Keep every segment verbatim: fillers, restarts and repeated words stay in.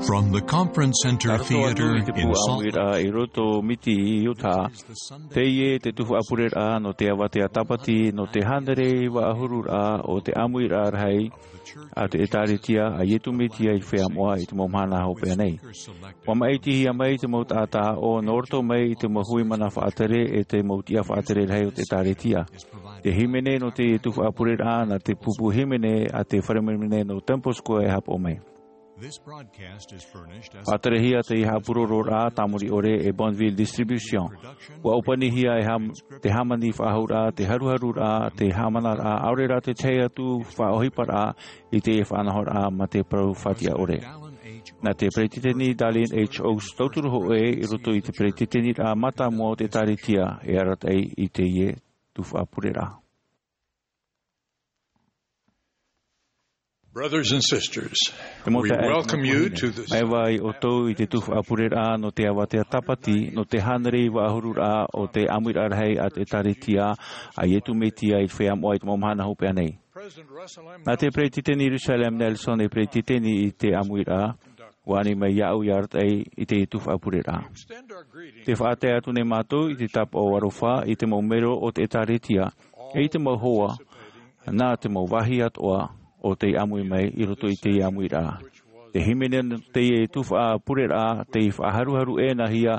From the Conference Center Theater in Salt Lake. I roto i te pū ʻāmuiraʻa i roto Miti i Utah, teie te tuhaʻa pureraʻa nō te avatea tāpati, nō te hānere iva ʻahuru raʻa o te ʻāmuiraʻa rahi a te ʻĒtārētia a Iesu Mesia i te feiā moʻa i te mau mahana hopeʻa nei. ʻUa maʻitihia mai te mau taʻata ʻāʻau nō roto mai i te mau hui mana faʻatere e te mau tiʻa faʻatere rahi o te ʻĒtārētia. Te hīmene nō te tuhaʻa pureraʻa nā te pupu hīmene a te fare hīmene nō Temple Square e haʻapaʻo mai. This broadcast is furnished as Faʻaterehia te haʻapurororaʻa tāmori ʻore e Bonneville Distribution. ʻUa ʻōpanihia e hām-, te hāmani faʻahouraʻa, te haruharuraʻa, te haʻamanaraʻa, ʻaore rā te tahi atu faʻaʻohiparaʻa i te faʻanahoraʻa mā te parau fatiʻa ʻore. Nā te Peretiteni Dallin H. Oaks tauturu hōʻē i roto i te Peretiteniraʻa mātāmua o te ʻĒtārētia e arataʻi i teie tuhaʻa pureraʻa. Brothers and sisters, E mau we taeaʻe, welcome you to the māuiui ʻoutou i te tuhaʻa pureraʻa nō te avatea tāpati, nō te hānere iva ʻahuru raʻa o te ʻāmuiraʻa rahi a te ʻĒtārētia a Iesu Mesia i te feiā moʻa i te mau mahana hopeʻa nei. Nā te Peretiteni Russell M. Nelson e Peretiteni i te ʻāmuiraʻa, ʻua ani mai iāʻu ʻia arataʻi i te tuhaʻa pureraʻa. Tē faʻatae atu nei mātou i te tāpaʻo aroha i te mau melo o te ʻĒtārētia, e i te mau hoa, nā te mau vāhi atoʻa o tei ʻāmui mai i roto i te ʻāmuiraʻa. Te hīmene nō teie tuhaʻa pureraʻa, tei faʻaharuharu ʻēnahia,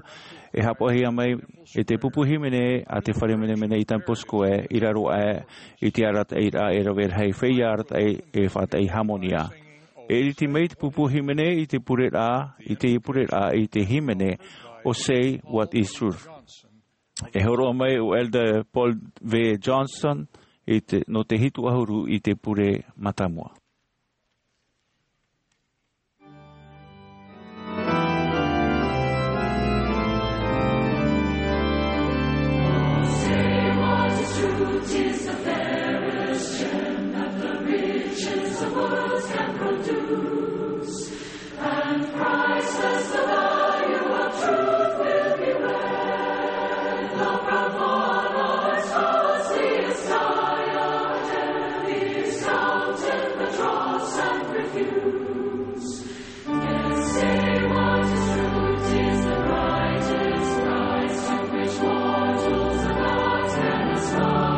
e haʻapaʻohia mai e te pupu hīmene a te fare hīmene i Temple Square, i raro aʻe i te arataʻiraʻa e rave rahi feiā arataʻi e faʻataʻi hāmoni. E ʻiriti mai te pupu hīmene i te pureraʻa, i te pureraʻa, i te hīmene ʻo Say What Is True. E hōroʻa mai ʻo Elder Paul V. Johnson i te, nō te hitu ʻahuru i te pure mātāmua. And priceless the value of truth will be read. The proud followers closely aspire, and be discounted the dross and refuse. Yes, say what is true, 'tis the brightest prize to which mortals of light can aspire.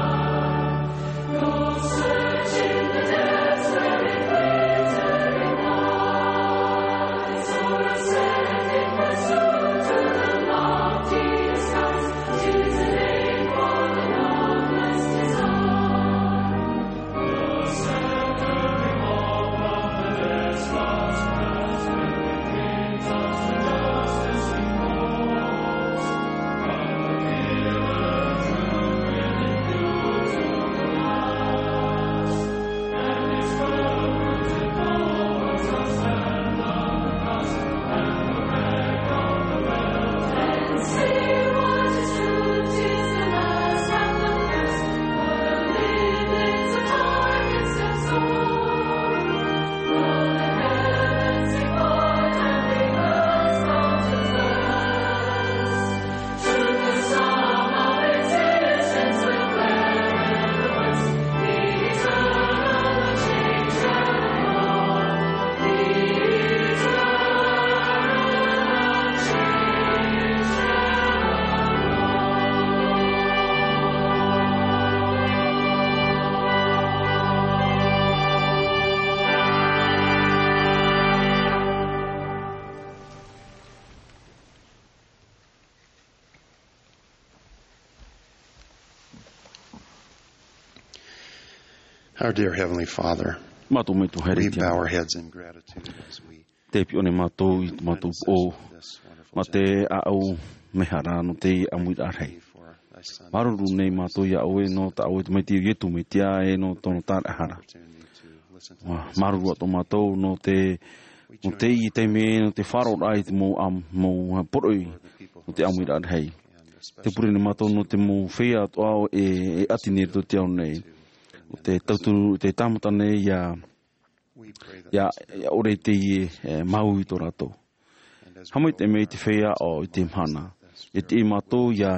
Our dear Heavenly Father, Mātou Metua Haere i te Ao. Bow our heads in gratitude as we Te piʻo nei mātou i tō mātou poʻo, mā te ʻāʻau mehara nō te ʻāmuiraʻa rahi. Māuruuru nei mātou iā ʻoe nō tā ʻoe Tamaiti ʻo Iesu Mesia e nō tōna tāraʻehara. Māuruuru atoʻa mātou nō te, nō teie taime, nō te faʻaroʻoraʻa i te mau ʻā-, mau poroʻi nō te ʻāmuiraʻa rahi. Te pure nei mātou nō te mau feiā atoʻa e, e ʻati nei i roto i te ao nei. Nō te tauturu, te tāmata nei ia, ia, ia ʻore i teie, e, māuiui tō rātou. Haʻamaitaʻi mai te feiā ʻo i te mahana. E tiʻi mātou ia,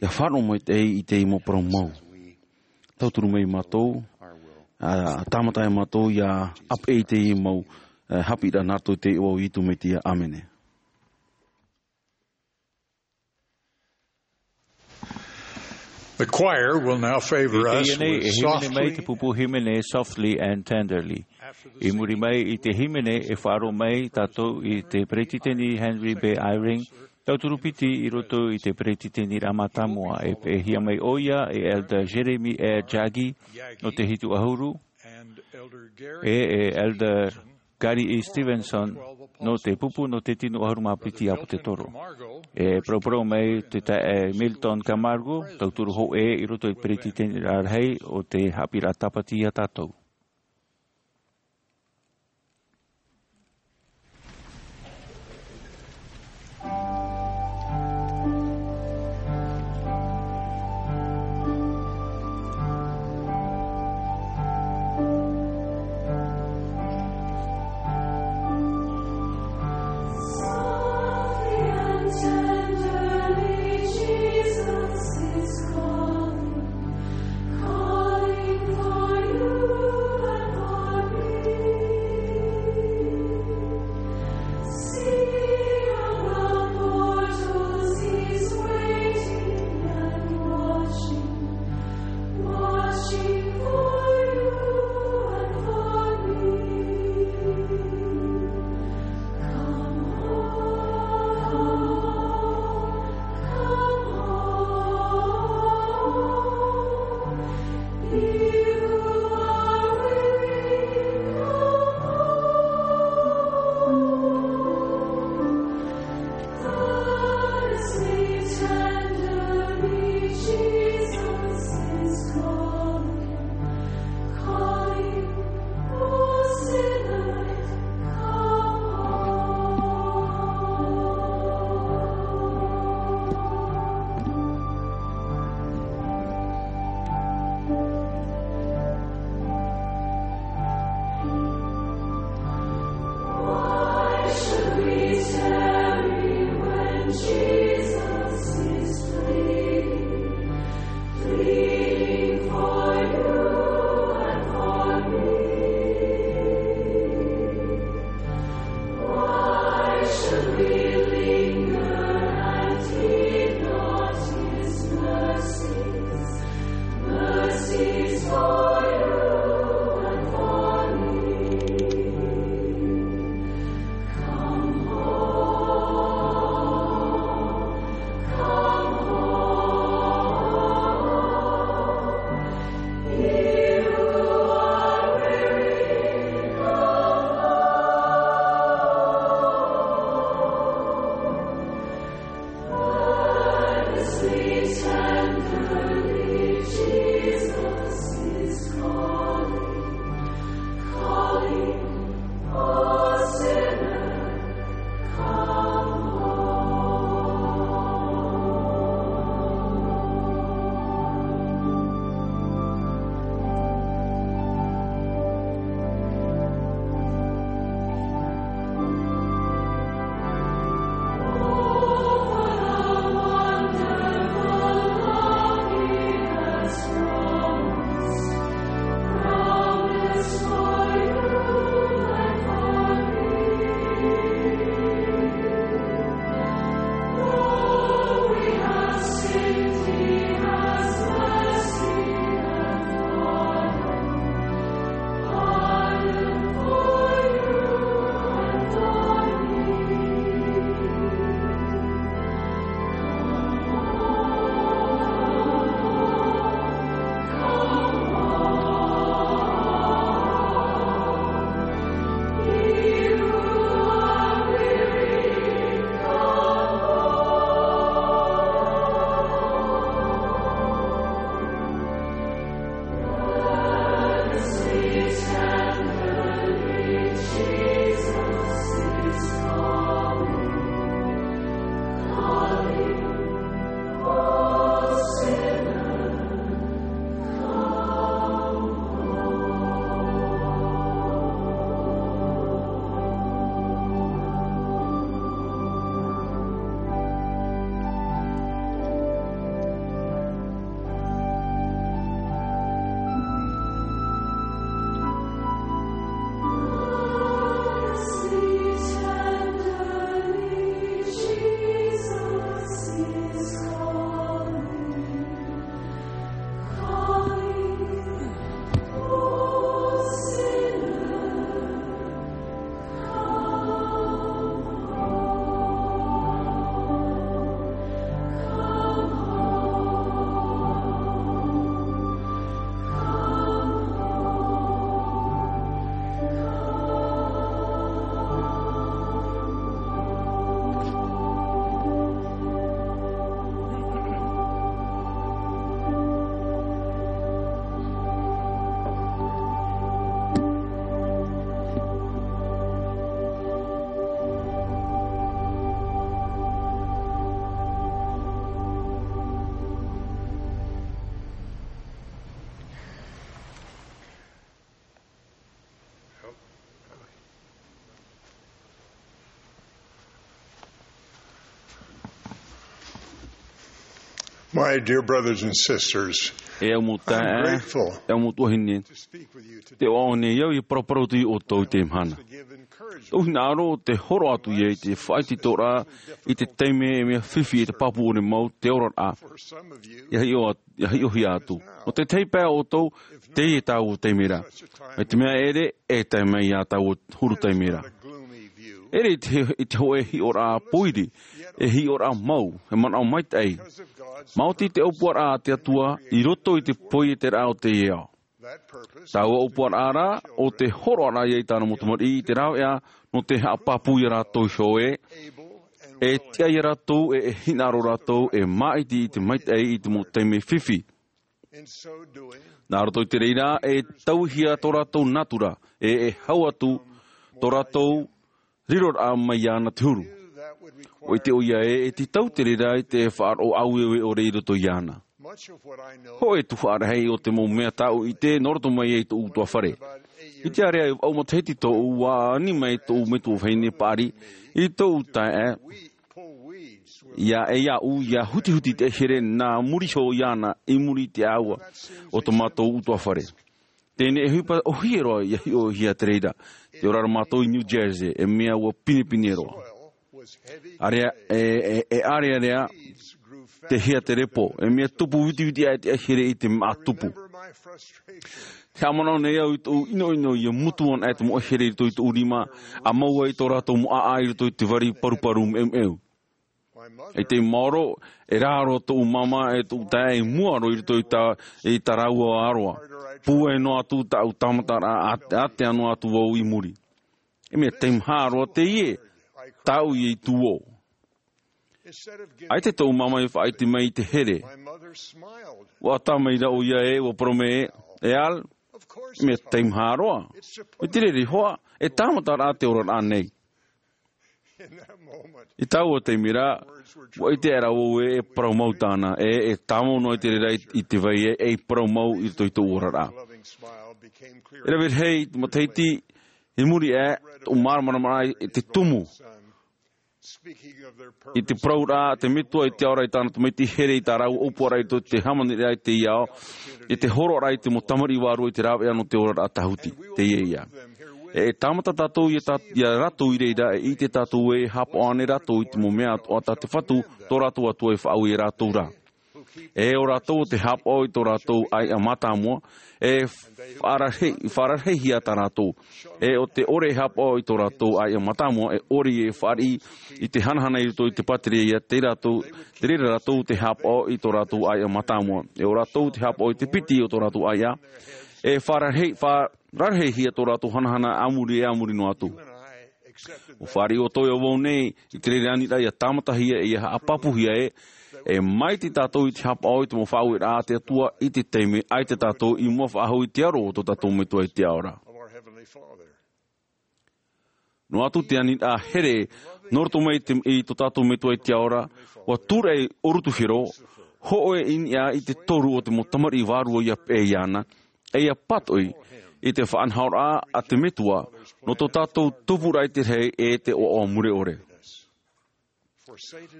ia faʻaroʻo maitaʻi i te mau parau mau. Tauturu mai mātou, ā, tāmata ai mātou ia ʻāpeʻe i te mau, e, haʻapiʻiraʻa nā roto i te iʻoa o Iesu Mesia. ʻĀmene. The choir will now favor us with Softly. I teie nei, e hīmene mai te pupu hīmene Softly and Tenderly. I muri mai i te hīmene, e faʻaroʻo mai tātou i te Peretiteni Henry B. Eyring, tauturu piti i roto i te Peretiteniraʻa Mātāmua, e peʻehia mai ʻoia e Elder Jeremy R. Jaggi nō te hitu ʻahuru, e, e Elder Gary E. Stevenson nō te pupu nō te tino ʻahuru mā piti ʻāpōsetolo. E paraparau mai te taeaʻe Milton Camargo, tauturu hōʻē i roto i te Peretiteniraʻa Rahi, ʻo tē haʻapiʻiraʻa tāpati ia tātou. My dear brothers and sisters, e au mau taeaʻe, e au mau tuahine, te ʻoaʻoa nei au ia paraparau atu ia ʻoutou i teie mahana. Tōʻu hinaʻaro o te horo atu ia i te faʻaitoitoraʻa i te taime e mea fifi e te pāpū ʻore mau te oraraʻa. Ia hiʻo, ia hiʻohia atu. Nō te tahi pae o ʻoutou, teie tāua taime ra. Mai te mea ʻere, e tae mai ia tāua huru taime ra. ʻEre i te, i te hōʻē hiʻoraʻa pōiri, e hiʻoraʻa mau, e manaʻo maitaʻi. Maoti te ʻōpuaraʻa a te Atua, i roto i te pōieteraʻa o teie ao. Tāua ʻōpuaraʻa ra, ʻo te horoʻaraʻa ia i tāna mau tamariʻi i te rāveʻa, nō te haʻapāpū ia rātou iho ē, e tiʻa ia rātou, e, e hinaʻaro rātou, e māʻiti i te maitaʻi i te mau taime fifi. Nā roto i te reira, e tauihia tō rātou natura, e, e hau atu tō rātou riroraʻa mai iāna te huru. ʻUa ʻite ʻoia ē, e tītau te reira i te faʻaroʻo ʻaueue ʻore i roto iāna. Hōʻē tuhaʻa rahi o te mau mea tāʻu i ʻite, nō roto mai ai tōʻu ʻutuāfare. I te ārea e vaʻu matahiti tōʻu, ʻua ani mai tōʻu metua vahine paʻari, i tōʻu taeaʻe, ia e iāʻu, ia hutihuti te here nā muri iho iāna i muri i te ʻāua o tō mātou ʻutuāfare. Teie nei e ʻohipa ʻōhie roa ia hiʻohia te reira. Tē ora ra mātou i New Jersey, e mea ʻua pinepine roa. ʻArea, e, e, e ʻarearea te hia te repo, e mea tupu vitiviti aʻe te ʻaihere i te māʻa tupu. Te haʻamanaʻo nei au i tōʻu ʻinoʻino ia mutu ana aʻe te mau ʻaihere i roto i tōʻu rima, ʻa mau ai tō rātou mau ʻāʻā i roto i te vari paruparu meumeu. I te maoro, e rā roa tōʻu māmā e tōʻu taeaʻe i mua roa i roto i tā, i tā rāua aroa. Pūai noa atu tāʻu tāmataraʻa, ā, ātea noa atu vau i muri. E mea teimaha roa teie, tāʻu ia i tū ō. ʻAita tōʻu māmā i faʻaʻite mai i te here. ʻUa ʻatā mai ra ʻoia ē, ʻua parau mai ē, e Al, e mea teimaha roa. E te reira hoʻi, e tāmataraʻa te oraraʻa nei. I taua taime ra, ʻua ʻite aʻera vau ē, e parau mau tāna, e, e tāmau noa i te reira i, i te vai ē, e parau mau i roto i tōʻu oraraʻa. E rave rahi i te matahiti, i muri aʻe, tōʻu māramarama i te tumu. I te parauraʻa a te metua i te ao ra i tāna tamaiti here i tā rāua ʻōpuaraʻa i roto i te hāmaniraʻa i teie ao, i te horoʻaraʻa i te mau tamariʻi vārua i te rāveʻa nō te oraraʻa tāhuti, teie ïa. E, e tāmata tātou ia tā, ia rātou i reira, e ʻite tātou ē, e haʻapaʻo ānei rātou i te mau mea atoʻa tā te Fatu, tō rātou Atua, i faʻaue ia rātou ra. E ʻo rātou ʻo tē haʻapaʻo i tō rātou ʻāiʻa mātāmua, e faʻararahi-, faʻararahihia tā rātou. E ʻo tē ʻore e haʻapaʻo i tō rātou ʻāiʻa mātāmua, e ʻore e fāriʻi i te hanahana i roto i te pātireia, te rātou, te reira rātou tē haʻapaʻo i tō rātou ʻāiʻa mātāmua. E ʻo rātou tē haʻapaʻo i te piti o tō rātou ʻāiʻa, e faʻararahi-, faʻararahihia tō rātou hanahana a muri, e a muri noa atu. ʻUa fāriʻi ʻoutou e au nei, i te reira aniraʻa ia tāmatahia e ia haʻapāpūhia ē, e māʻiti tātou i te haʻapaʻo i te mau faʻaueraʻa a te Atua i te taime ʻaita tātou i mua faʻahou i te aro o tō tātou Metua i te ao ra. Noa atu te aniraʻa here, nō roto mai te, i tō tātou Metua i te ao ra, ʻua tūraʻi ʻōrutuhia roa, hōʻē i niʻa i te toru o te mau tamariʻi vārua ʻia peʻe iāna, e ʻia pātoʻi i te faʻanahoraʻa a te Metua, nō tō tātou tupuraʻa i te rahi e te ʻoaʻoa mure ʻore.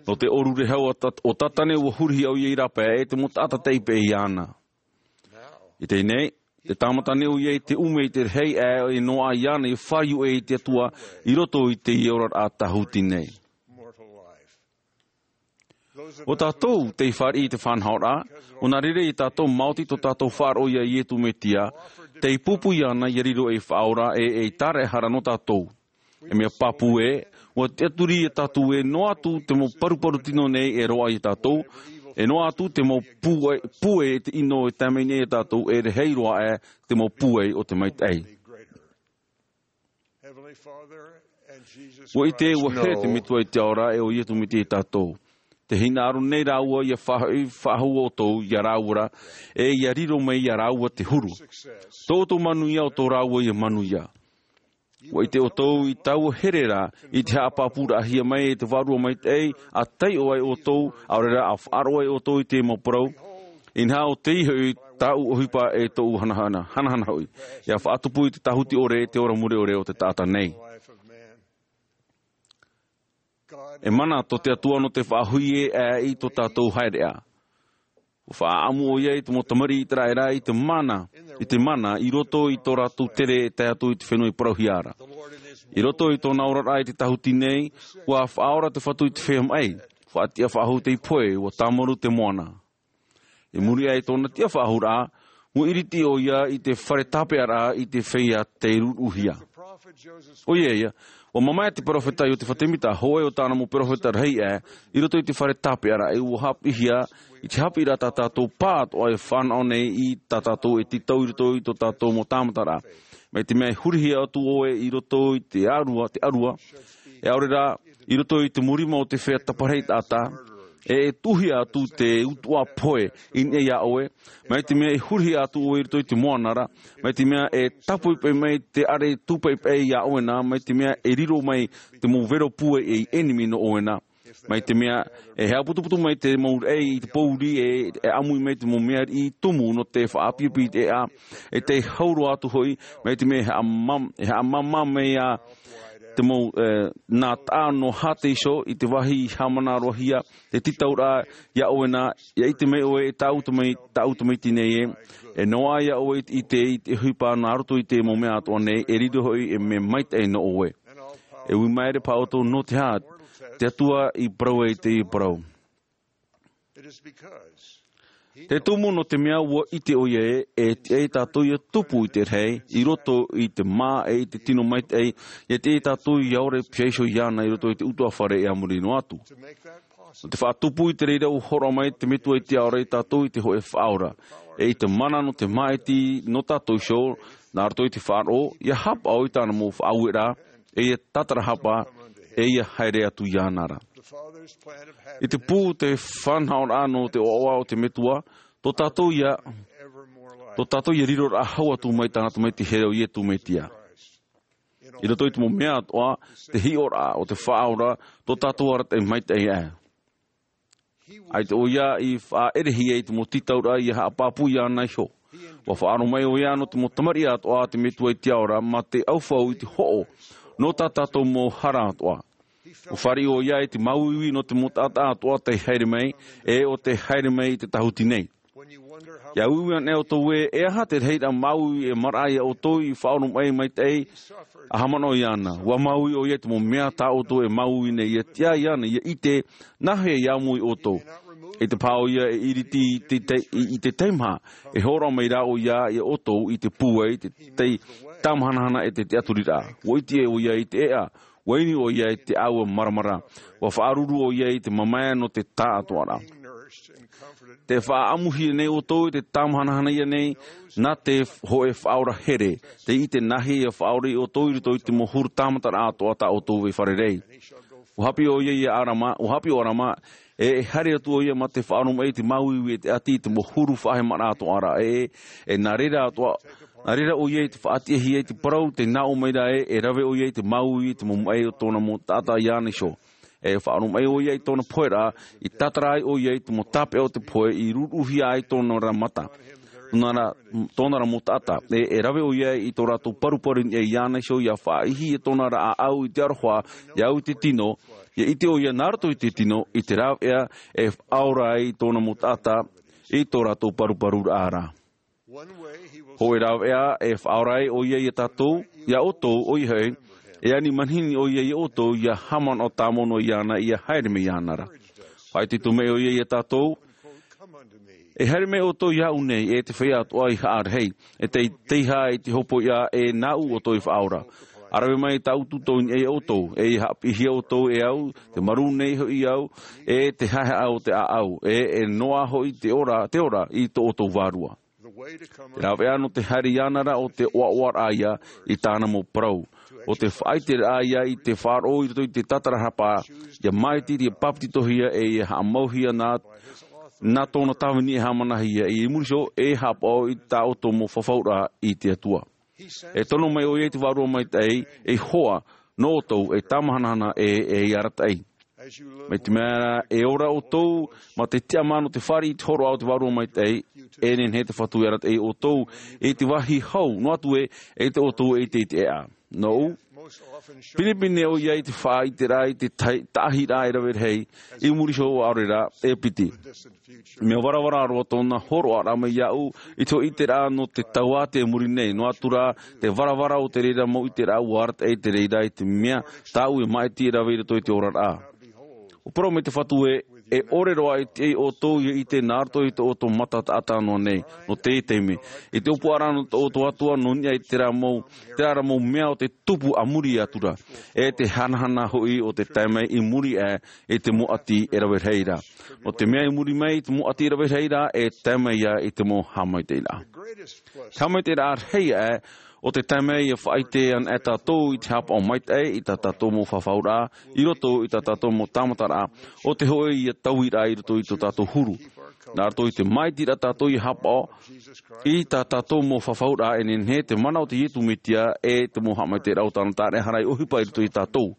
Nō te ʻōrurehau a Tat-, o Tātane ʻua hurihia ʻoia i rāpae e te mau taʻata tei peʻe iāna. I teie nei, tē tāmata nei ʻoia i te ʻume i te rahi aʻe e noaʻa iāna i fāriu ʻē i te Atua i roto i teie oraraʻa tāhuti nei. ʻO tātou tei fāriʻi i te faʻanahoraʻa, ʻo nā reira ia tātou maoti tō tātou faʻaroʻo ia Iesu Mesia, tei pūpū iāna ʻia riro ei Faʻaora e ei Tāraʻehara nō tātou. E mea pāpū ē, ʻua tiʻaturi ia tātou ē noa atu te mau paruparu tino nei e roaʻa ia tātou, e noa atu te mau pūai, pūai e te ʻino e tae mai nei ia tātou e rahi roa aʻe te mau pūai o te maitaʻi. ʻUa ʻite, ʻua here te Metua i te ao ra e ʻo Iesu Mesia ia tātou. Tē hinaʻaro nei rāua ʻia faʻahoʻi, faʻahou ʻoutou ia rāua ra, e ʻia riro mai ia rāua te huru. Tō ʻoutou manuia ʻo tō rāua ia manuia. ʻUa ʻite ʻoutou i taua here ra, i te haʻapāpūraʻahia mai e te Vārua Maitaʻi, ʻa taiʻo ai ʻoutou, ʻaore rā ʻa faʻaroʻo ai ʻoutou i te mau parau. Inaha ʻo tei hoʻi tāʻu ʻohipa e tōʻu hanahana, hanahana hoʻi. ʻIa faʻatupu i te tāhuti ʻore, te ora mure ʻore o te taʻata nei. E mana tō te Atua nō te faʻahoʻi ē, ʻa i tō tātou haereʻa. Ua faʻaʻamu ʻoia i te mau tamariʻi ʻiseraʻela i te mana, i te mana i roto i tō rātou tere e tae atu i te fenua i parauhia ra. I roto i tōna oraraʻa i te tahuti nei, ua faʻaora te Fatu i te feiā maʻi, faʻatiʻa faʻahou te ipu, ua tāmaru te moana. I muri aʻe i tōna tiʻa faʻahou ra, ua ʻiriti ʻoia i te fare tāpeʻaraʻa i te feiā tei ruruhia. ʻOia ia, ua mamae te peropheta Iotefa Temita, hōʻē o tāna mau peropheta rahi aʻe, i roto i te fare tāpeʻaraʻa, e ua haʻapiʻihia i te haʻapiʻiraʻa tā tātou pāʻatoʻa e fānaʻo nei i tā tātou e tītau i roto i tō tātou mau tāmataraʻa. Mai te mea e hurihia atu ʻoe i roto i te ʻārua, te ʻārua, e ʻaore rā, i roto i te mau rima o te feiā taparahi taʻata, e, e tuʻuhia atu te utuʻa pohe i niʻa iā ʻoe, mai te mea e hurihia atu ʻoe i roto i te moana ra, mai te mea e tāpoʻipoʻi mai te ʻare tūpaʻipaʻi iā ʻoe na, mai te mea e riro mai te mau vero pūai ei ʻenemi nō ʻoe na. Mai te mea e haʻaputuputu mai te mau raʻi i te pōuri e, e ʻāmui mai te mau mea riʻi tumu nō te faʻaʻapiʻapi i te ʻēʻa, e tei hau roa atu hoʻi, mai te mea e haʻamam-, e haʻamāmā mai ā te mau, e, nā taʻa nō hāteiso i te vāhi i haʻamanaʻohia, te tītauraʻa iā ʻoe na, ʻia ʻite mai ʻoe e tāʻu tamai-, tāʻu tamaiti nei ē, e noaʻa iā ʻoe i te, i te ʻohipa nā roto i te mau mea atoʻa nei, e riro hoʻi e mea maitaʻi nō ʻoe. E ui maere paha ʻoutou nō te aha, te Atua i parau ai teie parau. Te tumu nō te mea ua ʻite ʻoia ē, e tiʻa ia tātou ʻia tupu i te rahi, i roto i te mā e i te tino maitaʻi, ʻia tiʻa ia tātou ʻia ora piha iho iāna i roto i te utuafare e a muri noa atu. Nō te faʻatupu i te reira ua hōroʻa mai te Metua i te Ao ra ia tātou i te hōʻē faʻaora. E i te mana nō te māʻiti nō tātou iho, nā roto i te faʻaroʻo, ʻia haʻapaʻo i tāna mau faʻaueraʻa, e ʻia tātarahapa, e ʻia haere atu iāna ra. I te pū te fānaʻoraʻa nō te ʻoaʻoa o te Metua, tō tātou ïa, tō tātou ïa riroraʻa hau atu mai tāna Tamaiti here ʻo Iesu Mesia. I roto i te mau mea atoʻa, te hiʻoraʻa o te Faʻaora, tō tātou arataʻi maitaʻi aʻe. ʻAita ʻoia i faʻaʻerehia i te mau tītauraʻa ʻia haʻapāpū iāna iho. ʻUa faʻaaro mai ʻoia nō te mau tamariʻi atoʻa a te Metua i te Ao ra, mā te ʻaufau i te hoʻo, nō tā tātou mau hara atoʻa. ʻUa fāriʻi ʻoia i te māuiui nō te mau taʻata atoʻa tei haere mai, e ʻo tei haere mai i te tahuti nei. ʻIa uiui anaʻe ʻoutou ē, e aha te rahiraʻa māuiui e maraʻa ia ʻoutou i faʻaoromaʻi maitaʻi a haʻamanaʻo iāna. ʻUa māuiui ʻoia i te mau mea tā ʻoutou e māuiui nei, ʻia tiʻa iāna, ʻia ʻite, nāhea i ʻāmui ʻoutou. ʻEita paha ʻoia e ʻiriti i te, i, i te teimaha, e hōroʻa mai rā ʻoia ia ʻoutou i te pūai, te tei tāmahanahana e te tiʻaturiraʻa. ʻUa ʻite ʻoia i te ʻēʻa, ʻua inu ʻoia i te ʻāua maramara. ʻUa faʻaruru ʻoia i te mamae nō te taʻatoʻaraʻa. Tē faʻaʻamuhia nei ʻoutou i te tāmahanahana ïa nei, nā te hōʻē Faʻaora here, tei ʻite nāhea ia faʻaora ia ʻoutou i roto i te mau huru tāmataraʻa atoʻa tā ʻoutou e fārerei. ʻUa haʻapiʻi ʻoia ia ʻĀrama, ʻua haʻapiʻi ʻo ʻĀrama, e, e haere atu ʻoia mā te faʻaoromaʻi i te māuiui e te ʻati i te mau huru faʻahemaraʻa atoʻa ra, e, e, nā reira atoʻa, nā reira ʻoia i te faʻatiʻahia i te parau, tē nā ʻō mai ra ē, e rave ʻoia i te māuiui i te mau maʻi o tōna mau taʻata iāna iho. E faʻaoromaʻi ʻoia i tōna poheraʻa, i tātara ai ʻoia i te mau tāpeʻa o te pohe, i ruruhia ai tōna ra mata. Tōna ra, tōna ra mau taʻata. E, e rave ʻoia i tō rātou paruparu i niʻa iāna iho, ʻia faʻaʻihi i tōna ra ʻāʻau i te aroha, ʻia au i te tino, ʻia ʻite ʻoia nā roto i te tino, i te rāveʻa, e faʻaora ai tōna mau taʻata, i tō rātou paruparuraʻa ra. Hōʻē rāveʻa, e faʻaora ai ʻoia ia tātou, ia ʻoutou, ʻoia hoʻi, e ani manihini ʻoia ia ʻoutou, ʻia haʻamanaʻo tāmau noa iāna, ʻia haere mai iāna ra. Faʻaitoito mai ʻoia ia tātou, e haere mai ʻoutou iāʻu nei, e te feiā atoʻa i haʻarahi, e tei, tei hā i te hopoiʻa, e nāʻu ʻoutou i faʻaora. ʻA rave mai tāʻu tūtau i niʻa ia ʻoutou, e ʻia haʻapiʻihia ʻoutou e au, tē marū nei hoʻi au, e te haehaʻa o te ʻāʻau, e, e noaʻa hoʻi te ora, te ora i tō ʻoutou vārua. Te rāveʻa nō te haere iāna ra ʻo te ʻoaʻoaraʻa ïa i tāna mau parau. ʻO te faʻaʻiteraʻa ïa i te faʻaroʻo i roto i te tātarahapa, ʻia māʻiti, ʻia pāpetitohia, e ʻia haʻamauhia nā, nā tōna tāvini e haʻamanahia, i muri iho e haʻapaʻo i tā ʻoutou mau fafauraʻa i te Atua. E tono mai ʻoia i te Vārua Maitaʻi, ei hoa, nō ʻoutou, ei tāmahanahana, e, ei arataʻi. Mai te mea e ora ʻoutou, mā te tiʻamā nō te fāriʻi i te hōroʻa o te Vārua Maitaʻi, e nehenehe te Fatu e arataʻi ʻoutou, i te vāhi hau, noa atu ē, e ʻoutou e ʻite i te ʻēʻa. Nōʻu, Pinepine ʻoia i te faʻaʻiteraʻa i te tahi-, taʻahiraʻa e rave rahi, i muri iho ʻaore rā e piti. Mea varavara roa tōna hōroʻaraʻa mai iāʻu i te hōʻē ʻiteraʻa nō te tau ʻātea i muri nei, noa atu rā te varavara o te reira mau ʻiteraʻa ʻua arataʻi i te reira i te mea tāʻu e māʻiti e rave i roto i te oraraʻa. ʻUa parau mai te Fatu ē, e ʻore roa e tiʻa ia ʻoutou ia ʻite nā roto i tō ʻoutou mata taʻata noa nei, nō te taime. I te ʻōpuaraʻa nō tō ʻoutou Atua nō niʻa i terā mau, terā rā mau mea o te tupu a muri atu ra. E te hanahana hoʻi o te tae mai i muri aʻe i te mau ʻati e rave rahi ra. Nō te mea i muri mai i te mau ʻati e rave rahi ra, e tae mai ia i te mau haʻamaitaʻiraʻa. Te haʻamaitaʻiraʻa rahi aʻe, o te taime ia faʻaʻite ana e tātou i te hapaʻo maitaʻi i tā tātou mau fafauraʻa, i roto i tā tātou mau tāmataraʻa, o te hōʻē ia tauiraʻa i roto i tō tātou huru. Nā roto i te māʻitiraʻa tātou ia hapaʻo, i tā tātou mau fafauraʻa e nehenehe te mana o te Iesu Mesia e te mau haʻamaitaʻiraʻa o tāna tāraʻehara i ʻohipa i roto i tātou.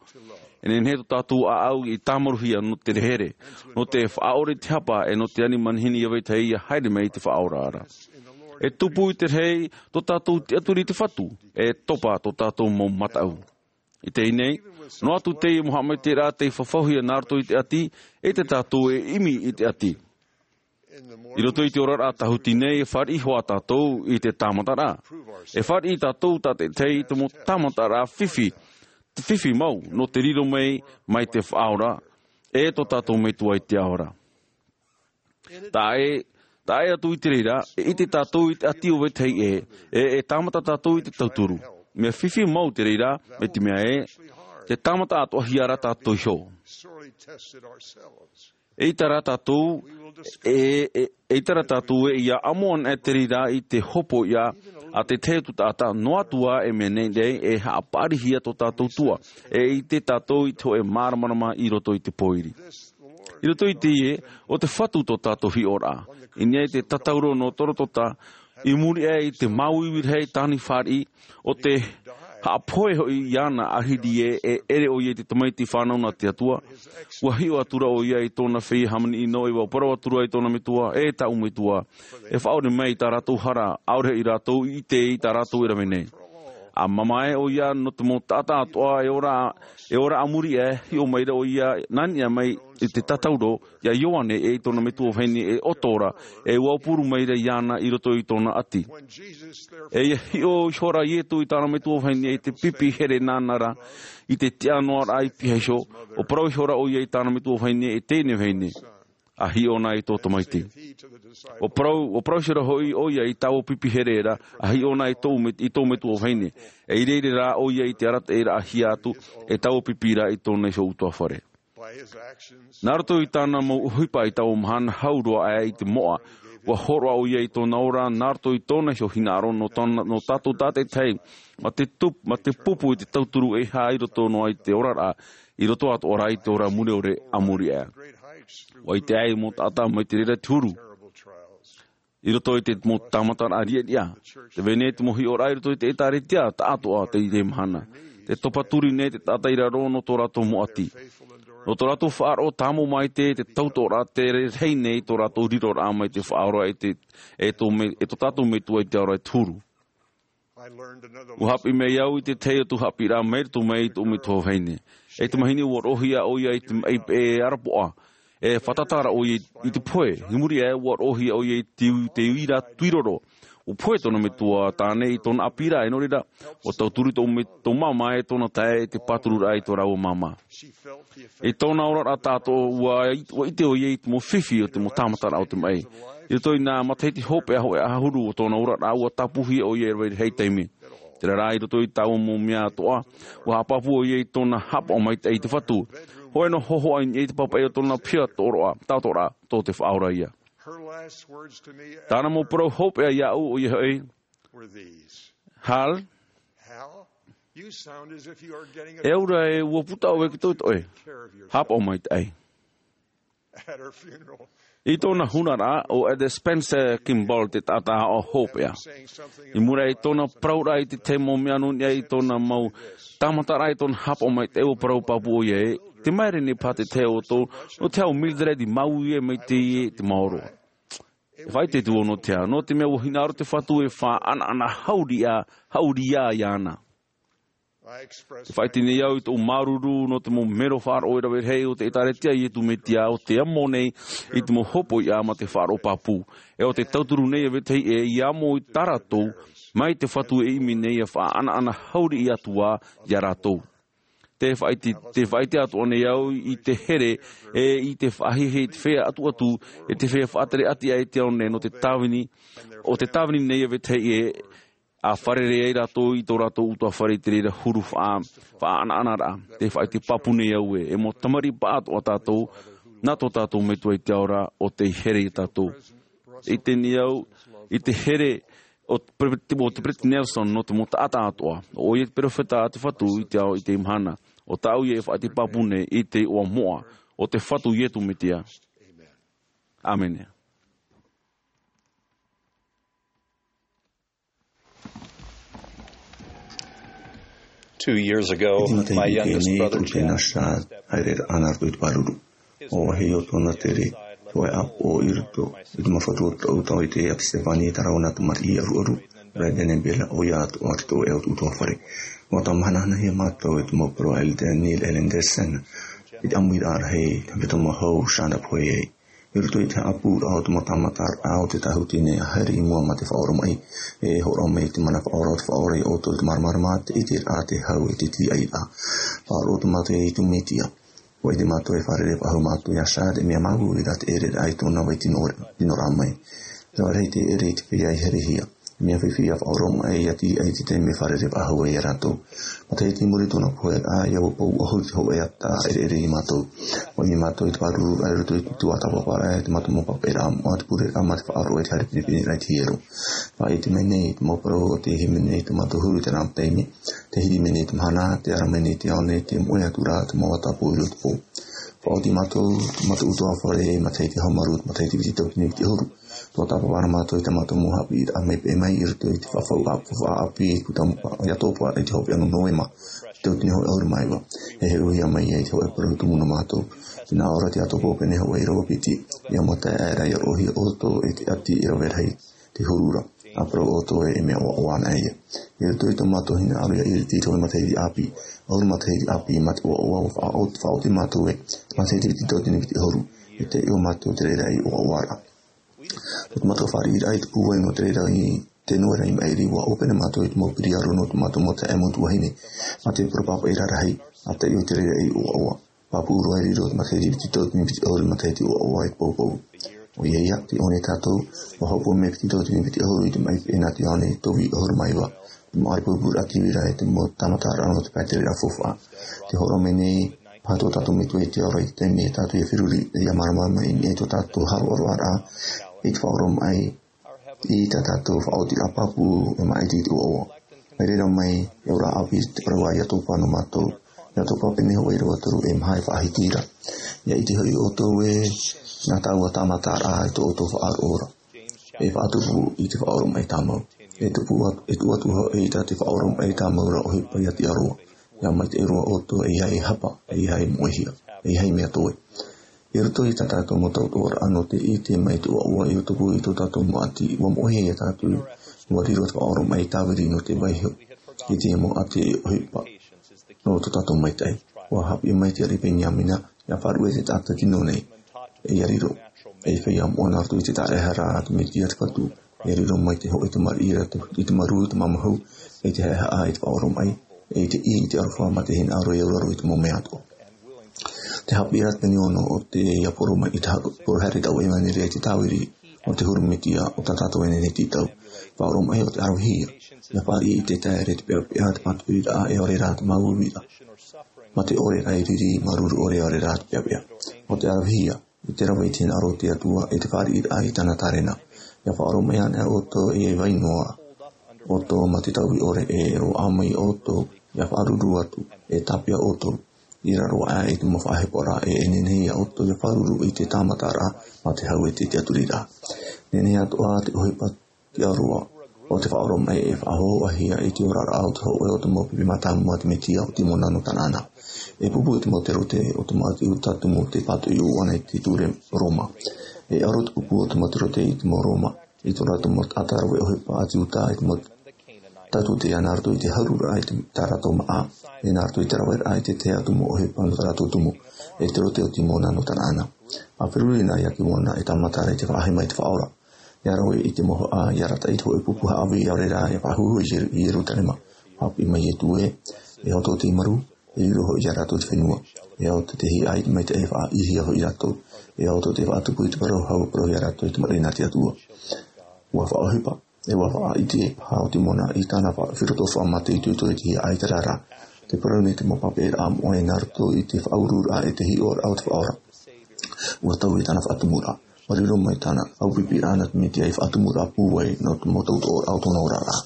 E nehenehe tō tātou ʻāʻau i tāmaruhia nō te here, nō te faʻaʻore i te hapa e nō te ani manihini ia vetahi ia haere mai i te faʻaora ra. E tupu i te rahi tō tātou tiʻaturi i te Fatu, e topa tō tātou mau mataʻu. I teie nei, noa atu teie mau haʻamaitaʻiraʻa tei fafauhia nā roto i te ʻati, e te tātou e ʻimi i te ʻati. I roto i te oraraʻa tāhuti nei e fāriʻi hoʻi tātou i te tāmataraʻa. E fāriʻi tātou tātaʻitahi i te mau tāmataraʻa fifi, te fifi mau, nō te riro mai, mai te faʻaora, e tō tātou Metua i te ao ra. Taʻa ʻē, taʻa ʻē atu i te reira, e ʻite tātou i te ʻati o vetahi ʻē, e, e tāmata tātou i te tauturu. Mea fifi mau te reira, mai te mea ē, te tāmata atoʻahia ra tātou iho. E ʻita rā tātou, e, e, e ʻita rā tātou e ia ʻamo ana e te reira i te hopoiʻa a te tahi atu taʻata, noa atu ā e mea nehenehe e haʻapaʻarihia tō tātou Atua, e ʻite tātou i te hōʻē māramarama i roto i te pōiri. I roto i teie, ʻo te Fatu tō tātou hiʻoraʻa. I niʻa i te tatauro nō Gologota, i muri aʻe i te māuiui rahi tāna i fāriʻi, ʻo te haʻapohe hoʻi iāna ʻāhiri ē, e ʻere ʻoia i te tamaiti fānau nā te Atua, ʻua hiʻo atura ʻoia i tōna feiā hāmani ʻino, ʻua parau atura i tōna Metua, e tāʻu Metua, e faʻaʻore mai i tā rātou hara, ʻaore hoʻi rātou i ʻite i tā rātou e rave nei. ʻA māmā ē ʻoia nō te mau taʻata atoʻa e ora, e ora a muri aʻe, hiʻo mai ra ʻoia nā niʻa mai i te tatauro, iā Ioane e i tōna metua vahine e ʻoto ra, e ʻua aupuru mai ra iāna i roto i tōna ʻati. E ia hiʻo ihora Iesu i tāna metua vahine i te pipi here nāna ra, i te tiʻa noa ra i pihaʻi iho, ʻua parau ihora ʻoia i tāna metua vahine e teie nei vahine, ʻa hiʻo na i tō tamaiti. ʻUa parau, ʻua parau ihora hoʻi ʻoia i taua pipi here ra, ʻa hiʻo na i tō me-, i tō metua vahine. E ʻeʻere rā ʻoia i te arataʻiraʻahia atu, e taua pipi ra i tōna iho ʻutuāfare. Nā roto i tāna mau ʻohipa i taua mahana hau roa aʻe i te moʻa, ʻua hōroʻa ʻoia i tōna ora, nā roto i tōna iho hinaʻaro nō tōna, nō tātou tātaʻitahi, mā te tup-, mā te pupu i te tauturu e hā i roto noa i te oraraʻa, i roto atoʻa ra i te ora mure ʻore a muri aʻe. ʻUa ʻite aʻe mau taʻata mai te reira te huru. I roto i te mau tāmataraʻa riʻariʻa. Te vai nei te mau hiʻoraʻa i roto i te ʻĒtārētia, taʻatoʻa teie mahana. Tē topa turi nei te taʻata i raro nō tō rātou mau ʻati. Nō tō rātou faʻaroʻo tāmau maitaʻi te tautoʻoraʻa te rahi nei tō rātou riroraʻa mai te Faʻaora e te, e tō me-, e tō tātou Metua i te ao ra e te huru. ʻUa haʻapiʻi mai au i te tahi atu haʻapiʻiraʻa mai roto mai i tōʻu metua vahine. E te mahana ʻua roʻohia ʻoia i te, i, e arapoʻa. E fātata ra ʻoia i, i te pohe. I muri aʻe ʻua roʻohia ʻoia i te, te uira tuiroro. ʻUa pohe tōna metua tāne i tōna ʻāpī ra, e nō reira, ʻua tauturu tō me-, tō māmā e tōna taeaʻe i te pātururaʻa i tō rāua māmā. I tōna oraraʻa tāʻatoʻa, ʻua, ʻua ʻite ʻoia i te mau fifi o te mau tāmataraʻa o te maʻi. I roto i nā matahiti hopeʻa hōʻē ʻahuru o tōna oraraʻa, ʻua tāpūhia ʻoia e rave rahi taime. Terā rā, i roto i taua mau mea atoʻa, ʻua haʻapāpū ʻoia i tōna haʻapaʻo maitaʻi i te Fatu. Hōʻē noa hōhoʻa i niʻa i te pāpaʻi o tōna piha tōroʻa, taʻatoʻaraʻa, tō te Faʻaora ïa. Tāna mau parau hopeʻa iāʻu, ʻoia hoʻi, Hal, e aura e ʻua puta ʻoe ki tō toʻe. Haʻapaʻo maitaʻi. I tōna hunaraʻa, ʻo Elder Spencer Kimball te taʻata aʻo hopeʻa. I muri i tōna parauraʻa i te tahi mau mea nō niʻa i tōna mau tāmataraʻa i tōna haʻapaʻo maitaʻi, ʻua parau pāpū ʻoia ē, tē maere nei paha te tahi o ʻoutou, nō te hau Mildred i māuiui mai teie te maoro. E faʻaʻite atu vau nō te aha, nō te mea ʻua hinaʻaro te Fatu e faʻanaʻana haʻuria, haʻuria iāna. Te faʻaʻite nei au i tōʻu māuruuru nō te mau mero faʻaroʻo e rave rahi o te ʻĒtārētia a Iesu Mesia o tē amo nei i te mau hopoiʻa mā te faʻaroʻo pāpū. E o te tauturu nei a vetahi ʻē ia amo i tā rātou, mai te Fatu e ʻimi nei ia faʻaʻanaʻana hauriʻi atu ā ia rātou. Te faʻaʻite, te faʻaʻite atoʻa nei au i te here, e i te faʻahiahia i te feiā atuatu, e te feiā faʻatere ʻati aʻe i te ao nei nō te tāvini, o te tāvini nei a vetahi ʻē, a fārerei ai rātou i tō rātou ʻutuāfare i te reira huru faʻa-, faʻaʻanaʻanaraʻa. Te faʻaʻite pāpū nei au ē, e mau tamariʻi pāʻatoʻa tātou, nā tō tātou Metua i te ao ra, o tei here ia tātou. I teie nei au, i te here o te Pre-, o te Peresideni Nelson nō te mau taʻata atoʻa, ʻo ia te perofeta a te Fatu i te ao i teie mahana. ʻO tāʻu ia e faʻaʻite pāpū nei i te iʻoa moʻa o te Fatu Iesu Mesia. ʻĀmene. Two years ago, my youngest brother, Chad, haere ana rātou i te pāruru. ʻO vāhi o tōna tere, te hōʻē ʻāpoʻo i roto i te mau fatu o tōʻu tau i te ʻāpī Stefani, terā ʻo nā tamariʻi ʻaruʻaru, Brandon e Bella, ʻo ia atoʻa te tōʻu ʻē ʻutuāfare. ʻUa tāmāhanahanahia mātou e te mau parau a Elder Neil L. Andersen i te ʻāmuiraʻa rahi, te hepetoma hau, Chad a pohe ai. I roto i te haʻapūraʻa o te mau tāmataraʻa o te tāhuti nei a haere i mua mā te faʻaoromaʻi, e hōroʻa mai te mana faʻaora o te Faʻaora ia ʻoutou i te māramarama, te ʻiteraʻa, te hau, e te tīaʻiraʻa. Faʻaroʻo atu mātou ia Iesu Mesia. ʻUa ʻite mātou e fārerei faʻahou mātou ia Chad, e mea māuiui rā te ʻereraʻa i tōna vai tino, tino rā mai. Rave rahi te ʻere i te feiā i herehia. Mea fifi ia faʻaoromaʻi ia tīaʻi i te taime e fārerei faʻahou ai ia rātou. Matahiti i muri i tōna pohe, ʻa ia ʻua pau ʻahuru te hōʻē ata ʻereʻere ia mātou. ʻUa ʻimi mātou i te pāruru i roto i te tuatāpaparaʻa, te mātou mau papaʻiraʻa moʻa, te pureraʻa mā te faʻaroʻo, e te haere pinepineraʻa i te hiero. Faʻaʻite mai nei te mau parau o te hīmene i tō mātou huru i terā taime, te hiri mai nei te mahana, te ara mai nei te ao nei, te moʻe atu ra te mau ata pōuri o te pō. Faʻaoti mātou, tō mātou ʻutuāfare, matahiti hāmaru, matahiti piti tauatini piti ʻahuru. Tuatāpaparaʻa mātou i tā mātou mau haʻapiʻiraʻa maitaʻi mai i roto i te faʻahou ʻāpī, faʻahou ʻāpī, i Tūtapa, i Atopa, i te hopeʻa nō Novema, tauatini hōʻē ʻahuru mā iva. E heuhia mai ai te hōʻē parau tumu nō mātou. Tē nā ʻō ra te Atopa, pene hōʻē ʻīrava piti, ʻia mataʻi aʻera ʻia roʻohia ʻoutou e te ʻati e rave rahi te huru ra. ʻA parau ʻoutou ē, e mea ʻoaʻoa ana ia. I roto i tō mātou hinaʻaro ia iriti i te hōʻē matahiti ʻāpī, ʻahuru matahiti ʻāpī mā te ʻoaʻoa, ʻua faʻaoti, faʻaoti mātou ē, matahiti piti tauatini piti ʻahuru, e taiʻo mātou i te raʻi ʻoaʻoa ra. Nō te mātou fāriʻiraʻa i te pūai nō te reira i te noera i maʻiri, ʻua ʻōpene mātou i te mau piriaro nō te mātou mau taeaʻe, mau tuahine, mā te parau papaʻi rarahi, ʻa taiʻo i te raʻi ʻoaʻoa. Pāpū roa e riro i te matahiti piti tauatini piti ʻahuru, matahiti ʻoaʻoa e te poupou. ʻOia ia, tē ʻō nei tātou, ʻua hopoiʻa mai piti tauatini piti ʻahuru i te maʻi peʻe nā te ao nei, tō vī ʻahuru mā iva. Te mau ʻārai purapura ʻātīviraʻa, te mau tāmataraʻa nō te pae tereraʻa faufaʻa. Tē hōroʻa mai nei paha tō tātou Metua i te ao ra i te taime tātou ʻia feruri, ʻia māramarama i niʻa i tō tātou haroʻaroʻaraʻa i te faʻaoromaʻi i tā tātou faʻaotiraʻa pāpū e maʻiti i te ʻoaʻoa. Mai reira mai, e ora ʻāpī te parau a Atopa nō mātou. Atopa pene hōʻē ʻīrava toru, e maha e faʻahiti ra. ʻIa ʻite hoʻi ʻoutou ē, nā tāua tāmataraʻa i tō ʻoutou faʻaroʻo ra. E faʻatupu i te faʻaoromaʻi tāmau. E tupu atu, e tuʻu atu hoʻi i tā te faʻaoromaʻi tāmau ra ʻohipa ʻia tiʻa roa. ʻIa maitaʻi roa ʻoutou, ʻeiaha e hapa, ʻeiaha e moʻehia, ʻeiaha e mea toe. I roto i tā tātou mau tautoʻoraʻa nō te ʻite mai i te ʻoaʻoa i tupu i tō tātou mau ʻati, ʻua moʻehia ia tātou, ʻua riro te faʻaoromaʻi tāviri nō te vaiiho i te mau ʻati e ʻohipa nō tō tātou maitaʻi. ʻUa haʻapiʻi mai te ariʻi Beniamina, ʻia faʻaruʻe te taʻata tino nei, e ʻia riro ei feiā moʻa nā roto i te tāraʻehara a te Mesia te Fatu, ʻia riro mai te hōʻē tamariʻi ra te, i te marū, i te mamahu, i te haʻehaʻa, i te faʻaoromaʻi, i te ʻī, i te aroha, mā te hinaʻaro e auraro i te mau mea atoʻa. Te haʻapiʻiraʻa pene ono o te ʻia poro mai i te ha-, poro haere i taua ʻevaneria i te tāviri o te huru Mesia o tā tātou e nehenehe e tītau. Faʻaoromaʻi ʻo te ʻaravehia. ʻIa fāriʻi i te taere, te peʻapeʻa, te pātoʻiraʻa e ʻore ra te māuiuiraʻa. Mā te ʻore ra e riri, māuruuru ʻore e ʻore ra te peʻapeʻa. ʻO te ʻaravehia, i te rave i te hinaʻaro o te Atua, i te fāriʻiraʻa i tāna tārena. ʻIa faʻaoromaʻi ana ʻoutou, ʻeiaha e vai noa ʻoutou mā te tauiʻore, e roaʻa mai ʻoutou, ʻia faʻaruru atu, e tāpeʻa ʻoutou i raro aʻe i te mau faʻaheporaʻa, e nehenehe ia ʻoutou ʻia faʻaruru i te tāmataraʻa, mā te hau e te tiʻaturiraʻa. Nehenehe atoʻa te ʻohipa tiʻa roa o te faʻaoromaʻi e faʻahōhoʻahia i te oraraʻa o te hōʻē o te mau pipi mātāmua a te Mesia, ʻo Timona nō Kanaana. E pupu i te mau terote o te mau ʻāti Iuta tumu te pātoʻi ʻūʻana i te ture Roma. E ʻaro te pupu o te mau terote i te mau Roma, i tō rātou mau taʻata rave ʻohipa ʻāti Iuta, i te mau Tātou te aha nā roto i te hauruuraʻa i te, tā rātou māʻa, e nā roto i te raveraʻa i te tahi atu mau ʻohipa nō tā rātou tumu, e te roto o Timona nō tāna ʻana. ʻA feruri na ia Timona e tāmata ra i te faʻahaʻa mai i te Faʻaora. ʻIa rave i te mau haʻa, ʻia arataʻi i te hōʻē pupu haʻavī, ʻaore rā, ʻia faʻahou i Ieru-, i Ierutarema. Haʻapiʻi mai Iesu ē, e hoto te maru, e riro hoʻi ia rātou i te fenua. E ao te hiʻo maitaʻi e faʻaʻitehia hoʻi rātou. E ao te faʻatupu i te parau hau, parauhia rātou i te marae nā te Atua. ʻUa faʻaʻohipa, e ʻua faʻaʻite paha ʻo Timona i tāna fa-, feruriraʻa faʻamātoʻitoʻito i te hiʻo i te reira. Te parau nei te mau papaʻiraʻa moʻa nā roto i te faʻauruuraʻa e te hiʻoraʻa o te Faʻaora. ʻUa taui tāna faʻatumuraʻa. ʻUa riro mai tāna ʻaupipiraʻa nā te Mesia ei faʻatumuraʻa pūai nō te mau tautooraʻa o tōna oraraʻa.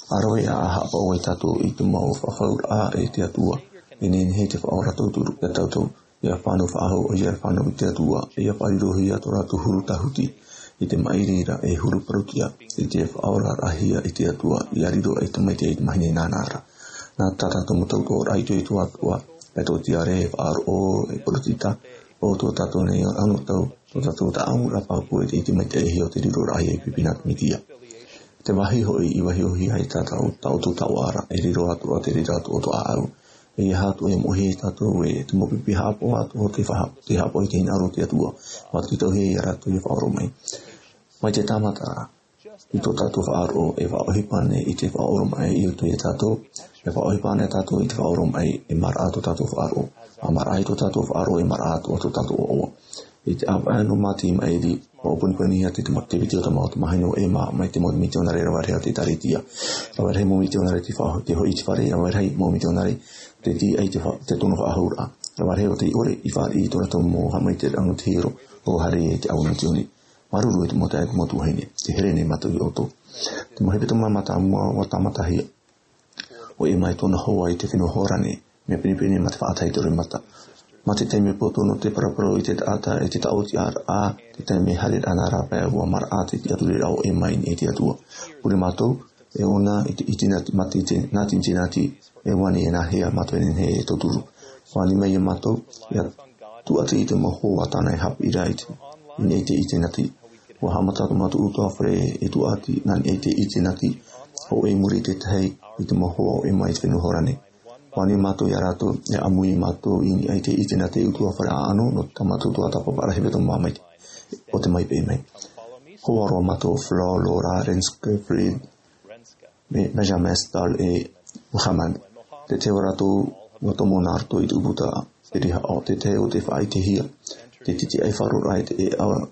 ʻA rave ā, ʻa haʻapaʻo ai tātou i te mau fafauraʻa e te Atua, e nehenehe te Faʻaora tauturu ia tātou, ʻia fānau faʻahou, ʻia fānau i te Atua, ʻia faʻarirohia tō rātou huru tāhuti, i te maʻiri ra e huru parauʻtiʻa, i te faʻaoraraʻahia e te Atua, ʻia riro ai te maitaʻi i te mahana nānā ra. Nā tā tātou mau tautooraʻa itoito atoʻa, e tō tiare, e faʻaroʻo, e poritita, ʻo tō tātou nei anotau, tō tātou taʻamuraʻa pāpū e te ʻite maitaʻihia o te riroraʻahia ei pipi nā te Mesia. Te vāhi hoʻi i vaiihohia ai tātou, tā ʻoutou taoʻa ra, e riro atoʻa te reira atoʻa o tō ʻāʻau. E ʻeiaha atoʻa e moʻehia tātou ē, te mau pipi haʻapaʻo atoʻa te faʻa-, te haʻapaʻo i te hinaʻaro o te Atua, ʻua tītauhia ia rātou ʻia faʻaroʻo mai. Mai te tāmata ra, i tō tātou faʻaroʻo, e faʻaʻohipa ānei i te faʻaoromaʻi i roto ia tātou, e faʻaʻohipa ānei tātou i te faʻaoromaʻi, e maraʻa tō tātou faʻaroʻo. ʻA maraʻa i tō tātou faʻaroʻo, e maraʻa atoʻa tō tātou ʻoaʻoa. I te ʻāvaʻe nō Mātiu maʻiri, ʻua ʻōpanipanihia te, te ma-, te piti o te mau, te mahana o Ema, mai te mau mitionare rave rahi o te ʻĒtārētia. Rave rahi mau mitionare te fa-, te hoʻi i te fare, rave rahi mau mitionare te tīaʻi te fa-, te tono faʻahouraʻa. Rave rahi ʻo tei ʻore i fāriʻi i tō rātou mau haʻamaitaʻiraʻa nō te hiero, ʻo haere i te ʻāua misiōni. Māuruuru e te mau taeaʻe, e te mau tuahine, tē here nei mātou iā ʻoutou. Te mau hepetoma mātāmua ʻua tāmatahia ʻo Ema e tōna hoa i te fenua Hōrane, mea pinepine mā te faʻatae i te roimata. Mā te taime poto nō te paraparau i te taʻata e te taʻotiʻaraʻa, te taime haereraʻa nā rāpae, ʻua maraʻa te tiʻaturiraʻa o Ema i niʻa i te Atua. Pure mātou, e ʻōna i te, i te nati, mā te, te nati, te nati, e ʻua ani e nāhea mātou e nehenehe e tauturu. ʻUa ani mai iā mātou, ʻia tūʻati i te mau hoa tāna e haʻapiʻi ra i te, i niʻa i te, i te nati. ʻUa haʻamata tō mātou ʻutuāfare e tūʻati nā niʻa i te, i te nati, hōʻē i muri i te tahi i te mau hoa o Ema i te fenua Hōrane. ʻUa ani mātou iā rātou, e ʻāmui mātou i niʻa i te, i te nati ʻutuāfare ʻāʻano, nō tā mātou tuatāpapa ra hepetoma mai te, ʻo te mai pē mai. Hoa roa mātou, Flora, Laura, Renske, Fred, Be-, Benjamin, Stahl e Muhammad. Te tahi o rātou, ʻua tomo nā roto i te ʻūputa pirihaʻo, te tahi o te faʻaʻitehia, te titiʻaifaro ra e te, e ʻaua,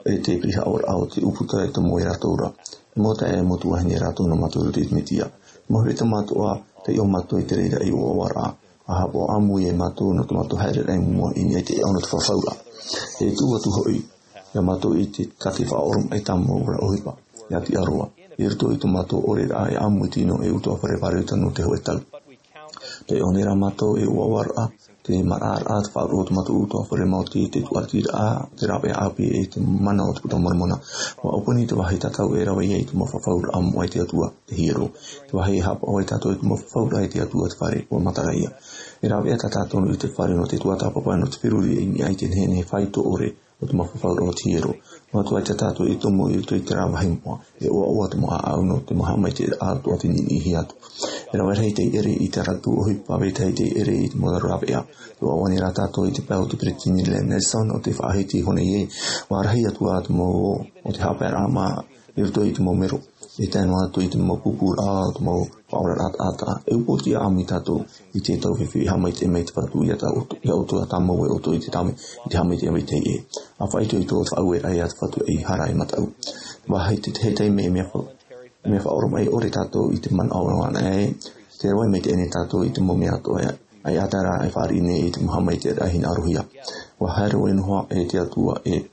e te pirihaʻoraʻa o te ʻūputa e tomo e rātou ra. E mau taeaʻe, e mau tuahine rātou nō mātou i roto i te Mesia. Mau hepetoma atoʻa, taiʻo mātou i te reira ei ʻoaʻoaraʻa. ʻA haʻapaʻo ʻāmui e mātou nō tō mātou haereraʻa i mua i niʻa i te ʻāʻau nō te fafauraʻa. E tuʻu atu hoʻi, iā mātou i te, tā te faʻaoromaʻi tāmau ra ʻohipa, ʻia tiʻa roa. I roto i tō mātou ʻoreraʻa e ʻāmui tino ei ʻutuāfare pāroita nō te hōʻē tau. Taiʻo nei rā mātou ei ʻoaʻoaraʻa, te maraʻaraʻa, te faʻaroʻo o tō mātou ʻutuāfare maoti, te tūʻatiraʻa, te rāveʻa ʻāpī, e te mana o te Puta Moromona. ʻUa ʻōpani te vāhi tatau e rave ai te mau fafauraʻa moʻa i te Atua, te hiero. Te vāhi e haʻapaʻo ai tātou i te mau fafauraʻa i te Atua, te fare, ʻua matara ïa. E rāveʻa tā tātou i te fare nō te tuatāpapa, nō te feruri i niʻa i te nehenehe faito ʻore o te mau fafauraʻa o te hiero. Noa atu ai tā tātou e tomo i roto i terā vāhi moʻa, e ʻoaʻoa te mau ʻāʻau nō te mau haʻamaitaʻiraʻa atoʻa tei niʻiniʻihia atu. E rave rahi tei ʻere i tā rātou ʻohipa, vetahi tei ʻere i te mau rāveʻa. E ʻoaʻoa nei rā tātou i te pae o te Peretiteni Nelson, ʻo tē faʻahiti iho nei ē, ʻua rahi atu ā te mau ō o te haʻapaeraʻa mā i roto i te mau mero, e tae noa atu i te mau pūpūraʻa, te mau faʻaoraraʻa taʻata. E upoʻotiʻa ʻāmui tātou i te tau fifi, haʻamaitaʻi mai te Fatu iā tā ʻoutou, iā ʻoutou, ʻa tāmau e ʻoutou i te tāmau, i te haʻamaitaʻi vetahi ē. ʻA faʻaitoito te faʻaueraʻa iā te Fatu ei hara e mataʻu. Vāhi te, te tahi mea, mea fa-, mea faʻaoromaʻi ʻore tātou i te manaʻo anaʻe, tē rave mai teie nei tātou i te mau mea atoʻa, ʻaita rā e fāriʻi nei i te mau haʻamaitaʻiraʻa hinaʻarohia. ʻUa haere ʻoe noa e te Atua e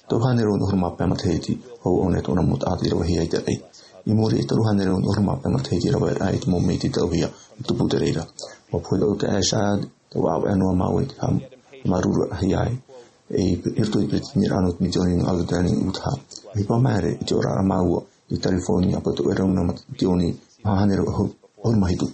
toru hānere ʻahuru mā pae matahiti, hou ʻōna tōna mau taʻata i ravehia i te raʻi. I muri i te toru hānere ʻahuru mā pae matahiti, rave rahi te mau mea i tītauhia, i tupu te reira. ʻUa pohe tōʻu taeaʻe Chad, tē ʻāvaʻe noa māua i te haʻamāuruururaʻahia ai, e i roto i te peretiteniraʻa nō te misiōni nō Albertania i Utah. ʻOhipa maere i te oraraʻa māua i California, pātoʻi rau nā misiōni maha hānere ʻahuru mā hitu.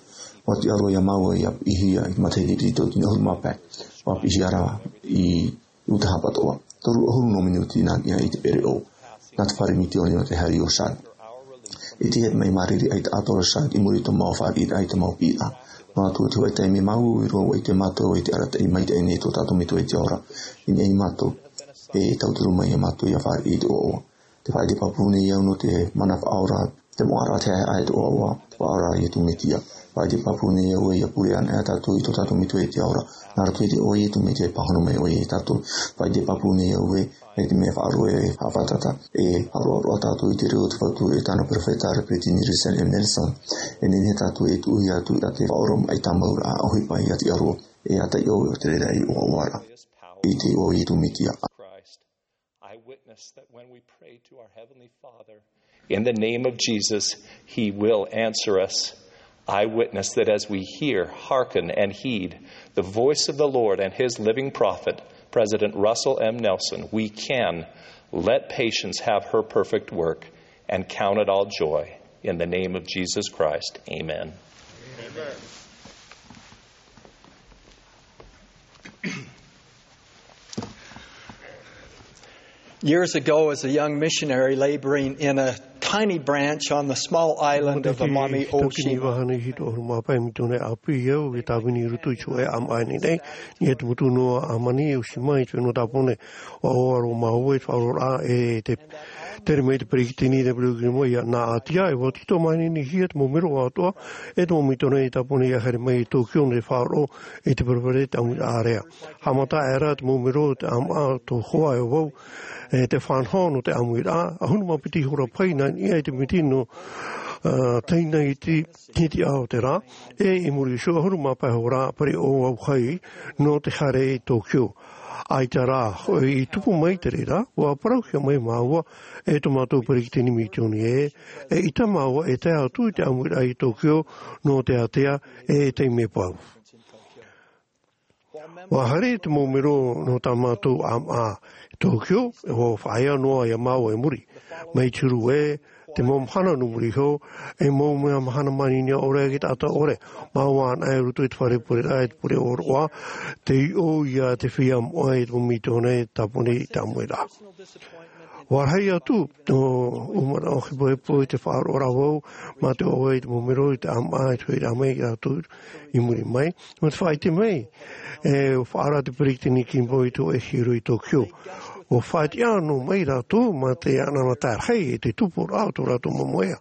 ʻUa tiʻa roa iā māua ʻia piʻihia i te matahiti i te tauatini ʻahuru mā pae. ʻUa piʻihia rā i Utah pātoʻa, toru ʻahuru nō miniti nā niʻa i te pereʻoʻo, nā te fare misiōni nō te haere o Chad. I te hia mai māriri ai te ʻatoraʻa i muri i tō mau fāriʻiraʻa i tō mau piʻiraʻa. Nō atu te hoʻi taime mau i roa i te mātou i te arataʻi mai te ʻaine i tō tātou metua i te ora. I nei mātou e tauturu mai ia mātou ia fāriʻi i te ʻoaʻoa. Te faʻaʻite pāpū nei au nō te mana faʻaora, te moʻaraʻa te haehaʻa i te ʻoaʻoa, te faʻaora a Iesu Mesia. Faʻaʻite pāpū nei au e ia pure ana e tātou i tō tātou metua i te ora. Nā roto i te ʻoaʻoa a Iesu Mesia e pāhono mai ʻoia ia tātou. Faʻaʻite pāpū nei au e, e te mea faʻaroʻo e faʻafātata, e faʻaroʻo roa tātou i te reo o te fatu e tāna perofeta a Peretiteni Russell M. Nelson. E nehenehe tātou e tuʻu atu i te faʻaoromaʻi tāmau ra ʻohipa ia te ʻaro, e ata i ʻō o te reira i ʻoaʻoa ra. I te ʻoaʻoa a Iesu Mesia. I witness that when we pray to our Heavenly Father, in the name of Jesus, He will answer us. I witness that as we hear, hearken, and heed the voice of the Lord and His living prophet, President Russell M. Nelson, we can let patience have her perfect work and count it all joy. In the name of Jesus Christ, amen. Years ago, as a young missionary laboring in a tiny branch on the small island of Amami Oshima. Vahana i hitu ʻahuru mā pae misiōnare ʻāpī au i tāvini i roto i te hōʻē ʻāmaʻa nei, i te motu noa Amami Oshima i te fenua Tāpōnē. ʻUa ʻoaʻoa roa māua i te faʻaroʻoraʻa e te tere mai te peretiteni i te peretiteni mai ia nā ʻātia, e ʻua tītau mai nei hia te mau mero atoʻa, e te mau misiōnare i Tāpōnē ia haere mai i Tōkio nō te faʻaroʻo i te perofeta i te ʻāmuiraʻa ʻārea. Haʻamata aʻera te mau mero o te ʻāmaʻa tō hoa e vau, e te faʻanaho nō te ʻāmuiraʻa, ʻahuru mā piti hora pae nā niʻa i te miti nō, ā, teie nei i te, i te ʻaho o te rā, e i muri iho ʻahuru mā pae hora pareʻoʻo vau hoʻi nō te haere i Tōkio. ʻAita rā, hoʻi i tupu mai te reira, ʻua parauhia mai māua e tō mātou peretiteni misiōnare, e ʻita māua e tae atu i te ʻāmuiraʻa i Tōkio nō te ātea e te mea pau. ʻUa haere te mau mero nō tā mātou ʻāmaʻa i Tōkio, ʻua faʻaea noa ia māua i muri. Mai te huru ē, te mau mahana nō muri iho, e mau mea mahana manini ʻore ki te taʻata ʻore. Māua anaʻe i roto i te fare pureraʻa, i te pure ʻōroʻa, tei ʻō ia te feiā moʻa i te mau misiōnare i Tāpōnē i te ʻāmuiraʻa. ʻUa rahi atu tō ʻoe manaʻo hepohepo i te faʻaroʻo ra vau, mā te ʻoaʻoa i te mau mero i te ʻāmaʻa i te hoʻiraʻa mai ia rātou i muri mai. Nō te faʻaʻite mai, e faʻaara te peretiteni Kimball i te hōʻē hiero i Tōkio. ʻUa faʻatiʻa noa mai rātou mā te anaanatae rahi e te tupuraʻa o tō rātou moemoeā.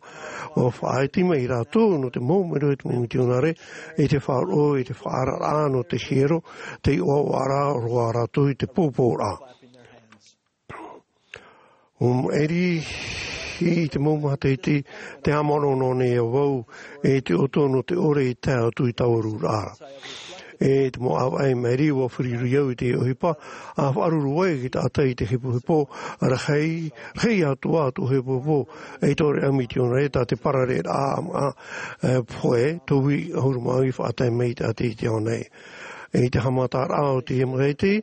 ʻUa faʻaʻite mai rātou nō te mau mero i te mau misiōnare, i te faʻaroʻo, i te faʻaararaʻa nō te hiero, tei ʻoaʻoa ra roa rātou i te pōpōraʻa. ʻUa maʻiri i te mau matahiti, te haʻamanaʻo nei au, e te ʻoto nō te ʻore i tae atu i taua rūraʻa. E te mau ʻāvaʻe maʻiri, ʻua feruri au i te ʻohipa, ʻa faʻaruru ai i te taʻata i te hepohepo, rahi, rahi atu ā tō hepohepo, e tō reira misiōnare, tā te parareraʻa, ā, e, pohe, tauihaʻa ʻahuru mā iva i faʻatae mai i te ʻātea i te ao nei. I te haʻamataraʻa o te matahiti,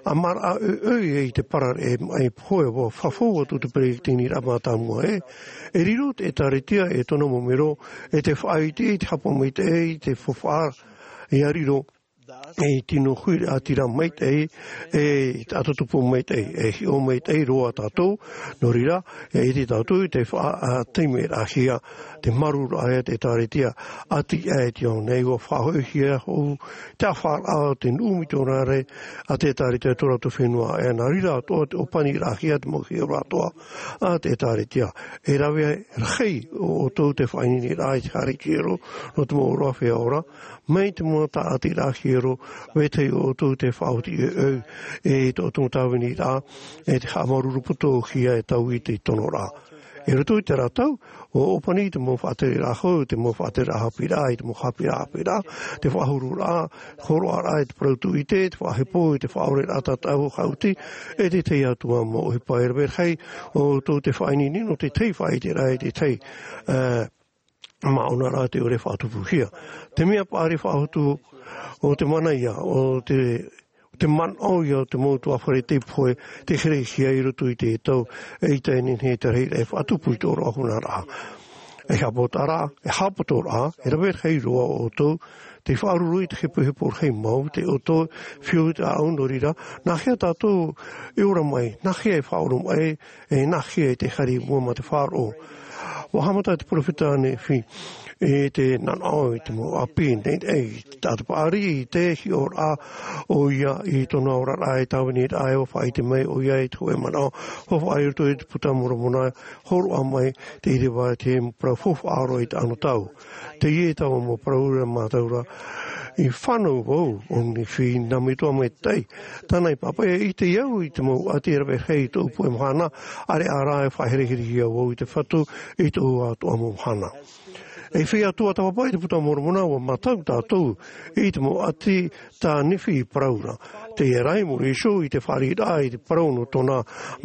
ʻa maraʻa ʻoiʻoi i te parareraʻa mai pohe ʻua fafau atu te peretiteniraʻa mātāmua ē. E riro te ʻĒkālesia e tōna mau mero, e te faʻaʻite i te hapa maitaʻi, i te faufaʻa, ʻia riro, e tino huiraʻatira maitaʻi, e te taʻata tupu maitaʻi, e hiʻo maitaʻi roa tātou, nō reira, e ʻite tātou i te faʻa-, ā, taime rahi ā, te marūraʻa ia te ʻĒkālesia, ʻati aʻe i te ao nei, ʻua faʻahoʻihia hoʻi te ʻāfaʻaraʻa o te nuʻu misiōnare a te ʻĒkālesia i tō rātou fenua, e nā reira atoʻa te ʻōpaniraʻahia te mau hiero atoʻa a te ʻĒkālesia. E rave rahi ʻo ʻoutou te faʻaineineraʻa i te haere hiero nō te mau ʻōroʻa feiā ora, mai te mau tāʻatiraʻa hiero, vetahi ʻo ʻoutou te faʻaoti ʻoiʻoi, e tō ʻoutou tāviniraʻa, e te haʻamāuruuru poto hia e taui i te tonoraʻa. I roto i terā tau, ʻua ʻōpani te mau faʻatereraʻa hou, te mau faʻatereraʻa haʻapiʻiraʻa, i te mau haʻapiʻiraʻa, haʻapiʻiraʻa, te faʻahururaʻa, hōroʻaraʻa i te parau tūʻite, te faʻahepo, i te faʻaʻoreraʻa tataʻu haʻuti, e te tahi atu ā mau ʻohipa. E rave rahi ʻo ʻoutou te faʻaineine nō te tahi faʻaʻiteraʻa, i te tahi, ā, māʻona rā te ʻore faʻatupuhia. Te mea paʻari faʻahou atu, ʻo te mana ia, ʻo te, te manaʻo ia o te mau ʻutuāfare tei pohe, tei herehia i roto i te tau, e ʻaita e nehenehe te rahiraʻa e faʻatupu i tō ʻōroʻa hunaraʻa. E haʻapotoraʻa, e haʻapotoraʻa, e rave rahi roa ʻo ʻoutou, tei faʻaruru i te hepohepo rahi mau, tei ʻoutou, fiu te ʻāʻau nō reira, nā hea tātou e ora mai, nā hea e faʻaoromaʻi, e nā hea e te haere i mua mā te faʻaroʻo. Ua haʻamata te peropheta Nephi i te nanaʻo i te mau ʻāpī, nei, nei, i te taʻata paʻari, i te hiʻoraʻa ʻoia i tōna oraraʻa e tāviniraʻa e ua faʻaʻite mai ʻoia i te hōʻē manaʻo, ua faʻaʻite i roto i te Puta Moromona, hōroʻa mai te ʻīrava te parau faufaʻa roa i te anotau. Teie taua mau parau ra mātou ra, i fānau vau o Nephi nā metua maitaʻi. Tāna i pāpaʻi, ʻite au i te mau ʻati e rave rahi i tōʻu puʻe mahana, ʻāreʻa rā e faʻahereherehia vau i te Fatu i tōʻu atoʻa mau mahana. E feiā tuatāpapa i te Puta Moromona, ua mātau tātou i te mau ʻati tā Nephi i parau ra. Teie rā i muri iho i te fāriʻiraʻa i te parau nō tōna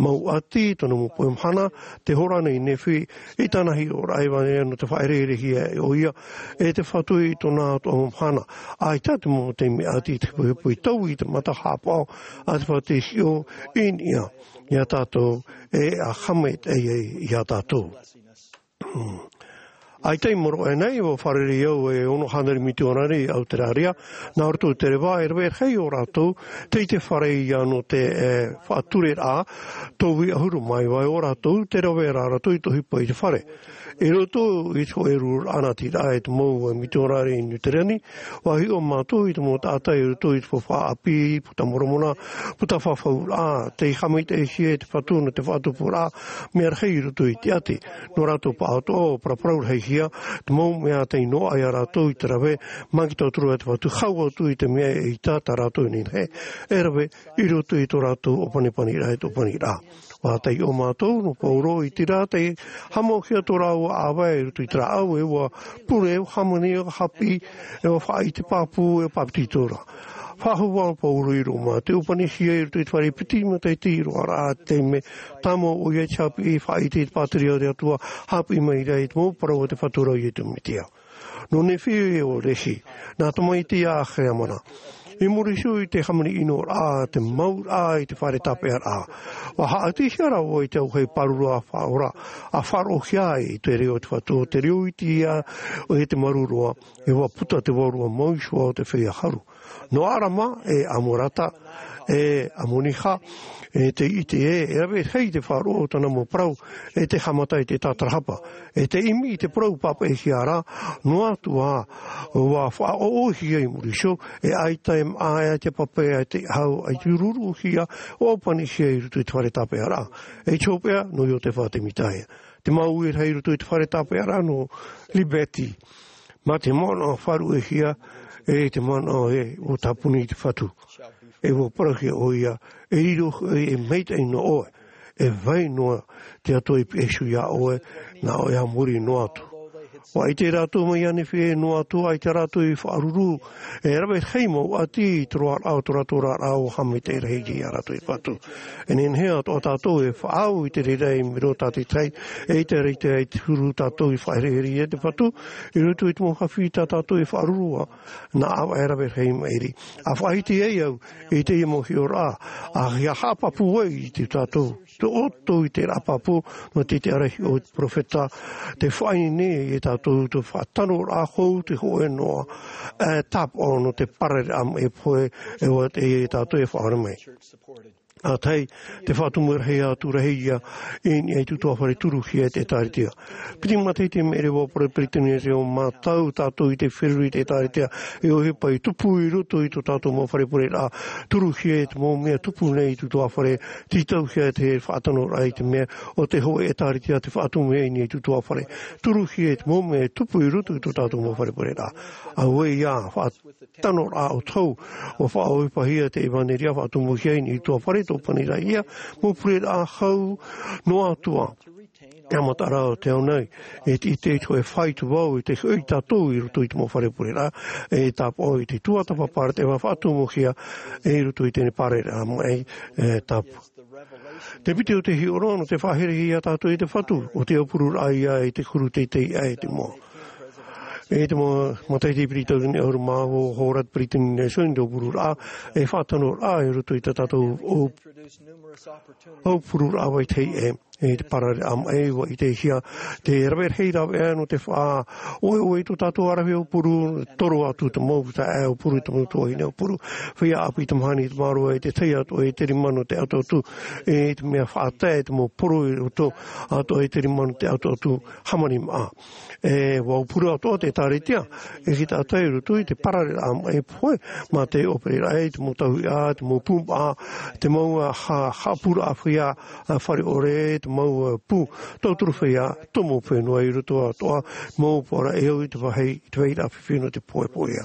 mau ʻati, tōna mau puʻe mahana, tē hōroʻa nei Nephi i tāna hiʻoraʻa ʻevanelia nō te faʻahereherehia e ʻoia e te Fatu i tōna atoʻa mau mahana. ʻAita te mau taime ʻati i te hepohepo i taui i te mata haʻapaʻo a te Fatu i hiʻo i niʻa iā tātou e e haʻamaitaʻi ai iā tātou. ʻAita i maoro aʻe nei, ua fārerei au e ono hānere mitionare i Auteraria, nā roto i te reva e rave rahi o rātou tei te fare ia nō te, e, faʻatureraʻa, tauihaʻa ʻahuru mā iva o rātou, tē rave ra rātou i te ʻohipa i te fare. I roto i te hōʻē rururaʻa nā te ʻīrava e te mau mitionare i Niu Tirani, ua hiʻo mātou i te mau taʻata i roto i te faufaʻa ʻāpī, Puta Moromona, puta fafauraʻa, tei haʻamaitaʻihia e te Fatu nō te faʻatupuraʻa, mea rahi i roto i te ʻati. Nō rātou pāʻatoʻa, ʻua paraparau rahihia te mau mea tei noaʻa ia rātou i te rave, mai te tauturu a te Fatu, hau atu i te mea ʻaita tā rātou e nehenehe e rave i roto i tō rātou ʻōpanipani ra, e te ʻōpaniraʻa. Ua taiʻo mātou nō Paulo i te reira tei haʻamauhia tō rāua ʻāvae i roto i te rāʻau, e ua pure, e ua hāmani, e ua haʻapiʻi, e ua faʻaʻite pāpū, e ua papetito ra. Faʻahou ā Paulo i Roma, tē ʻōpanihia i roto i te fare piti matahiti roa ra te taime tāmau ʻoia i te haʻapiʻi, faʻaʻite i te pātireia o te Atua, haʻapiʻi mai ra i te mau parau a te Fatu ra ʻo Iesu Mesia. Nō Nephi ʻo Lehi, nā tamaiti a Helamana. I muri iho i te hāmani ʻino ra, te mau ra i te fare tāpeʻaraʻa. Ua haʻatihia rāua i te auahi pāruru a Faora, ʻa faʻaroʻohia i te reo o te Fatu, te reo iti ia ʻo te Maru Roa, e ua puta te vārua mau iho ā o te feiā haru. Nō Arama, e Amorata, e Amoniha, e te ʻite ē, e rave rahi te faʻaroʻo o tāna mau parau, e te haʻamata i te tātarahapa. E te ʻimi i te parau pāpaʻihia ra, noa atu ā, ua faʻaʻoʻohia i muri iho, e ʻaita e maʻa, e ʻaita e pāpaʻi, e ʻaita e hau, ʻaita e rūrūhia, ʻua ʻōpanihia i roto i te fare tāpeʻaraʻa. E te hopeʻa, nō Iotefa Temita ïa. Te mau e rahi i roto i te fare tāpeʻaraʻa nō Liberty. Mā te manaʻo faʻaruʻehia, e te manaʻo ē, ʻua tāpuni i te Fatu. E ʻua parauhia ʻoia, e riro, e, e maitaʻi noa ʻoe. E vai noa te Atua i pihaʻi iho ia ʻoe, nā ʻoe a muri noa atu. ʻUa ʻite rātou mai iā Nephi ē noa atu, ʻaita rātou i faʻaruru, e rave rahi mau ʻati i te roaraʻa o tō rātou oraraʻa ʻua haʻamaitaʻi rahi ia rātou i te Fatu. E nehenehe atoʻa tātou e faʻaau i te reira i muri iho tā te tahi, e ʻaita e rave i te huru tātou i faʻaherehere ia te Fatu, i roto i te mau haʻapiʻi tā tātou e faʻaruru ā, nā ʻāvaʻe rave rahi maʻiri. ʻA faʻaʻite ai au i teie mau hiʻoraʻa, ʻa hia haʻapāpū ai i te tātou, tō ʻoutou i te rā pāpū, nō te, te arahi o te peropheta, te faʻaineine ia tātou, te faʻatanoraʻa hou, te hōʻē noa, e tāpaʻo nō te pārereraʻa maʻi pohe, e ʻua te, ia tātou e faʻaora mai. ʻA tahi, te faʻatumu rahi atu rahi ia, i niʻa i te utuāfare, turuhia e te ʻĒtārētia. Piti matahiti maʻiri ʻua parau e te Peretiteni Reo, mātau tātou i te feruri i te ʻĒtārētia, e ʻohipa i tupu i roto i tō tātou mau fare pureraʻa, turuhia e te mau mea tupu nei i te utuāfare, tītauhia e te faʻatanoraʻa i te mea, ʻo te hōʻē ʻĒtārētia te faʻatumu i niʻa i te utuāfare, turuhia e te mau mea e tupu i roto i tō tātou mau fare pureraʻa. Auē ia, faʻa- tanoraʻa ʻo Tau, ʻua faʻaʻohipahia te ʻevanelia, faʻatumuhia i niʻa i te utuāfare, tōpaniraʻa ia, mau pureraʻa hau noa atu ā. E haʻamata ra ʻo te ao nei, e te, e te, e te hōʻē faʻaitoito vau, e te hoʻi tātou i roto i te mau fare pureraʻa, e tāpaʻo i te tuatāpapa ra te faʻatumuhia, e i roto i teie pārereraʻa maʻi, e tāpaʻo. Te piti o te hiʻoraʻa nō te faʻaherehere ia tātou e te Fatu, ʻo te aupururaʻa ia i te huru teitei aʻe i te moa. E te mau matahiti piri tau nei ʻahuru mā vaʻu, hōroʻa te Peretiteni Nelson i te pururaʻa, e faʻatano raʻa i roto i tā tātou au, au pururaʻa vai teie, e te parareraʻa maʻi, ʻua ʻitehia te rave rahi rāveʻa nō te faʻaʻoeʻoe i tō tātou ʻaravihi au puru, toro atu te mau taeaʻe au puru, te mau tuahine au puru, feiā ʻāpī, te mahana, te māroa, e te tahi atu, e te rima nō te ʻatuʻatu, e te mea faʻatae, e te mau poro i roto atu, e te rima nō te ʻatuʻatu, hāmani maʻa. E, ʻua pure atoʻa te ʻĒtārētia, e te taʻata i roto i te parareraʻa maʻi pohe, mā te ʻōperaraʻa, te mau tauihaʻa, te mau pūmaʻa, te mau, ā, ha-, haʻapūraʻa feiā, ā, fare ʻore, te mau, ā, pū, tauturu feiā, tomo fenua i roto atoʻa, mau pūraʻa e au i te vāhi, i te vāhi rā fifi nō te pohepohe.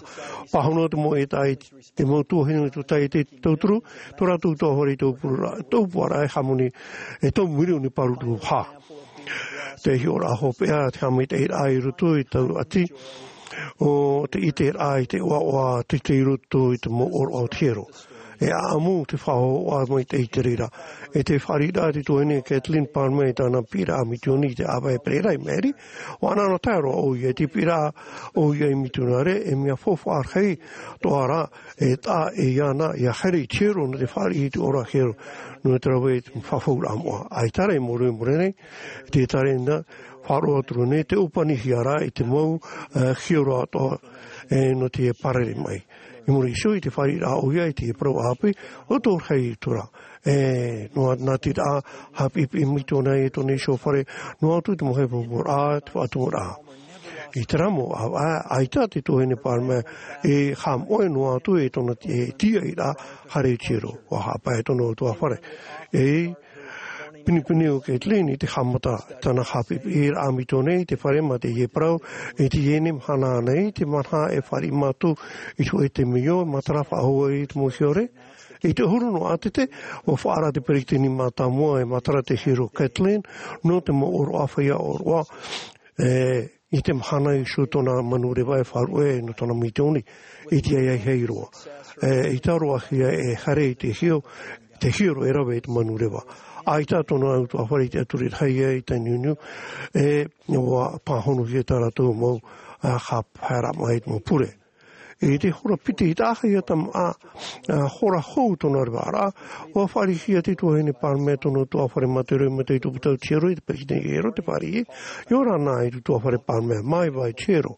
Pāhono te mau e tae, te mau tuahine tū tae te tauturu, tō rātou tuafare i tō pūraʻa, tō pūraʻa e hāmani, e tō mirioni pāruru hā. Te hiʻoraʻa hopeʻa, te haʻamaitaʻiraʻa i roto i tau ʻati, ʻo te ʻiteraʻa i te ʻoaʻoa, te, te i roto i te mau ʻōroʻa o te hiero. E ʻāʻamu te faʻahohoʻa maitaʻi i te reira. E te fāriʻiraʻa te tuahine Kathleen Palmer i tāna piʻiraʻa mitioni i te ʻāvaʻe pereira i maʻiri, ʻua anaanatae roa ʻoia i te piʻiraʻa ʻoia i mitionare, e mea faufaʻa rahi atoʻa rā, e taʻa e iāna, ʻia haere i te hiero nō te fāriʻi i te ʻōroʻa hiero, nō te rave i te fafauraʻa moʻa. ʻAita rā i muri, i muri nei, te ʻĒtārētia, faʻaroʻo atu nei, te ʻōpanihia ra i te mau, ā, hiero atoʻa, e, nō te parareraʻa maʻi. I muri iho i te fāriʻiraʻa ʻoia i te parau ʻāpī, ʻo tō rahi atu ra. E, noa atu nā te taʻata haʻapiʻipiʻi mitioni i tōna iho fare, noa atu te mau haʻapāpūraʻa, te faʻatumuraʻa. I terā mau ʻāvaʻe, ʻaita te tuahine Palmer e haʻamoʻe noa atu i tōna ti-, e tīaʻiraʻa haere i te hiero, ʻua haʻapae tōna ʻutuāfare. E pinepine ʻo Kathleen i te haʻamata, tāna haʻapiʻipiʻiraʻa mitioni i te fare mā teie parau, e teie nei mahana nei, te mahana e fāriʻi mātou i te hōʻē temeio, matara faʻahou ai te mau hiero. I te ʻahuru nō ʻātete, ʻua faʻaara te peretiteni mātāmua e matara te hiero Kathleen, nō te mau ʻōroʻa feiā ʻōroʻa, e, i te mahana iho tōna manureva e faʻaruʻe nō tōna mitioni, i te ʻāiʻa i Hāroa. E, i tāroahia e haere i te hiero, te hiero e rave i te manureva. ʻAita tōna ʻutuāfare i te ʻaturi rahi i Tainui, e, ʻua pāhonohia tā rātou mau, ā, haʻapaeraʻa maʻi, mau pure. I te hora piti i tahi ia tamaʻa, ā, hora hou tōna revaraʻa, ʻua fāriʻihia te tuahine Palmer tōna ʻutuāfare mā te roimata mai i te pūtau hiero, i te peretiteni hiero, te fāriʻi, ʻia ora na i te ʻutuāfare Palmer, māiva i te hiero.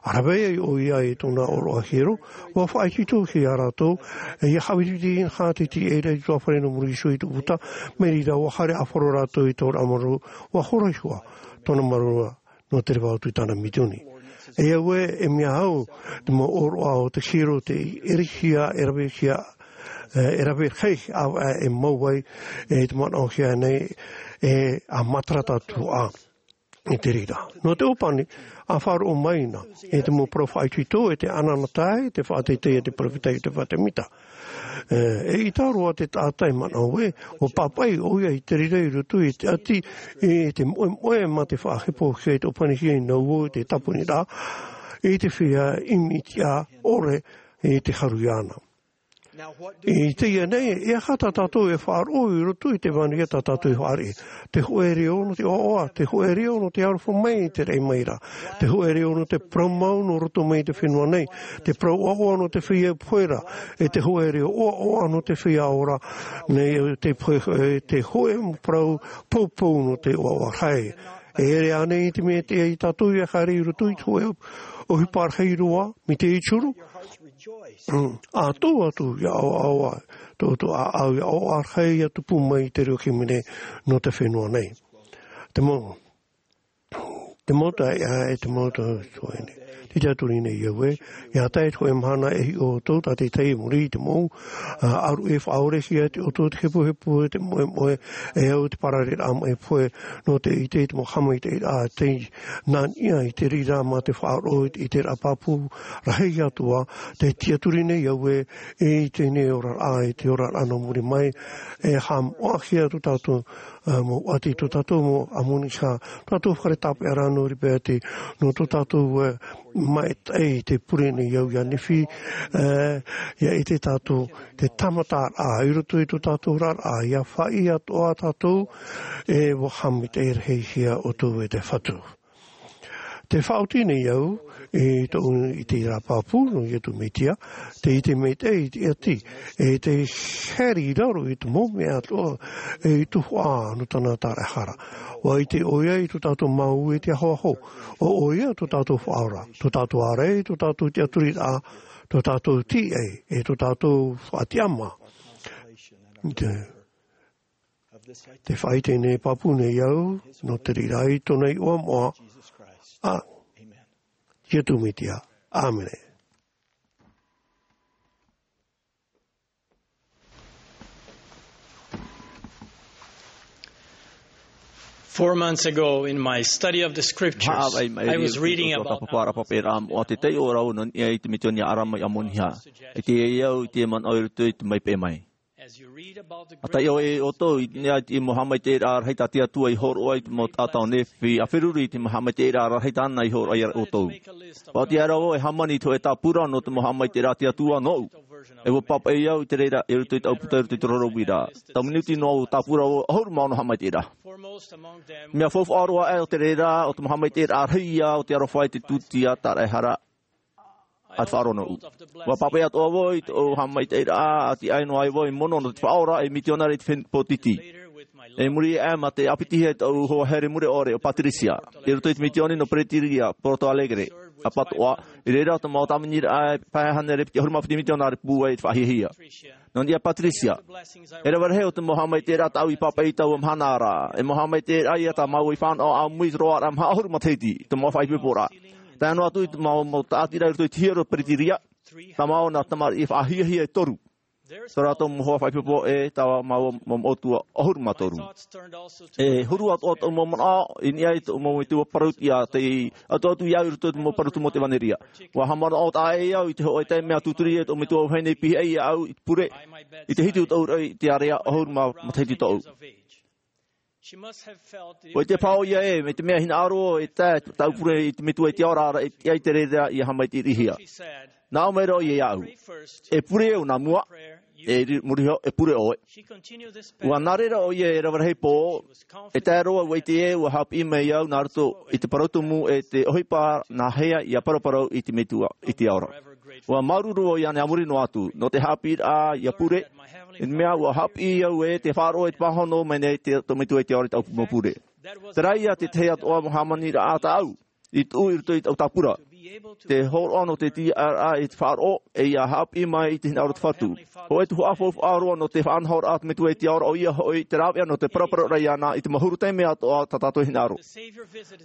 ʻA rave ai ʻoia i tōna ʻōroʻa hiero, ʻua faʻaitoitohia rātou, e ʻia haʻaviriviri anaha te tīaʻiraʻa i te ʻutuāfare nō muri iho i te puta, mai reira ʻua haere ʻāfaro rātou i te ora marū, ʻua hora iho ā tōna marū nō te reva atu i tāna mitioni. E au ē, e mea au, te mau ʻōroʻa o te hiero tei ʻerehia, e ravehia, e, e rave rahi, ā, e mau ai, e te manaʻohia nei, e ʻa matara tātou ā, i te reira. Nō te ʻōpani, ʻa faʻaroʻo mai na, e te mau parau faʻaitoito, e te anaanatae, te faʻateitei, e te peropheta Iotefa Temita. E, eʻita roa te taʻata e manaʻo ē, ʻua pāpaʻi ʻoia i te reira i roto i te ʻati, e te moʻemoʻe mā te faʻahepohia i te ʻōpanihia i naua i te tāponiraʻa, i te feiā ʻimitiʻa ʻore i te haru iāna. I teie nei, e aha tā tātou e faʻaroʻo i roto i te vānua tā tātou e fāriʻi? Te hōʻē reo nō te ʻoaʻoa, te hōʻē reo nō te aroha mai i te raʻi mai ra, te hōʻē reo nō te parau mau nō roto mai i te fenua nei, te parau ʻoaʻoa nō te feiā pohe ra, e te hōʻē reo ʻoaʻoa nō te feiā ora, nei te pohe, e te hōʻē parau poupou nō te ʻoaʻoa rahi. E ʻere ānei te mea e tiʻa ia tātou ʻia haere i roto i te hōʻē ʻohipa rahi roa, mai te ituru? Mm. ʻA tō atu ʻia ʻaoʻao, tō, tō ʻāʻau ʻia ʻaoʻao rahi ʻia tupu mai i te reo hīmene nō te fenua nei. Te mau, te mau taeaʻe, e te mau tuahine. Tē tiʻaturi nei au ē, ʻia tae te hōʻē mahana e hiʻo ʻoutou, tā te tahi i muri i te mau, ā, ʻaruʻe faʻaorehia te ʻoto, te hepohepo, te moemoe, e au te parareraʻa maʻi pohe, nō te ʻite i te mau haʻamaitaʻiraʻa tei nā niʻa i te reira mā te faʻaroʻo i te, i te raʻa pāpū rahi atu ā, tē tiʻaturi nei au ē, i teie nei oraraʻa, i te oraraʻa nō muri mai, e haʻamoʻahia tō tātou, ā, mau ʻati, tō tātou mau ʻamonihā, tō tātou fare tāpeʻaraʻa nō Ripeti, nō tō tātou, ā, maitaʻi i te pure nei au ia Nifi, ā, ʻia ʻite tātou te tāmataraʻa i roto i tō tātou oraraʻa, ʻia faʻaʻī atoʻa tātou, e ʻua haʻamaitaʻi rahihia ʻoutou e te Fatu. Te faʻaoti nei au i tōʻu ʻite i te pāpū nō Iesu Mesia, te ʻite maitaʻi i te ʻati, e te haere i raro i te mau mea atoʻa e i tuhaʻa nō tāna taraehara. ʻUa ʻite ʻoia i tō tātou mau e te ahoaho, ʻo ʻoia tō tātou faʻaora, tō tātou ārai, tō tātou tiʻaturiraʻa, tō tātou tīaʻi, e tō tātou faʻatiʻama. Te, te faʻaʻite nei pāpū nei au, nō te reira i tōna iʻoa moʻa, ā Iesu Mesia. ʻĀmene. Four months ago, in my study of the scriptures, Haʻavai mai I was reading about Tāpaparapape rā moʻa te taiʻo rau nō niʻa i te misiōni a ʻArama i ʻAmoniha. E te au i te manaʻo i roto i te mau peʻe mai. A taiʻo e ʻoutou i niʻa i te mau haʻamaitaʻiraʻa rahi tā te Atua i hōroʻa i te mau taʻata o Nephi, a feruri i te mau haʻamaitaʻiraʻa rahi tāna i hōroʻa ia ʻoutou. ʻUa ʻite rā vau e hāmani i te hōʻē tāpura nō te mau haʻamaitaʻiraʻa a te Atua nōʻu. E ʻua pāpaʻi au i te reira i roto i tāʻu puta i roto i te roro uira. Tau minuti noa ʻua tāpura vau ʻahuru mā ono haʻamaitaʻiraʻa. Mea faufaʻa roa aʻe o te reira, ʻo te mau haʻamaitaʻiraʻa rahi ia o te aroha i te tūtia taraehara a te faʻaroʻo nōʻu. ʻUa pāpaʻi atoʻa vau i tōʻu haʻamaitaʻiraʻa, ʻati aʻe noa ai vau i mono nō te Faʻaora ei mitionare i te fenua pōtiti. I muri aʻe mā te ʻāpitihia e tōʻu hoa here mure ʻore ʻo Patricia, i roto i te misiōni nō Pretoria, Porto Alegre, ʻapatoʻa, i reira tō mau tāviniraʻa e pae hānere piti ʻahuru mā piti mitionare pūai i te faʻahiahia. Nō niʻa Patricia, e rave rahi o te mau haʻamaitaʻiraʻa tāʻu i pāpaʻi i taua mahana ra, e mau haʻamaitaʻiraʻa ia tā māua i fānaʻo ʻāmui i te roaraʻa maha ʻahuru matahiti, i tō māua faʻaipoiporaʻa. Tae noa atu i te mau, mau tāʻatiraʻa i roto i te hiero Pretoria, tā māua nā tamariʻi faʻahiahia e toru. Tō rātou mau hoa faʻaipoipo e tā māua mau moʻotua ʻahuru mā toru. E huru atoʻa tōʻu mau manaʻo i niʻa i tōʻu mau metua parau-tiʻa, te ʻatuʻatu ia au i roto i te mau parau tumu o te ʻevanelia. ʻUa haʻamanaʻo taʻa ʻē au i te hōʻē taime a tūturi e tōʻu metua vahine i pihaʻi iāʻu i te pure, i te hitu o tōʻu raʻi i te ārea ʻahuru mā matahiti tōʻu. ʻUa ʻite paha ʻoia ē, mai te mea hinaʻaro e tae tāʻu pure i te Metua i te ao ra, e tiʻa i te reira ʻia haʻamaitaʻirihia. Nā ʻō mai ra ʻoia iāʻu, e pure au nā mua, e ri-, muri iho, e pure ʻoe. ʻUa nā reira ʻoia e rave rahi pō, e tae roa ʻua ʻite ē, ʻua haʻapiʻi mai au nā roto i te parau tumu e te ʻohipa nā hea ʻia paraparau i te Metua i te ao ra. ʻUa māuruuru au iāna a muri noa atu, nō te haʻapiʻiraʻa ʻia pure, i te mea ʻua haʻapiʻi au ē te faʻaroʻo i te pāhono mai nei te, tō Metua i te ao ra i tāʻu mau pure. Terā ia te tahi atoʻa mau hāmaniraʻa tāʻu, i tuʻu i roto i tāʻu tāpura. Te hōroʻa nō te tiʻaraʻa i te faʻaroʻo, e ʻia haʻapiʻi mai i te hinaʻaro o te Fatu. Hōʻē tuhaʻa faufaʻa roa nō te faʻanahoraʻa a te Metua i te ao ra, ʻoia hoʻi te rāveʻa nō te paraparau ra iāna i te mau huru taime atoʻa tā tātou hinaʻaro.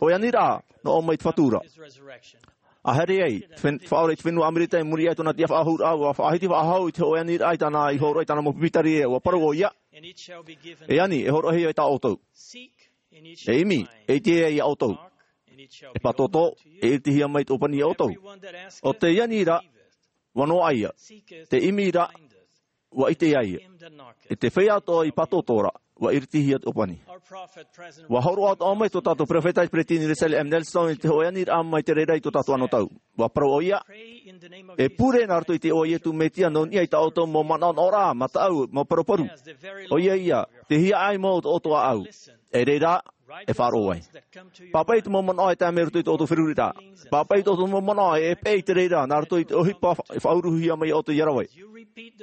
Hōʻē aniraʻa, nō ʻō mai te Fatu ra. ʻA haere ai, te fen-, faʻaora i te fenua ʻAmerika i muri iho i tōna tiʻafaʻahouraʻa, ʻua faʻahiti faʻahou i te hōʻē aniraʻa i tāna i hōroʻa i tāna mau pīpītareʻa, ʻua parau ʻoia. E ani, e hōroʻahia ia tā ʻoutou. E ʻimi, e ʻite ia ʻoutou. E pātōtō, e iritihia mai te ʻōpani ia ʻoutou. ʻO tē ani ra, ʻua noaʻa ia. Tē ʻimi ra, ʻua ʻite ia. E te feiā atoʻa i pātōtō ra, ʻua iritihia te ʻōpani. ʻUa hōroʻa atoʻa mai tō tātou peropheta i te Peresideni Russell M. Nelson i te hōʻē aniraʻa mai te reira i tō tātou anotau. ʻUa parau ʻoia, e pure nā roto i te iʻoa o Iesu Mesia nō niʻa i tā ʻoutou mau manaʻonaʻoraʻa, mataʻu, mau paruparu. ʻOia ia, te hiaʻai mau o tō ʻoutou ʻāʻau. E reira, e faʻaroʻo ai. Pāpaʻi te mau manaʻo e tae mai roto i tō ʻoutou feruriraʻa. Pāpaʻi tō ʻoutou mau manaʻo e peʻe i te reira, nā roto i te ʻohipa fa-, faʻauruhia mai iā ʻoutou i ʻaroha.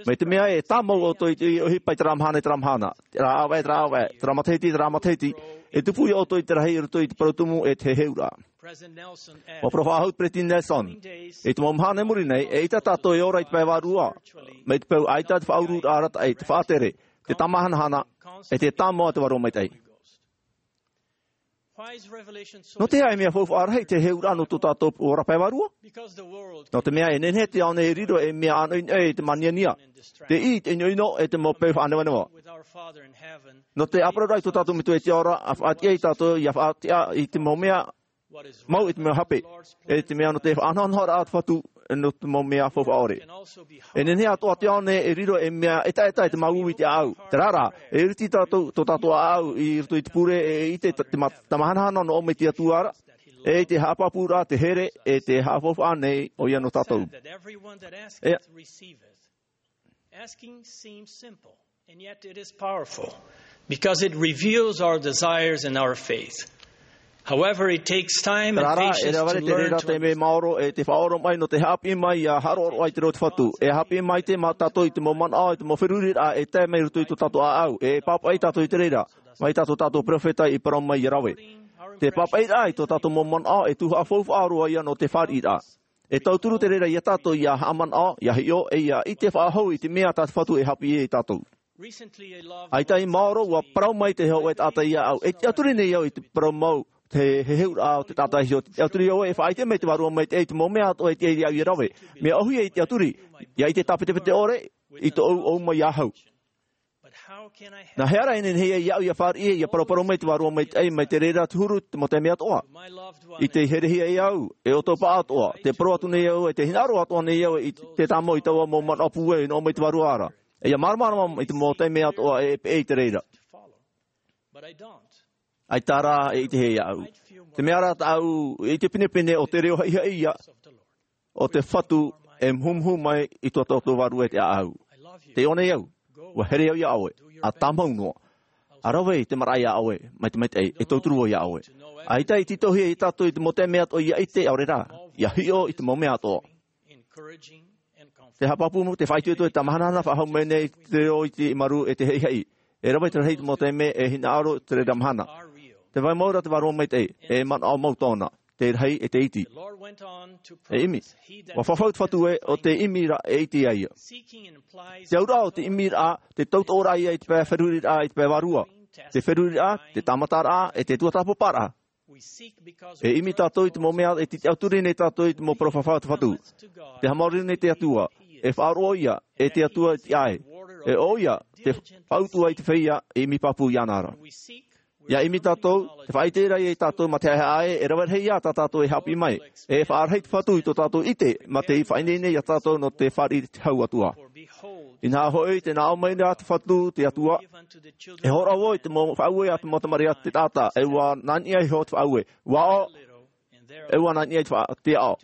Mai te mea e tāmau ʻoutou i te ʻohipa i terā mahana, i terā mahana. Terā ʻāvaʻe, terā ʻāvaʻe, terā matahiti, terā matahiti. E tupu iā ʻoutou i te rahi i roto i te parau tumu e te heheuraʻa. ʻUa parau faʻahou te Peresideni Nelson. I te mau mahana i muri nei, eʻita tātou e ora i te pae vārua. Mai te peu ʻaita te faʻauruuraʻa arataʻi, te faʻatere, te tāmahanahana, e te tāmau a te Vārua Maitaʻi. Nō te aha e mea faufaʻa rahi te heheuraʻa nō tō tātou ora pae vārua? Nō te mea e nehenehe te ao nei e riro ei mea ʻanoʻinoʻi e te māniania. Te ʻī, te ʻinoʻino, e te mau peu faʻanevaneva. Nō te ʻāparauraʻa i tō tātou Metua i te ao ra, ʻa faʻatiʻa ia tātou, ʻia faʻatiʻa i te mau mea mau i te mea hape, e te mea nō te faʻanahonahoraʻa a te Fatu, nō te mau mea faufaʻa ʻore. E nehenehe atoʻa te ao nei e riro ei mea ʻetaʻeta e te māuiui i te ʻāʻau. Terā rā, e iriti tātou, tō tātou ʻāʻau i roto i te pure, e ʻite te, te ma-, tāmahanahana nō ʻō mai te Atua ra, e i te haʻapāpūraʻa, te here, e te haʻafaufaʻa nei ʻoia nō tātou. E Asking seems simple, and yet it is powerful, because it reveals our desires and our faith. However, it takes time and patience to learn to understand. Te reira te mea maoro e te faʻaoromaʻi nō te haʻapiʻi mai ia haʻaroʻaroʻa i te reo o te Fatu. E haʻapiʻi mai te mā tātou i te mau manaʻo, i te mau feruriraʻa e tae mai roto i tō tātou ʻāʻau. E pāpaʻi tātou i te reira mai tā tō tātou peropheta i parau mai ia rave. Te pāpaʻiraʻa i tō tātou mau manaʻo e tuhaʻa faufaʻa roa ia nō te fāriʻiraʻa. E tauturu te reira ia tātou ia haʻamanaʻo, ia hiʻo, e ia ʻite faʻahou i te mea tā te Fatu e haʻapiʻi ia tātou. ʻAita i maoro, ua parau mai te hōʻē taʻata iāʻu, e tiʻaturi nei au i te parau mau, te heheuraʻa o te taʻata hiʻo, te tiʻaturi au e faʻaʻite mai te Vārua Maitaʻi i te mau mea atoʻa e tiʻa iāʻu ia rave. Mea ʻōhie i tiʻaturi, ia ʻite tāpetepete ʻore i tōʻu ʻōuma iāʻu. Nā hea rā e nehenehe ai iāʻu ia fāriʻi, ia paraparau mai te Vārua Maitaʻi, mai te reira te huru, te mau taime atoʻa. I te herehia e au, e ʻoto paʻatoʻa, te parau atu nei au, e te hinaʻaro atoʻa nei au, i te tāmau i taua mau manaʻo pūai, e noʻo mai te Vārua ra. E ia māramarama i te mau taime atoʻa, e peʻe i te reira. ʻAita rā e ʻitehia iāʻu. Te mea rā tāʻu, i te pinepine o te reo haʻihaʻi ia, o te Fatu e muhumuhu mai i tō tātou Vārua e te ʻāʻau. Tē ʻō nei au, ua here au iā ʻoe, ʻa tāmau noa. ʻA rave i te maraʻa iā ʻoe, mai te maitaʻi, e tauturu vau iā ʻoe. ʻAita i tītauhia ia tātou i te mau taime atoʻa ia ʻite, ʻaore rā, ia hiʻo i te mau mea atoʻa. Te haʻapāpū, te faʻaitoito, e tāmahanahana faʻahou mai nei te reo i te maru e te haʻihaʻi. E rave te rahi i te mau taime e hinaʻaro te reira mahana. Tē vai mau ra te Vārua Maitaʻi, e manaʻo mau tōna, te rahi e te iti. E ʻimi. Ua fafau te Fatu ē, ʻo te ʻimi ra e iti ai ia. Te auraʻa o te ʻimi ra, te tautooraʻa ia i te pae feruriraʻa, i te pae vārua. Te feruriraʻa, te tāmataraʻa, e te tuatāpaparaʻa. E ʻimi tātou i te mau mea, e te tiʻaturi nei tātou i te mau parau fafau a te Fatu. Te haʻamāuruuru nei te Atua, e faʻaroʻo ia, e te Atua tiʻa ē. E ʻo ia, te faʻautuʻa i te feiā, e ʻimi pāpū iāna ra. Ia ʻimi tātou, te faʻaʻite ra ia tātou mā te haʻehaʻa ē, e rave rahi ā tā tātou e haʻapiʻi mai. E faʻarahi te Fatu i tō tātou ʻite, mā te faʻaineine ia tātou nō te fāriʻi i te hau atu ā. Inaha hoʻi, tē nā ʻō mai ra te Fatu, te Atua, e hōroʻa vau i te mau faʻaue a te mau tamariʻi a te taʻata, e ʻua nā niʻa iho te faʻaue. ʻUa aʻo, e ʻua nā niʻa i te faʻa-, te aʻo.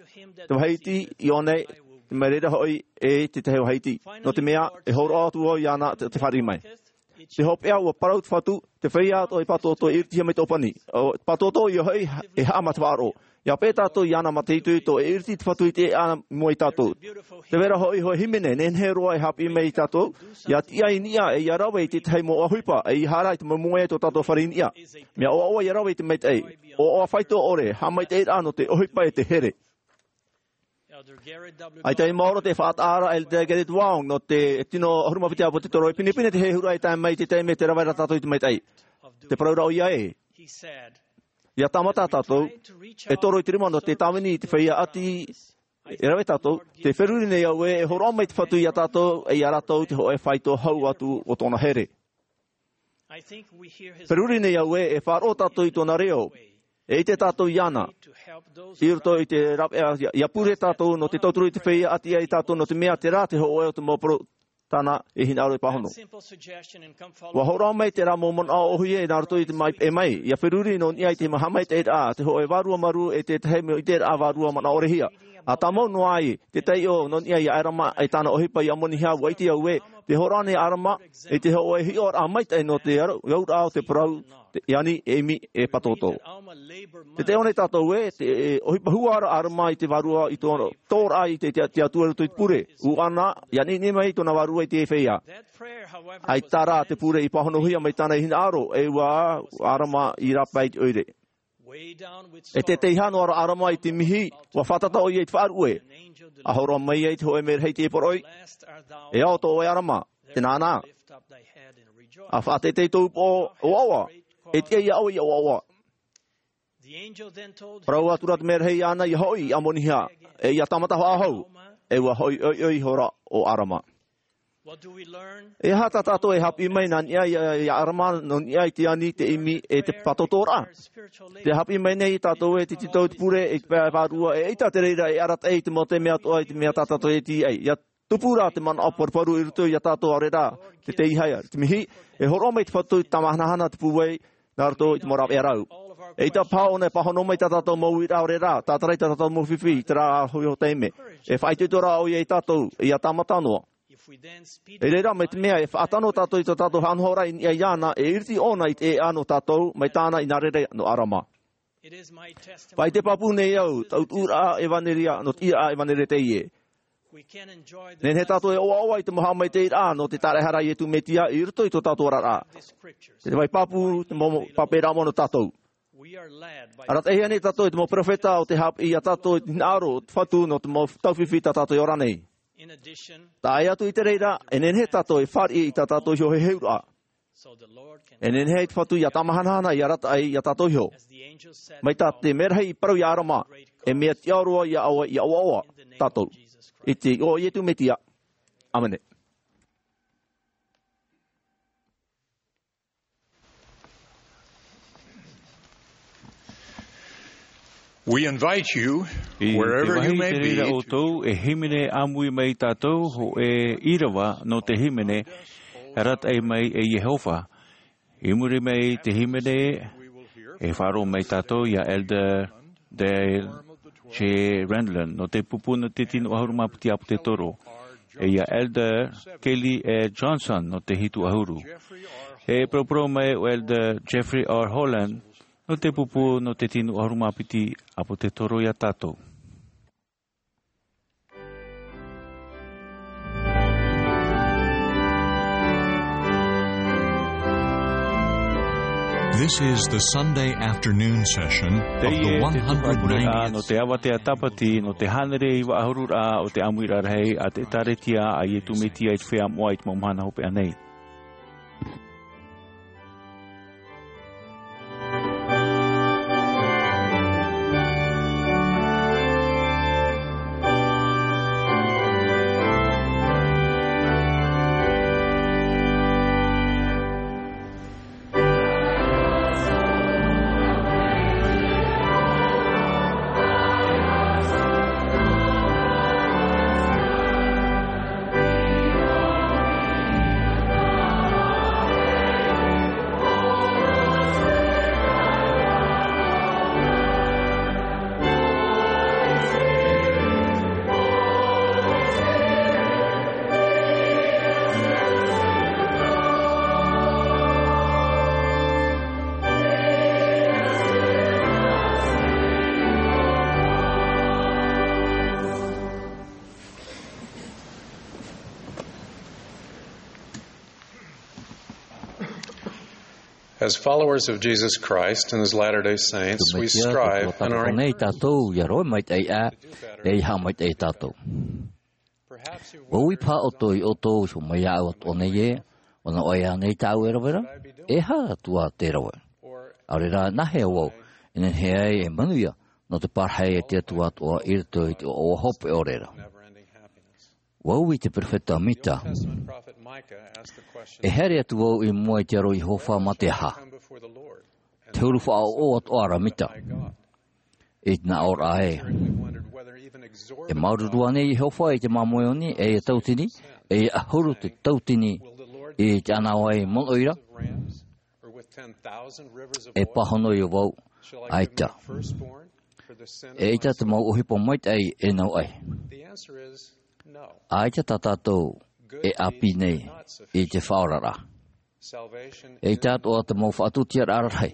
Te vāhi iti, i ʻō nei, te mea reira hoʻi, e te tahi vāhi iti. Nō te mea, e hōroʻa atu vau iāna te, te fāriʻi mai. Te hopeʻa, ʻua parau te Fatu, te feiā atoʻa e pātōtō e iritihia mai te ʻōpani. ʻO, pātōtō ia hoʻi, e haʻamata faʻaroʻo. Ia peʻe tātou iāna mā te itoito, e iriti te Fatu i te ʻēʻa i mua ia tātou. Tē vai ra hoʻi hōʻē hīmene, nehenehe roa e haʻapiʻi mai ia tātou, ia tiʻa i niʻa, e ia rave i te tahi mau ʻohipa, e ia haere i te mau moe o tō tātou fare i niʻa. Mea ʻoaʻoa ia rave i te maitaʻi. ʻOaʻoa faito ʻore, haʻamaitaʻiraʻa nō te ʻohipa e te here. ʻAita i maoro te faʻataʻa ra Elder Gerrit Wong nō te tino ʻahuru mā piti ʻāpōsetolo, e pinepine te heheuraʻa e tae mai i te taime tē rave ra tātou i te maitaʻi. Tē parau ra ʻoia ē. Ia tāmata tātou, e toro i te rima nō te tāvini i te feiā ʻati, e rave tātou, tē feruri nei au ē, e hōroʻa mai te Fatu ia tātou, e ia rātou te hōʻē faito hau atu o tōna here. Feruri nei au ē, e faʻaroʻo tātou i tōna reo, e ʻite tātou iāna. I roto i te rāveʻa, ia, ia pure tātou nō te tauturu i te feiā ʻati ia tātou nō te mea terā te hōʻē o te mau parau tāna e hinaʻaro e pāhono. ʻUa hōroʻa mai terā mau manaʻo ʻōhie nā roto i te mai, e mai, ia feruri nō niʻa i te haʻamaitaʻiraʻa, te hōʻē vārua marū e te tahi mau ʻiteraʻa vārua manaʻorehia. ʻA tāmau noa ai, te taiʻo nō niʻa ia ʻArama e tāna ʻohipa ia ʻAmonihā, ʻua ʻite au ē, tē hōroʻa nei ʻArama, i te hōʻē hiʻoraʻa maitaʻi nō te aro, auraʻa o te parau, te ani, e ʻimi, e pātōtō. Tē taiʻo nei tātou ē, te, e, ʻohipa huaraʻa ʻArama i te vārua i tō, tōraʻa i te, te, te Atua i roto i te pure. ʻUa ʻana, ia ʻaniʻani mai tōna vārua i te feiā. ʻAita rā te pure i pāhonohia mai tāna i hinaʻaro, e ʻua ʻArama i rāpae i te ʻoire. E te teiaha noa ra ʻArama i te mihi, ʻua fātata ʻoia i te faʻaruʻe. ʻA hōroʻa mai ai te hōʻē merahi i te poroʻi. E ao tō ʻoe ʻArama, tē nānā. ʻA faʻateitei tō upoʻo, ʻoaʻoa. E tiʻa iā ʻoe ia ʻoaʻoa. Parau atu ra te merahi iāna ia hoʻi i ʻAmonihā, e ia tāmata faʻahou, e ʻua hoʻi ʻoiʻoi ihora ʻo ʻArama. E aha tā tātou e haʻapiʻi mai nā niʻa ia, ia ʻArama, nō niʻa i te ani, te ʻimi, e te pātōtōraʻa? Tē haʻapiʻi mai nei tātou e te tītau i te pure, i te pae vārua, e ʻaita te reira e arataʻi i te mau taime atoʻa i te mea tā tātou e tīaʻi. Ia tupu rā te manaʻo paruparu i roto ia tātou ʻaore rā, te teiaha, te mihi, e hōroʻa mai te Fatu i te tāmahanahana te pūai, nā roto i te mau rāveʻa rau. ʻAita paha ʻōna e pāhono mai tā tātou mau uiraʻa ʻaore rā, tātarai tā tātou mau fifi, i terā hoʻi taime. E faʻaitoitoraʻa ʻoia ia tātou, ia tāmata noa. I reira mai te mea e faʻatano tātou i tō tātou haʻanahoraʻa i niʻa iāna, e iriti ʻōna i te ʻēʻa nō tātou, mai tāna i nā reira nō ʻArama. Faʻaite pāpū nei au, taʻu tuʻuraʻa ʻevanelia, nō te ʻīraʻa ʻevanelia teie. Nehenehe tātou e ʻoaʻoa i te mau haʻamaitaʻiraʻa nō te tāraʻehara a Iesu Mesia i roto i tō tātou oraraʻa. Te vai pāpū, te mau pape rā mono tātou. Arataʻihia nei tātou e te mau perofeta o te haʻapiʻi ia tātou i te hinaʻaro o te Fatu nō te mau taufifi tā tātou e ora nei. Tae atu i te reira, e nehenehe tātou e fāriʻi i tā tātou iho heheuraʻa. E nehenehe te Fatu ia tāmahanahana, ia arataʻi ia tātou iho. Mai tā te merahi i parau ia Arama, e mea tiʻa roa ia ʻoe ia ʻoaʻoa tātou. I te iʻoa o Iesu Mesia. ʻĀmene. We invite you, I te wherever you vāhi may i te reira be, ʻoutou, e hīmene ʻāmui mai tātou, hōʻē ʻīrava nō te hīmene, arataʻi mai e Iehova. I muri mai i te hīmene, e faʻaroʻo mai tātou ia Elder Dale J. Renlund, nō te pupu nō te tino ʻahuru mā piti ʻāpōsetolo, e ia Elder Kelly E. Johnson, nō te hitu ʻahuru. E paraparau mai ʻo Elder Jeffrey R. Holland, nō te pupu nō te tino ʻahuru mā piti ʻāpōsetolo ia tātou. This is the Sunday afternoon session of the Teie te tupurapuraʻa nō te avatea tāpati, nō te hānere iva ʻahuru rā o te ʻāmuiraʻa rahi a te ʻĒkālesia a Iesu Mesia i te Feiā Moʻa i te mau mahana hopeʻa nei. As followers of Jesus Christ and his Latter-day Saints, we strive and are nei tātou ia roa maitaʻi ʻā, e ia haʻamaitaʻi tātou. Ua ui paha ʻoutou ia ʻoutou, i hōmai aʻu atoʻa nei ē, ʻo nā ʻoe ānei tāʻu e rave ra? E aha atu ā te rave? ʻAore rā, nāhea vau e nehenehe ai e manuia nō te parahi a te Atua atoʻa i roto i te ʻoaʻoa hopeʻa ʻore ra? Ua ui te perofeta Mika. E haere atu vau i mua i te aro o Iehova mā te aha? Te huru faʻaʻoʻo atoʻa ra Mika. I te nā ʻō ra ē. E māuruuru ānei Iehova i te māmoe oni, e ia tautini, e ia ʻahuru te tautini i te ʻānaʻe mono ʻoira? E pāhono ïa vau, ʻaita. ʻEita te mau ʻohipa maitaʻi e nau ʻai. ʻAita tā tātou e ʻāpī nei i te faʻaoraraʻa. ʻEita atoʻa te mau faʻatūtiaraʻa rahi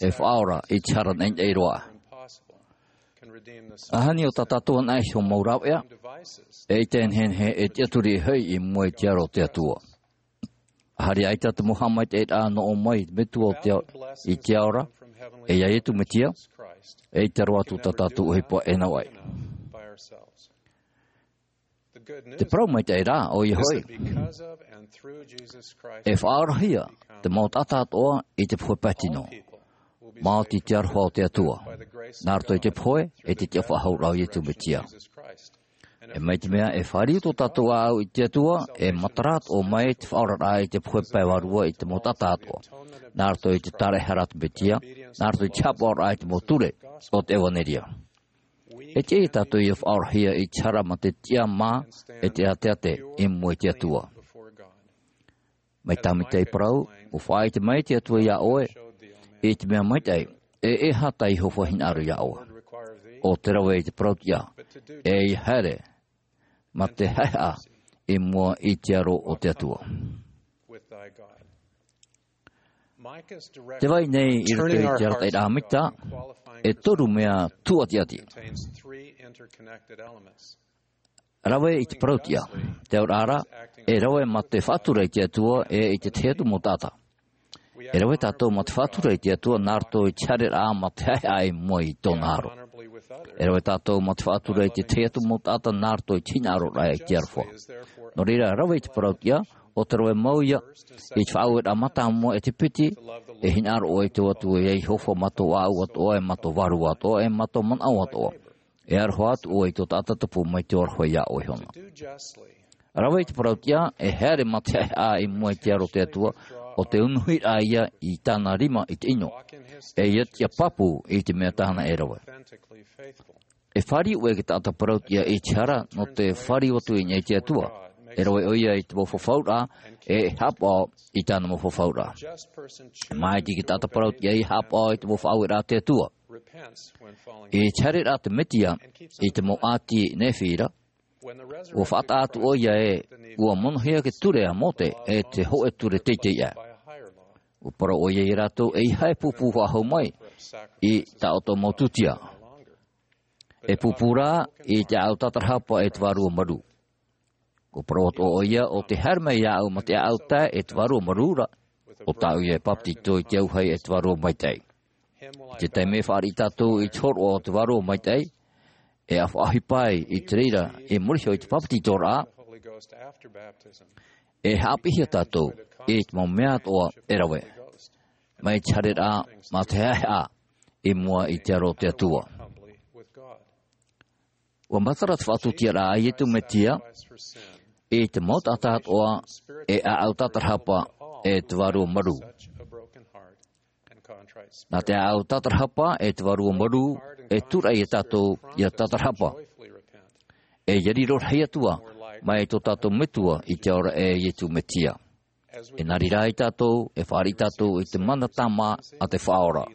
e faʻaora i te hara naʻinaʻi roa. ʻAhani ʻo tā tātou anaʻe iho mau rāveʻa, ʻeita e nehenehe e tiʻaturi hoʻi i mua i te aro o te Atua. ʻAhari ʻaita te mau haʻamaitaʻiraʻa nō ʻō mai i te Metua o te ao, i te ao ra, e ia Iesu Mesia, ʻeita roa atu tā tātou ʻohipa e nau ʻai. Te parau maitaʻi rā, ʻoia hoʻi, e faʻaorahia te mau taʻata atoʻa i te pohe pae tino. Maoti te aroha o te Atua, nā roto i te pohe, e te tiʻafaʻahouraʻa o Iesu Mesia. E mai te mea e fāriu tō tātou ʻāʻau i te Atua, e matara atoʻa mai te faʻaoraraʻa i te pohe pae vārua i te mau taʻata atoʻa, nā roto i te tāraʻehara a te Mesia, nā roto i te haʻapaʻoraʻa i te mau ture o te ʻevanelia. E tiʻa ia tātou ia faʻaorahia i te hara mā te tiʻamā e te ʻāteate i mua i te Atua. Mai tā Mika i parau, ʻua faʻaʻite mai te Atua iā ʻoe, i te mea maitaʻi, e e aha tā Iehova hinaʻaro iā ʻoe. ʻO te rave i te parau tiʻa, e ia haere, mā te haʻehaʻa i mua i te aro o te Atua. Te vai nei i roto i te arataʻiraʻa Mika e toru mea tūʻatiʻati. Rave i te parautiʻa, te auraʻa ra, e rave mā te faʻatura i te Atua e i te tahi atu mau taʻata. E rave tātou mā te faʻatura i te Atua nā roto i te haereraʻa mā te haʻehaʻa i mua i tōna aro. E rave tātou mā te faʻatura i te tahi atu mau taʻata nā roto i te hinaʻaroraʻa i te aroha. Nō reira, rave i te parautiʻa, ʻo te rave mau ia i te faʻaueraʻa mātāmua e te piti, e hinaʻaro ʻoe i tō Atua ia Iehova mā tō ʻāʻau atoʻa, e mā tō vārua atoʻa, e mā tō manaʻo atoʻa. E aroha atu ʻoe i tō taʻata tupu mai te aroha iā ʻoe iho na. Rave i te parautiʻa, e haere mā te haʻehaʻa i mua i te aro o te Atua, ʻo te unuhiraʻa ia i tāna rima i te ʻino. E ia tiʻa pāpū i te mea tāna e rave. E fāriu ʻoe e te taʻata parautiʻa i te hara nō te fāriu atu i niʻa i te Atua. E rave ʻoia i te mau fafauraʻa, e haʻapaʻo i tāna mau fafauraʻa. Māiti e te taʻata parautiʻa i haʻapaʻo i te mau faʻaueraʻa a te Atua. I te haereraʻa a te Mesia i te mau ʻāti Nephi ra, ʻua faʻataʻa atu ʻoia ē ʻua monohia te ture a Mōte e te hōʻē ture teitei aʻe. ʻUa parau ʻoia ia rātou, ʻeiaha e pūpū faʻahou mai i tā ʻoutou mau tūtia. E pūpū rā i te ʻāʻau tātarahapa e te vārua marū. ʻUa parau atoʻa ʻoia, ʻo tē haere mai iāʻu mā te ʻāʻau tae e te vārua marū ra, ʻo tāʻu ia e papetito i te auahi e te vārua maitaʻi. I te taime e fāriʻi tātou i te hōroʻa o te vārua maitaʻi, e faʻaʻohipa ai i te reira i muri iho i te papetitoraʻa, e haʻapiʻihia tātou i te mau mea atoʻa e rave mai te haereraʻa mā te haʻehaʻa i mua i te aro o te Atua. ʻUa matara te faʻatūtiaraʻa a Iesu Mesia i te mau taʻata atoʻa e ʻāʻau tātarahapa e te vārua marū. Nā te ʻāʻau tātarahapa e te vārua marū e tūraʻi ia tātou ia tātarahapa. E ia riro rahi atu ā mai tō tātou Metua i te ao ra e Iesu Mesia. E nā reira ai tātou, e fāriʻi tātou i te mana tāmā a te Faʻaora.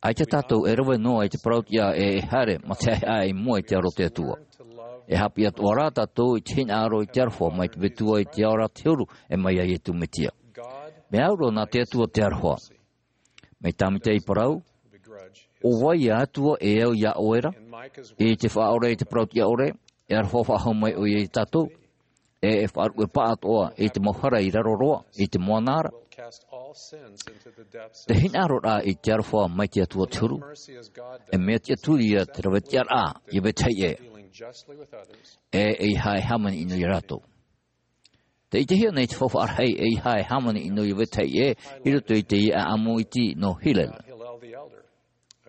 ʻAita tātou e rave noa i te parautiʻa e haere mā te haʻehaʻa i mua i te aro o te Atua. E haʻapiʻi atoʻa rā tātou i te hinaʻaro i te aroha mai te Metua i te ao ra te huru e mai iā Iesu Mesia. Mea au roa nā te Atua te aroha. Mai tāmata i parau, ʻo vai ia Atua e au iā ʻoe ra, i te Faʻaora i te parautiʻa ʻore, e aroha faʻahou mai ʻoia ia tātou, e e faʻaruʻe paʻatoʻa i te mau hara i raro roa i te moana ra. Te hinaʻaroraʻa i te aroha mai te Atua te huru, e mea tiʻaturi ia te ravetiʻaraʻa ia vetahi ʻē, e ʻeiaha e hāmani ʻino ia rātou. Tē ʻitehia nei te faufaʻa rahi, ʻeiaha e hāmani ʻino ia vetahi ʻē i roto i te ʻāʻamu iti nō Hillel,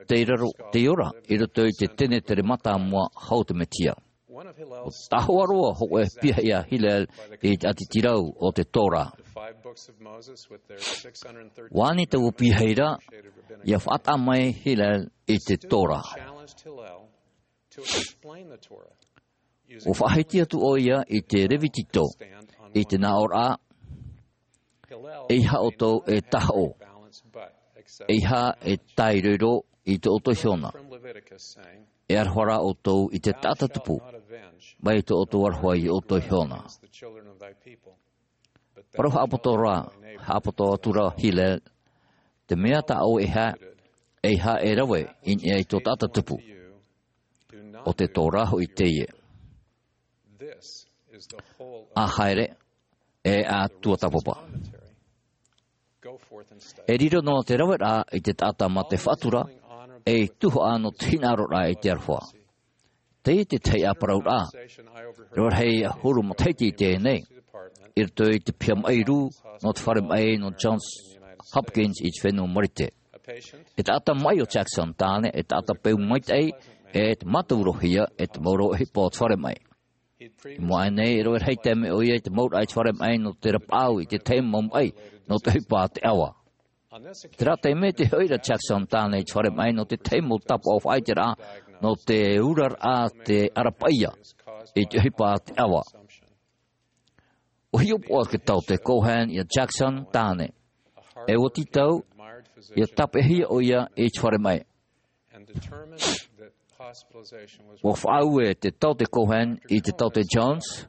tei raro, tei ora i roto i te tenetere mātāmua hau o te Mesia. ʻUa tahoʻa roa hōʻē piahi a Hillel i te ʻātitirau o te Torah. ʻUa ani taua piahi ra, ʻia faʻataʻa mai Hillel i te Torah. ʻUa faʻahiti atu ʻoia i te Levitiko, i te nāʻōraʻa, ʻeiaha ʻoutou e tahoʻo, ʻeiaha e tāiroiro i tō ʻoutou iho na. E aroha rā ʻoutou i te taʻata tupu, mai tō ʻoutou aroha i ʻoutou iho na. Parau haʻapoto rā, haʻapoto atu rā Hillel, te mea tā ʻoe e haʻa, ʻeiaha e rave i niʻa i tō taʻata tupu. ʻO te Torah hoʻi teie. ʻA haere, e ʻa tuatāpapa. E riro noa te raveraʻa i te taʻata mā te faʻatura, ei tuhaʻa nō te hinaʻaroraʻa i te aroha. Teie te tahi ā parauraʻa. Rave rahi ʻahuru matahiti i teie nei, i roto i te piha maʻi rū nō te fare maʻi nō Johns Hopkins i te fenua Marite. E taʻata maʻi ʻo Jackson tāne, e taʻata peu maitaʻi, e te mātaurohia, e te mau rave ʻohipa o te fare maʻi. I mua aʻe nei, e rave rahi taime ʻoia i te mauraʻa i te fare maʻi nō te rapaʻau i te tahi mau maʻi nō te ʻohipa a te ʻava. Terā taime tē hoʻi ra Jackson tāne i te fare maʻi nō te tahi mau tāpaʻo faʻaʻiteraʻa nō te uraraʻa te ara paʻia i te ʻohipa a te ʻava. ʻUa hiʻopoʻa te taote Cohen iā Jackson tāne. E ʻua tītau, ʻia tāpeʻahia ʻoia i te fare maʻi. Ua faʻaue te taote Cohen i te taote Jones,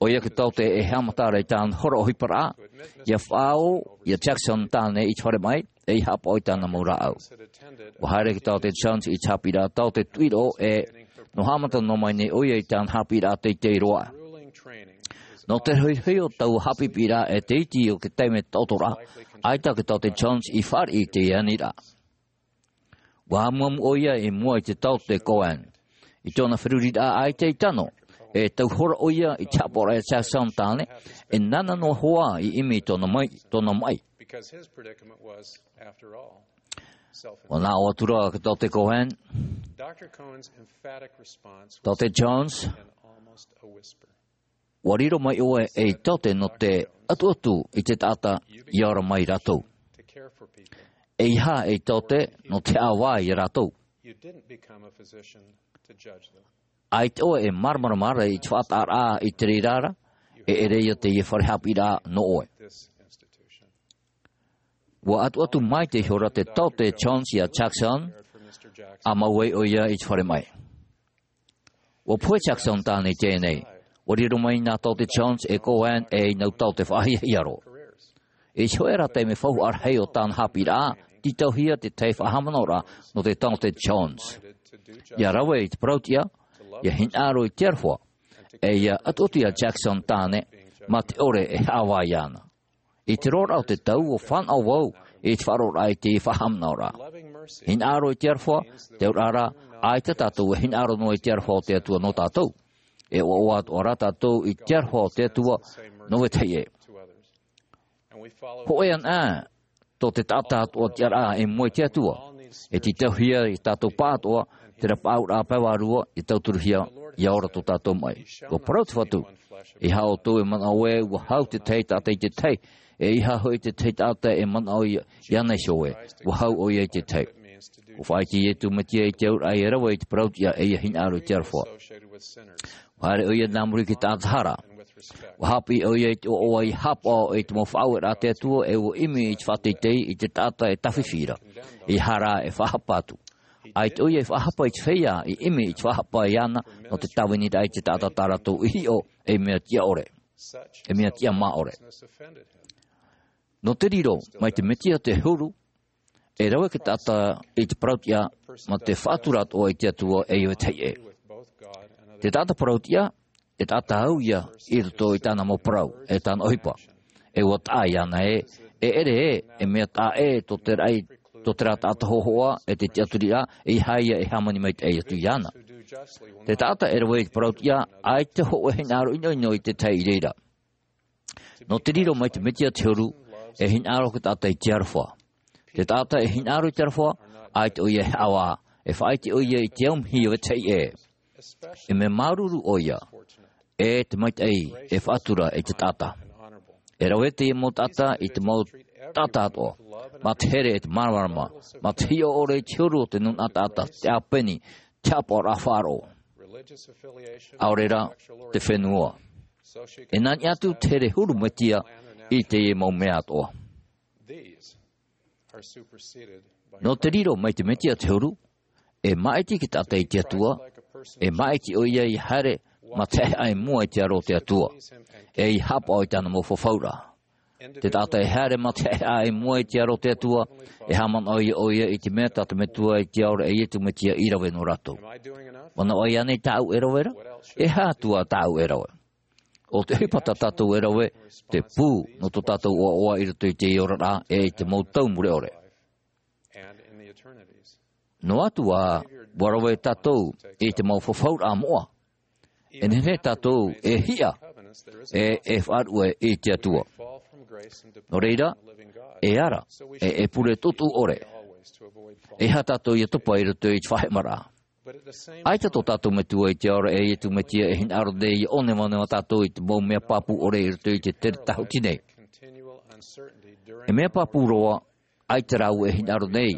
ʻoia te taote e haʻamata ra i tāna hora ʻohiparaʻa, ʻia faʻaō ia Jackson tāne i te fare maʻi, ʻei haʻapaʻo i tāna mau rāʻau. Ua haere te taote Jones i te haʻapiʻiraʻa taote tuʻiroʻo ē, nō haʻamata noa mai nei ʻoia i tāna haʻapiʻiraʻa teitei roa. Nō te rohirohi o taua haʻapiʻiraʻa e te iti o te taime taʻoto ra, ʻaita te taote Jones i fāriʻi i teie aniraʻa. Ua amuamu ʻoia i mua i te taote Cohen. I tōna feruriraʻa ʻaita i tano, e tau hora ʻoia i te haʻapaʻoraʻa ia Jackson tāne, e nāna noa hoʻi i ʻimi i tōna maʻi, tōna maʻi. Ua nā ʻō atu ra te taote Cohen, taote Jones, ua riro mai ʻoe ei taote nō te ʻatuʻatu i te taʻata ʻia ora mai rātou. ʻEiaha ei taote nō te haʻavā ia rātou. ʻAita ʻoe e māramarama ra i te faʻataʻaraʻa i te reira ra, e ʻere ia teie fare haʻapiʻiraʻa nō ʻoe. Ua ʻatuʻatu mai te hora te taote Jones ia Jackson, ʻa mau ai ʻoia i te fare maʻi. Ua pohe Jackson tāne i teie nei. Ua riro mai nā taote Jones e Cohen ei nau taote faʻahiahia roa. I te hōʻē ra taime faufaʻa rahi o tāna haʻapiʻiraʻa, tītauhia te tahi faʻahaʻamanaʻoraʻa nō te taote Jones. ʻIa rave i te parauʻtiʻa, ʻia hinaʻaro i te aroha, ʻe ʻia ʻatuʻatu ia Jackson tāne, mā te ʻore e haʻavā iāna. I te roaraʻa o te tau ua fānaʻo vau i te faʻaroʻoraʻa i te faʻahaʻamanaʻoraʻa. Hinaʻaro i te aroha, te auraʻa ra, ʻaita tātou e hinaʻaro noa i te aroha o te Atua nō tātou. E ʻoaʻoa atoʻa ra tātou i te aroha o te Atua nō vetahi ʻē. Hōʻē anaʻe tō te taʻata atoʻa tiʻaraʻa i mua i te Atua. E tītauhia ia tātou pāʻatoʻa, terā paʻauraʻa pae vārua, ʻia tauturuhia, ʻia ora tō tātou maʻi. Ua parau te Fatu, ʻeiaha ʻoutou e manaʻo ē ua hau te tahi taʻata i te tahi, ʻeiaha hoʻi te tahi taʻata e manaʻo ia, iāna iho ē, ua hau ʻoia i te tahi. Ua faʻaʻite Iesu Mesia i te auraʻa e rave i te parauʻtiʻa ʻe ʻia hinaʻaro i te aroha. Ua haere ʻoia nā muri i te taʻata hara. Ua haʻapiʻi ʻoia i te ʻoaʻoa ʻia haʻapaʻo i te mau faʻaueraʻa a te Atua ʻe ua ʻimi i te faʻateitei i te taʻata e tāfifi ra. ʻEiaha rā e faʻahapa atu. ʻAita ʻoia e faʻahapa i te feiā i ʻimi i te faʻahapa iāna nō te tāviniraʻa i te taʻata tā rātou i hiʻo ei mea tiʻa ʻore. Ei mea tiʻa mā ʻore. Nō te riro, mai te Mesia te huru, e rave te taʻata i te parauʻtiʻa, mā te faʻatura atoʻa i te Atua ʻe ʻia vetahi ʻē. Te taʻata parauʻtiʻa, e taʻata au ia i roto i tāna mau parau, ʻe tāna ʻohipa. ʻE ua taʻa iāna ē, e ʻere ē, e mea taʻa ʻē tō te raʻi, tō terā taʻata hōhoʻa, ʻe te tiʻaturiraʻa, ʻeiaha ia e hāmani maitaʻi atu iāna. Te taʻata e rave i te parauʻtiʻa, ʻaita hōʻē hinaʻaro ʻinoʻino i te tahi i reira. Nō te riro mai te Mesia te huru, e hinaʻaro te taʻata i te aroha. Te taʻata e hinaʻaro i te aroha, ʻaita ʻoia e haʻavā, e faʻaʻite ʻoia i te aumihi ʻia vetahi ʻē. E mea māuruuru ʻoia, ʻe te maitaʻi e faʻatura i te taʻata. E rave teie mau taʻata i te mau taʻata atoʻa, mā te here ʻe te māramarama, mā te hiʻo ʻore i te huru o te nūnaʻa taʻata, te ʻāpeni, te haʻapaʻoraʻa faʻaroʻo. ʻAore rā, te fenua. E nā niʻa atu te here huru Mesia i teie mau mea atoʻa. Nō te riro mai te Mesia te huru, e māʻiti te taʻata i te Atua, e māʻiti ʻoia ʻia haere mā te haʻehaʻa i mua i te aro o te Atua, ʻe ʻia haʻapaʻo i tāna mau fafauraʻa. Te taʻata e haere mā te haʻehaʻa i mua i te aro o te Atua, e haʻamanaʻo ʻoia i te mea tā te Metua i te ao ra ʻe Iesu Mesia i rave nō rātou. Manaʻo ānei tāʻu e rave ra? E aha atu ā tāʻu e rave? ʻO te ʻohipa tā tātou e rave, te pū nō tō tātou ʻoaʻoa i roto i te oraraʻa ʻe i te mau tau mure ʻore. Noa atu ā, ʻua rave tātou i te mau fafauraʻa moʻa. E nehenehe tātou e hiʻa, ʻe e faʻaruʻe i te Atua. Nō reira, e ara, ʻe e pure tuʻutuʻu ʻore. ʻEiaha tātou ʻia topa i roto i te faʻaheʻemaraʻa. ʻAita tō tātou Metua i te ao ra ʻe Iesu Mesia e hinaʻaro nei ʻia ʻōnevanevatia tātou i te mau mea pāpū ʻore i roto i te tere tāhuti nei. E mea pāpū roa, ʻaita rāua e hinaʻaro nei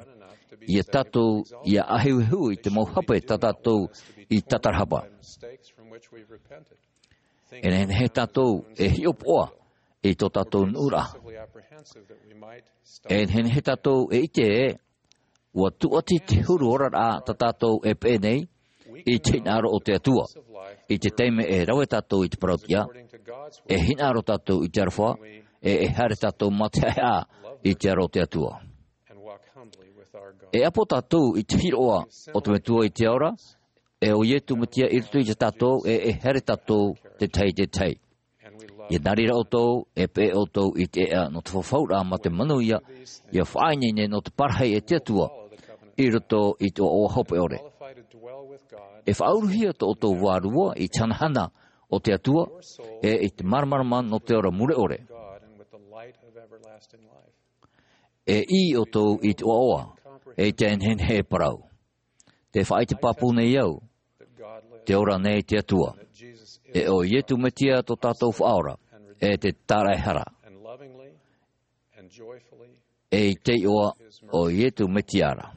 ia tātou ʻia ʻāhehuhehu i te mau hape tā tātou i tātarahapa. E nehenehe tātou e hiʻopoʻa i tō tātou nuʻuraʻa. E nehenehe tātou e ʻite ē, ʻua tūʻati te huru oraraʻa tā tātou e peʻe nei, i te hinaʻaro o te Atua. I te taime e rave tātou i te parauʻtiʻa, e hinaʻaro tātou i te aroha, e e haere tātou mā te haʻehaʻa i te aro o te Atua. E ʻapo tātou i te hiroʻa o te Metua i te ao ra, e ʻo Iesu Mesia i roto ia tātou, e e haere tātou te tahi i te tahi. ʻIa nā reira ʻoutou, e peʻe ʻoutou i te ʻēʻa nō te fafauraʻa mā te manuia, ʻia faʻaineine nō te parahi e te Atua i roto i te ʻoaʻoa hopeʻa ʻore. E faʻauruhia tō ʻoutou vārua i te hanahana o te Atua, e i te māramarama nō te ora mure ʻore. E ʻī ʻoutou i te ʻoaʻoa, e i te nehenehe e parau. Te faʻaʻite pāpū nei au, te ora nei te Atua. E ʻo Iesu Mesia tō tātou Faʻaora, e te tāraʻehara. E i te iʻoa o Iesu Mesia ra.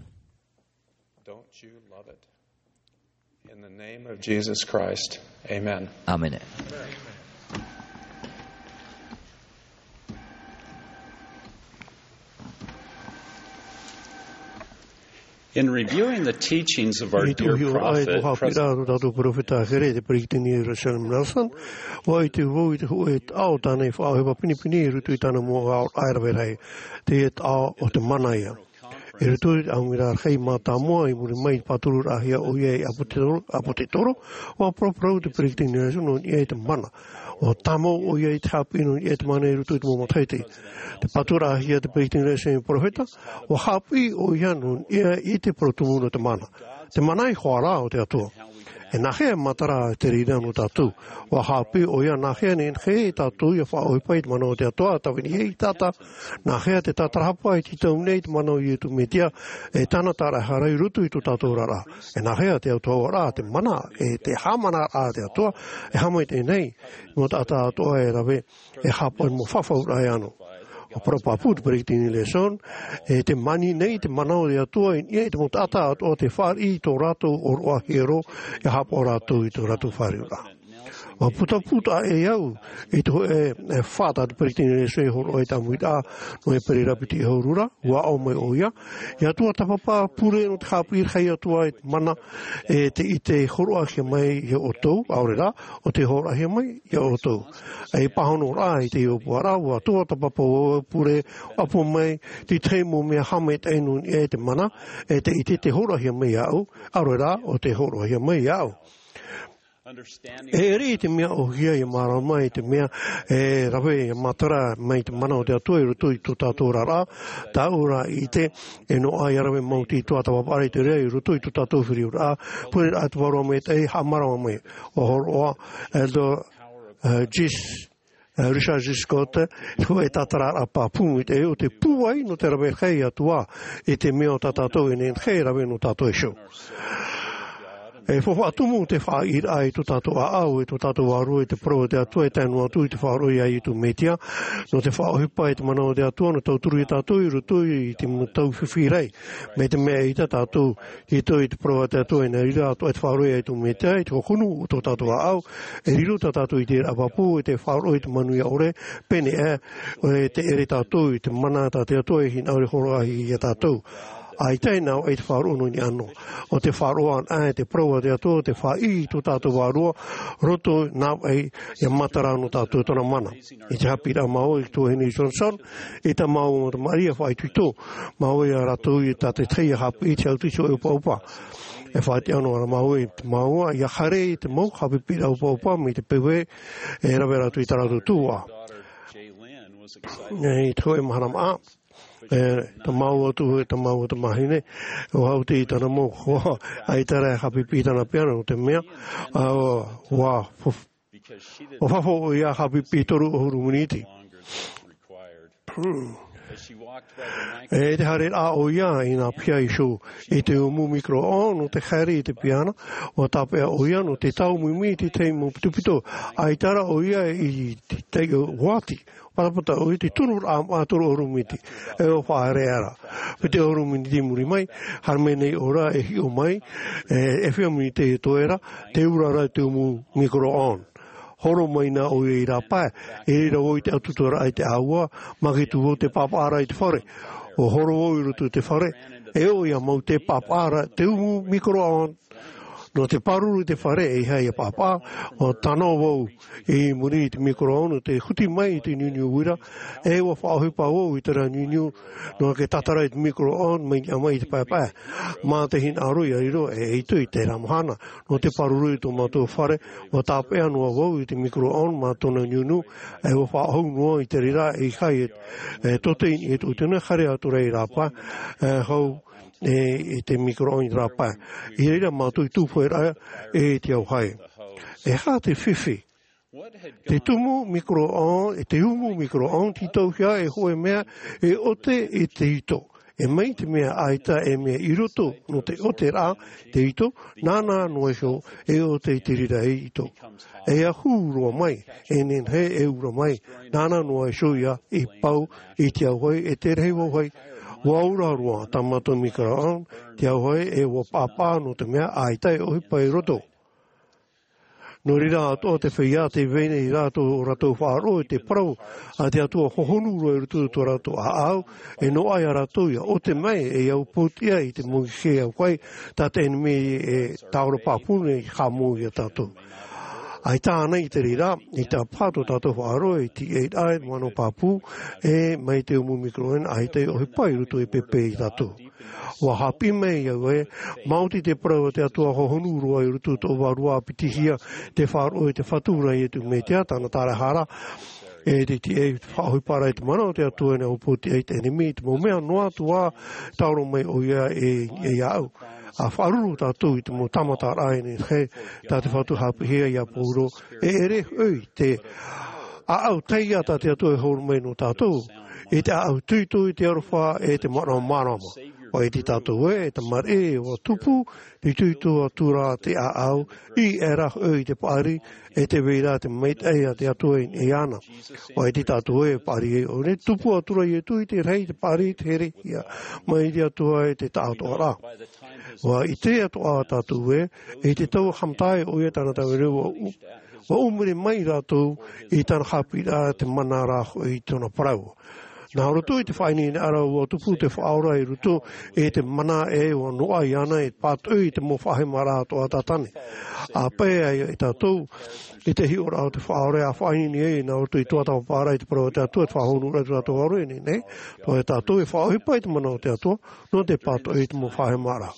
In the name of Jesus Christ, amen. Āmene. In reviewing the teachings of our dear prophet, President, ʻua ʻite vau i te hōʻē taʻo tāna i faʻaʻohipa pinepine i roto i tāna mau aʻoraʻa e rave rahi. Teie taʻo o te mana ia. I roto i te ʻāmuiraʻa rahi mātāmua i muri mai i te pātururaʻahia ʻoia i ʻApotetoro, ʻApotetoro, ʻua paraparau te peresideni Nelson nō niʻa i te mana. ʻUa tāmau ʻoia i te haʻapiʻi nō niʻa i te mana i roto i te mau matahiti. Te pāturaʻahia te peresideni Nelson i te peropheta, ʻua haʻapiʻi ʻoia nō niʻa i te parau tumu nō te mana. Te mana i te hōroʻa o te Atua. E nāhea e matara te reira nō tātou? ʻUa haʻapiʻi ʻoia nāhea e nehenehe tātou ʻia faʻaʻohipa i te mana o te Atua, tāvini e i tata, nāhea te tātarahapa e tītau nei te mana o Iesu Mesia, e tāna tāraʻehara i roto i tō tātou oraraʻa. E nāhea te autahuʻaraʻa, te mana, e te haʻamanaraʻa a te Atua, e haʻamaitaʻi nei, mau taʻata atoʻa e rave, e haʻapaʻo i te mau fafauraʻa e ʻano. ʻUa parau pāpū te peresideni Nelson, e tē mani nei te mana o te Atua i niʻa i te mau taʻata atoʻa tē fāriʻi i tō rātou ʻōroʻa hiero, ʻia haʻapaʻo rātou i tō rātou fāriʻiraʻa. ʻUa putaputaʻa e au i te hōʻē, e, fā tā te peresideni Nelson i hōroʻa i te ʻāmuiraʻa nō ʻēperēra piti ʻahuru ra, ʻua aʻo mai ʻoia, ʻia Atua tāpapa pure nō te haʻapiʻiraʻa ia Atua i te mana, e te, i te hōroʻahia mai ia ʻoutou, ʻaore rā, ʻo te hōroʻahia mai ia ʻoutou. E pāhonoraʻa i te ʻōpuaraʻa, ʻua Atua tāpapa ʻua pure, ʻapo mai, te tahi mau mea haʻamaitaʻi nō niʻa i te mana, e te ʻite tē hōroʻahia mai iāʻu, ʻaore rā, ʻo tē hōroʻahia mai iāʻu. E ʻere i te mea ʻōhie ʻia mārama i te mea, e rave ʻia matara mai te mana o te Atua i roto i tō tātou oraraʻa, tāʻu rā ʻite, e noaʻa ʻia rave mau te tuatāpaparaʻa i te reira i roto i tō tātou feruriraʻa, pure rā te Vārua Maitaʻi, haʻamārama mai, ʻua hōroʻa, Elder, e, Gis, e, Richard G. Scott, te hōʻē tātararaʻa pāpū i te, ʻo te pūai nō te rave rahi i te Atua, i te mea ʻo tā tātou e nehenehe e rave nō tātou iho. E faufaʻa tumu te faʻaʻiteraʻa i tō tātou ʻāʻau, i tō tātou vārua, i te parau a te Atua, e tae noa atu i te faʻaroʻo ia Iesu Mesia, nō te faʻaʻohipa i te mana o te Atua, nō tauturu ia tātou i roto i te mau tau fifi rahi. Mai te mea ʻaita tātou, i roto i te parau a te Atua, e nā reira atoʻa i te faʻaroʻo ia Iesu Mesia, i te hōhonu o tō tātou ʻāʻau, e riro tā tātou i te rāpapu, i te faʻaroʻo i te manuia ʻore, pēneiaʻe, e te ʻere tātou i te mana tā te Atua e hinaʻaro e hōroʻahia ia tātou. ʻAita e nā vaʻi te faʻaroʻo nō niʻa noa. ʻO te faʻaroʻo anaʻe te parau a te Atua, ʻo te faʻaʻī i tō tātou vārua, roto nā vaʻi ʻia matara nō tātou tōna mana. I te haʻapiʻiraʻa māua i te tuahine Johnson, i tā māua mau tamariʻi ʻia faʻaitoito māua ia rātou i tā te tahi ʻia haʻapiʻi i te autiti ʻoʻopa. E faʻatiʻa noa ra māua i te māua, ʻia haere i te mau haʻapiʻiraʻa ʻoʻopa mai te peu ē, e rave rātou i tā rātou tuhaʻa. I te hōʻē mahana maʻa, e, tā māua atu, e tā māua tamahine, ʻua haʻuti i tāna mau hoa, ʻaita rā e haʻapiʻi i tāna piano, nō te mea, ā, ʻua, ʻua, ʻua fafo ʻoia haʻapiʻi toru ʻahuru miniti. E te haereraʻa ʻoia, ʻia nā piha iho i te umu micro-ondes, nō te haere i te piano, ʻua tāpeʻa ʻoia, nō te tau mimi i te tahi mau pitopito, ʻaita rā ʻoia i te taiʻo uati. Patapata ʻoia i te tunuraʻa maʻa toru ʻahuru miniti, e ʻua faʻaereʻa ra. Piti ʻahuru miniti i muri mai, haere mai nei ʻō ra e hiʻo mai, e, e fiha miniti e toe ra, tē ura ra te umu micro-ondes. Horo mai na ʻoia i rāpae, i reira vau i te ʻatutuaraʻa i te ʻāua, māketū vau te pāpaʻaraʻa i te fare. ʻUa horo vau i roto i te fare, e ʻo ia mau te pāpaʻaraʻa, te umu micro-ondes. Nō te pāruru i te fare e ʻeiaha ia pāpā, ʻua tano vau i muri i te micro-ondes, te huti mai i te niuniu uira, e ʻua faʻaʻohipa vau i terā niuniu, nō te tātara i te micro-ondes, mai niʻa mai i te paepae. Mā te hinaʻaro ia riro, e ʻaita i terā mahana, nō te pāruru i tō mātou fare, ʻua tāpeʻa noa vau i te micro-ondes, mā tōna niuniu, e ʻua faʻahou noa i te reira, e ʻeiaha e, e tote i niʻa i tōʻu tino, haere atu ra i rāpae, e hau, e, i te micro-ondes i rāpae. I reira mātou i tupu ra, e te auahi. E aha te fifi? Te tumu micro-ondes, e te umu micro-ondes, tītauhia e hōʻē mea, e ʻote i te ito. E mai te mea ʻaita e mea i roto, nō te ʻote ra, te ito, nāna noa iho, e ʻote i te reira e ito. E ahu roa mai, e nehenehe e ura mai, nāna noa iho ia i pau i te auahi, e te rahi vauahi, ʻua ura roa tā mātou micro-ondes, te auahi, e ʻua pāpā nō te mea ʻaita e ʻohipa i roto. Nō reira atoʻa te feiā, tē vai nei rātou, ʻo rātou faʻaroʻo i te parau a te Atua hohonu roa i roto i tō rātou ʻāʻau, e noaʻa ia rātou ia ʻote mai, e ia upootiʻa i te mau hē auahi, tā te ʻenemi e tāora pāpū nei, haʻamou ia tātou. ʻAita ānei te reira, i te ʻāpī tō tātou faʻaroʻo, e tīaʻi ra te manaʻo pāpū, e mai te umu micro-ondes, ʻaita e ʻohipa i roto i pēpē ia tātou. ʻUa haʻapiʻi mai au ē, maoti te parau a te Atua hohonu roa i roto i tō vārua, ʻa piti hia te faʻaroʻo i te Fatu ra Iesu Mesia, tāna tāraʻehara, e te, te, e faʻaʻohipa ra i te mana o te Atua, e nā upootiʻa i te ʻenemi, i te mau mea noa atu ā, tāora mai ʻoia e, e iāʻu. ʻA faʻaruru tātou i te mau tāmataraʻa e nehenehe, tā te Fatu haʻapiʻihia ia Pauro, e ʻere hoʻi te ʻāʻau taiā tā te Atua e hōroʻa mai nō tātou, i te ʻāʻau itoito i te aroha e te manaʻo māramarama. ʻUa ʻite tātou ē, e tamariʻi, ʻua tupu, te itoito atu ra te ʻāʻau, ʻī aʻera hoʻi i te paʻari, e tē vai ra te maitaʻi a te Atua i niʻa iāna. ʻUa ʻite tātou ē, paʻari ē, ʻo nei, tupu atu ra Iesu i te rahi, te paʻari, te herehia, mai te Atua e te taʻatoʻaraʻa. ʻUa ʻite atoʻa tātou ē, i te tau haʻamata ʻoia tāna tāvini, ʻua ʻu-, ʻua ʻumuri mai rātou i tāna haʻapiʻiraʻa te mana ra hoʻi i tōna parau. Nā roto i te faʻaineine ra ʻua tupu te Faʻaora i roto i te mana ē ʻua noaʻa iāna e pātoʻi i te mau faʻahemaraʻa atoʻa a Sātane. ʻA pae ai ia tātou i te hiʻoraʻa o te Faʻaora, ʻa faʻaineine ai nā roto i tō tātou parau i te parau a te Atua, te faʻahōnōraʻa i tō tātou ʻāʻau nei, nei. Tō tātou e faʻaʻohipa i te mana o te Atua, nō te pātoʻi i te mau faʻahemaraʻa.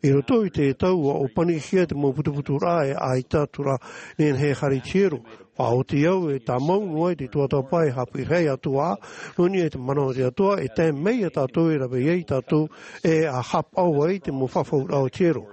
I roto i te tau ʻua ʻōpanihia te mau putuputuraʻa e ʻaita atu ra nehenehe e haere i te hiero. Faʻaoti au e tāmau noa i te tuatāpapa e haʻapiʻi rahi atu ā, nō niʻa i te mana o te Atua, e tae mai ia tātou e rave ai tātou, e ʻa haʻapaʻo ai te mau fafauraʻa o te hiero.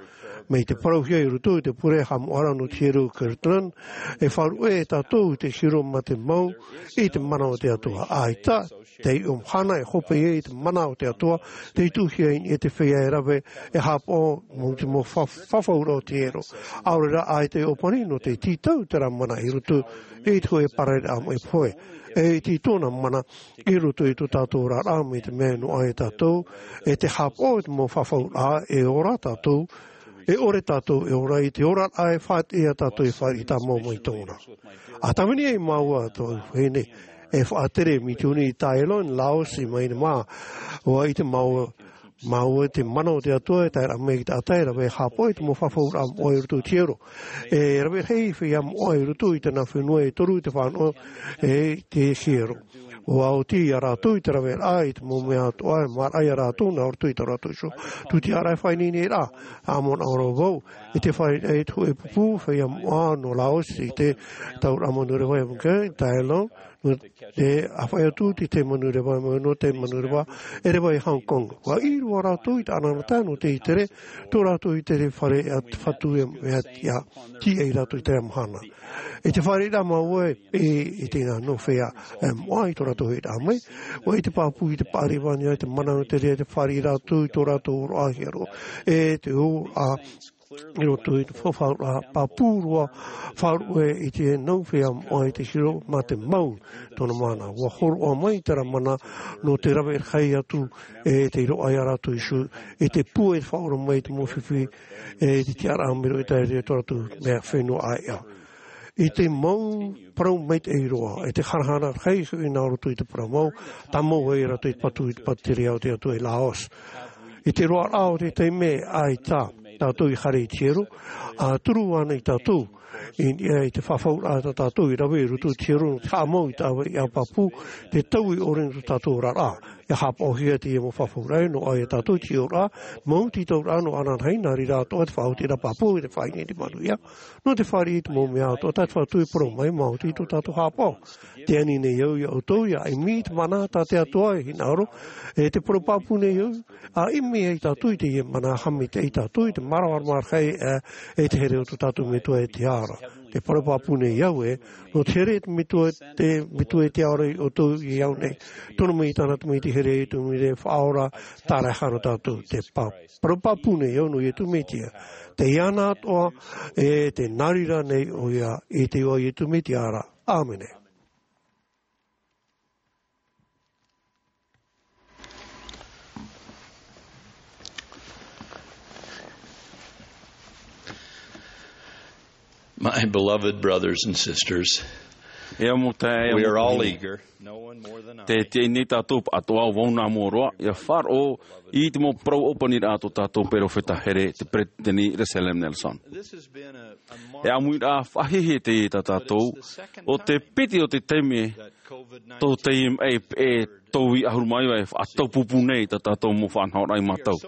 Mai te parauhia i roto i te pure haʻamoʻaraʻa nō te hiero Kirtland, e faʻaruʻe e tātou i te hiero mā te mau, i te mana o te Atua. ʻAita, te ʻiʻo mahana e hope ai i te mana o te Atua, tei tuʻuhia i niʻa i te feiā e rave, e haʻapaʻo, mau te mau fa-, fafauraʻa o te hiero. ʻAore rā ʻaita e ʻōpani nō te tītau terā mana i roto i te hōʻē parareraʻa maʻi pohe. E iti tōna mana i roto i tō tātou oraraʻa mai te mea e noaʻa ia tātou, e te haʻapaʻo i te mau fafauraʻa e ora tātou, e ʻore tātou e ora i te oraraʻa e faʻaʻite ia tātou e fāriʻi tāmau mai tōna. ʻA tāvini ai māua tō vahine, e faʻatere misiōni i Thailand, Laos, i Myanmar, ʻua ʻite māua, māua te mana o te Atua e tae ra mai i te taʻata e rave haʻapaʻo i te mau fafauraʻa moʻa i roto i te hiero. E rave rahi feiā moʻa i roto i tēnā fenua e toru te fānaʻo e te hiero. ʻUa oti ia rātou i te raveraʻa i te mau mea atoʻa e māraʻa ia rātou nā roto i tō rātou iho tūtiaraʻa e faʻaineineraʻa. ʻA manaʻo roa vau, i te fāriʻi i te hōʻē pupu feiā moʻa nō Laos i te tauraʻa manureva e Vietnam, Thailand, nō te, ʻa faʻaea atu i te manureva, nō te manureva e reva i Hong Kong. ʻUa ʻī roa rātou i te ʻanaʻanatae nō te ʻitere, tō rātou ʻitere fare a te Fatu e mea tiʻa, tiʻa ia rātou i terā mahana. I te fāriʻiraʻa māua e, i te nā nō feiā, e, moʻa i tō rātou hiʻoraʻa mai, ʻua ʻite pāpū i te paʻari vānua i te mana nō te reira te fāriʻi rātou i tō rātou ʻōroʻa hiero, e te ʻōroʻa, i roto i te fafauraʻa, pāpū roa, faʻaruʻe i te nau feiā moʻa i te hiero mā te mau tōna mana. ʻUa hōroʻa mai terā mana nō te rave rahi atu e te roaʻa ia rātou iho, e te pūai e te faʻaora mai i te mau fifi, e te tiʻaraʻa mai roto i te reira tō rātou mea fenua ʻāiʻa. I te mau parau maitaʻi roa, e te harahara rahi hoʻi nā roto i te parau mau, tāmau ai rātou i te patu, i te patu tere o te Atua i Laos. I te roaraʻa o te taime ʻaita, tātou i haere i te hiero, ʻa turu ana i tātou i niʻa i te fafauraʻa tā tātou i rave i roto i te hiero nō te haʻamau i te ʻāvaʻe pāpū, te taui ʻore nō tō tātou oraraʻa. ʻIa haʻapaʻohia teie mau fafauraʻa nō ʻoia tātou i te hiero, mau tītauraʻa nō ananahi, nā reira atoʻa te faʻaotiraʻa pāpū e te faʻaineinemanuia nō te fāriʻi i te mau mea atoʻa tā te Fatu e parau mai, maoti tō tātou haʻapaʻo. Te ani nei au iā ʻoutou ʻia ʻimi i te mana tā te Atua e hinaʻaro, e te parau pāpū nei au, ʻa ʻimi ai tātou i teie mana, haʻamaitaʻi tātou i te māramarama rahi, e, e te here o tō tātou Metua e te Atua. Te parau pāpū nei au ē, nō te here te Metua, te Metua e te Atua iā ʻoutou i au nei. Tono mai i tāna Tamaiti here, i te Tamaiti faʻaora, tāraʻehara tātou. Te pa-, parau pāpū nei au nō Iesu Mesia. Tei iāna atoʻa, e tē nā reira nei ʻoia, i te iʻoa o Iesu Mesia ra. ʻĀmene. My beloved brothers and sisters, E au mau taeaʻe, e au mau taeaʻe, we are all eager, no one more than I. Tē tiaʻi nei tātou atoʻa, vau nā mua roa, ʻia faʻaroʻo i te mau parau ʻōpaniraʻa a tō tātou perofeta here, te Peretiteni Russell M. Nelson. This has been a, a E ʻāmuiraʻa faʻahiahia teie tā tātou, ʻo te piti o te taime tō teie maʻi peʻe tauihaʻa ʻahuru mā iva e faʻataupupū nei tā tātou mau faʻanahoraʻa iā mātou.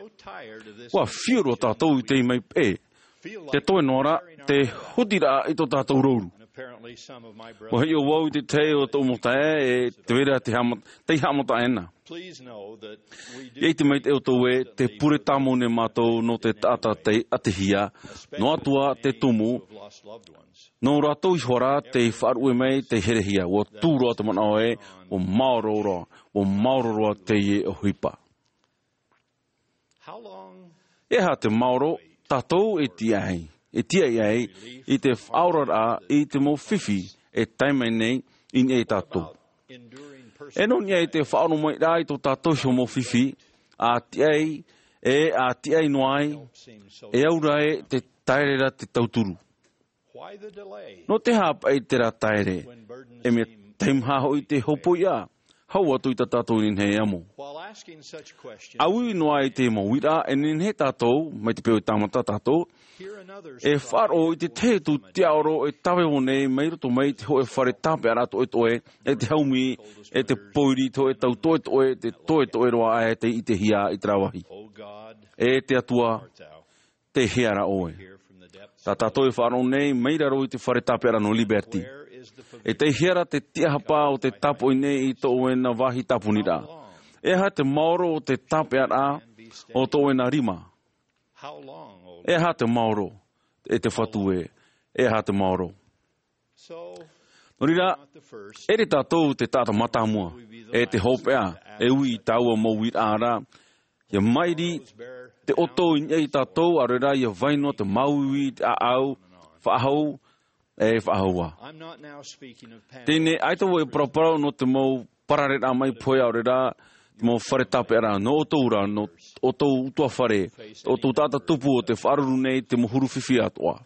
ʻUa fiu roa tātou i teie maʻi peʻe. Te toe noa ra, te hutiraʻa i tō tātou rouru. ʻUa hiʻo vau i te tahi o tōʻu mau taeaʻe, e tē vai ra te haʻama-, tei haʻamata ʻena. ʻIa ʻite maitaʻi ʻoutou ē, tē pure tāmau nei mātou nō te taʻata tei ʻatehia, noa atu ā te tumu, nō rātou iho ā rā tei faʻaruʻe mai, tei herehia. ʻUa tū roa te manaʻo ē, ʻua maoro roa, ʻua maoro roa teie ʻohipa. E aha te maoro tātou e tiaʻi ai, e tiaʻi ai i te faʻaoraraʻa i te mau fifi e tae mai nei i niʻa iā tātou? E nō niʻa i te faʻaoromaʻiraʻa i tō tātou iho mau fifi, ʻa tiaʻi, e ʻa tiaʻi noa ai, e au ra ē te taere ra te tauturu. Nō te aha paʻi terā taere? E mea teimaha hoʻi te hopoiʻa, hau atu i tā tātou nehenehe e amo. ʻA uiui noa i te mau uiraʻa, e nehenehe tātou, mai te peu e tāmata tātou, e faʻaroʻo i te tahi atu tiaʻoro e tāvevo nei mai roto mai i te hōʻē fare tāpeʻaraʻa toʻetoʻe, e te haumi, e te pōiri, te hōʻē tau toʻetoʻe, te toʻetoʻe roa aʻe tei ʻitehia i terā vāhi. E te Atua, tei hea ra ʻoe? Tā tātou e faʻaroʻo nei mai raro i te fare tāpeʻaraʻa nō Liberty. E tei hea ra te tiʻahapa o tē tāpoʻi nei i tō ʻoe nā vāhi tāponiraʻa? E aha te maoro o te tāpeʻaraʻa o tō ʻoe nā rima? E aha te maoro, e te Fatu ē, e aha te maoro? Nō reira, ʻere tātou te taʻata mātāmua, e te hopeʻa, e ui i taua mau uiraʻa ra, ʻia mairi te ʻoto i niʻa iā tātou, ʻaore rā ʻia vai noa te māuiui i te ʻāʻau, faʻahou, e faʻahou ā. Teie nei, ʻaita vau e paraparau nō te mau parareraʻa mai pohe, ʻaore rā, te mau fare tāpeʻaraʻa, nō ʻoutou rā, nō ʻoutou ʻutuāfare, ʻoutou taʻata tupu o tē faʻaruru nei te mau huru fifi atoʻa.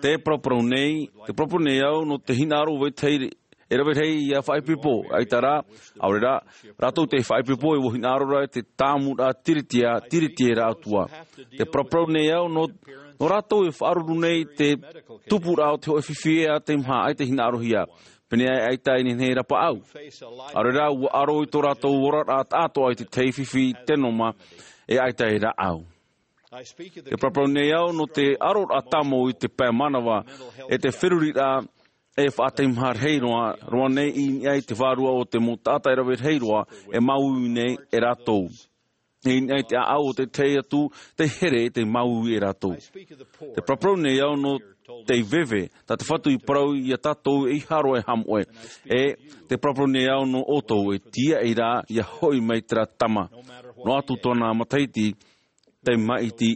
Te paraparau nei, te paraparau nei au nō te hinaʻaro o vetahi e rave rahi ʻia faʻaipoipo, ʻaita rā, ʻaore rā, rātou tei faʻaipoipo e ʻua hinaʻaro ra te tāmuraʻa tiriti-, tiriti e rātou ā. Te paraparau nei au nō, nō rātou e faʻaruru nei te tupuraʻa o te hōʻē fifi ē ʻaita e mea, ʻaita e hinaʻarohia. Pēneiaʻe ʻaita e nehenehe e rapaʻau. ʻAore rā, ʻua ʻaro i tō rātou oraraʻa taʻatoʻa i te tahi fifi tēnoma e ʻaita e rāʻau. Te paraparau nei au nō te ʻaroraʻa tāmau i te pae mānava, e te feruriraʻa e faʻateimaha rahi roa, roa nei i niʻa i te vārua o te mau taʻata e rave rahi roa, e māuiui nei e rātou. E i niʻa i te ʻāʻau o te tahi atu, tei here, tei māuiui e rātou. Te paraparau nei au nō te veve, tā te Fatu i parau iā tātou ʻeiaha roa e haʻamoʻe. E te paraparau nei au nō ʻoutou e tiaʻi ra ʻia hoʻi mai terā tama. Noa atu tōna matahiti, tei maʻiti,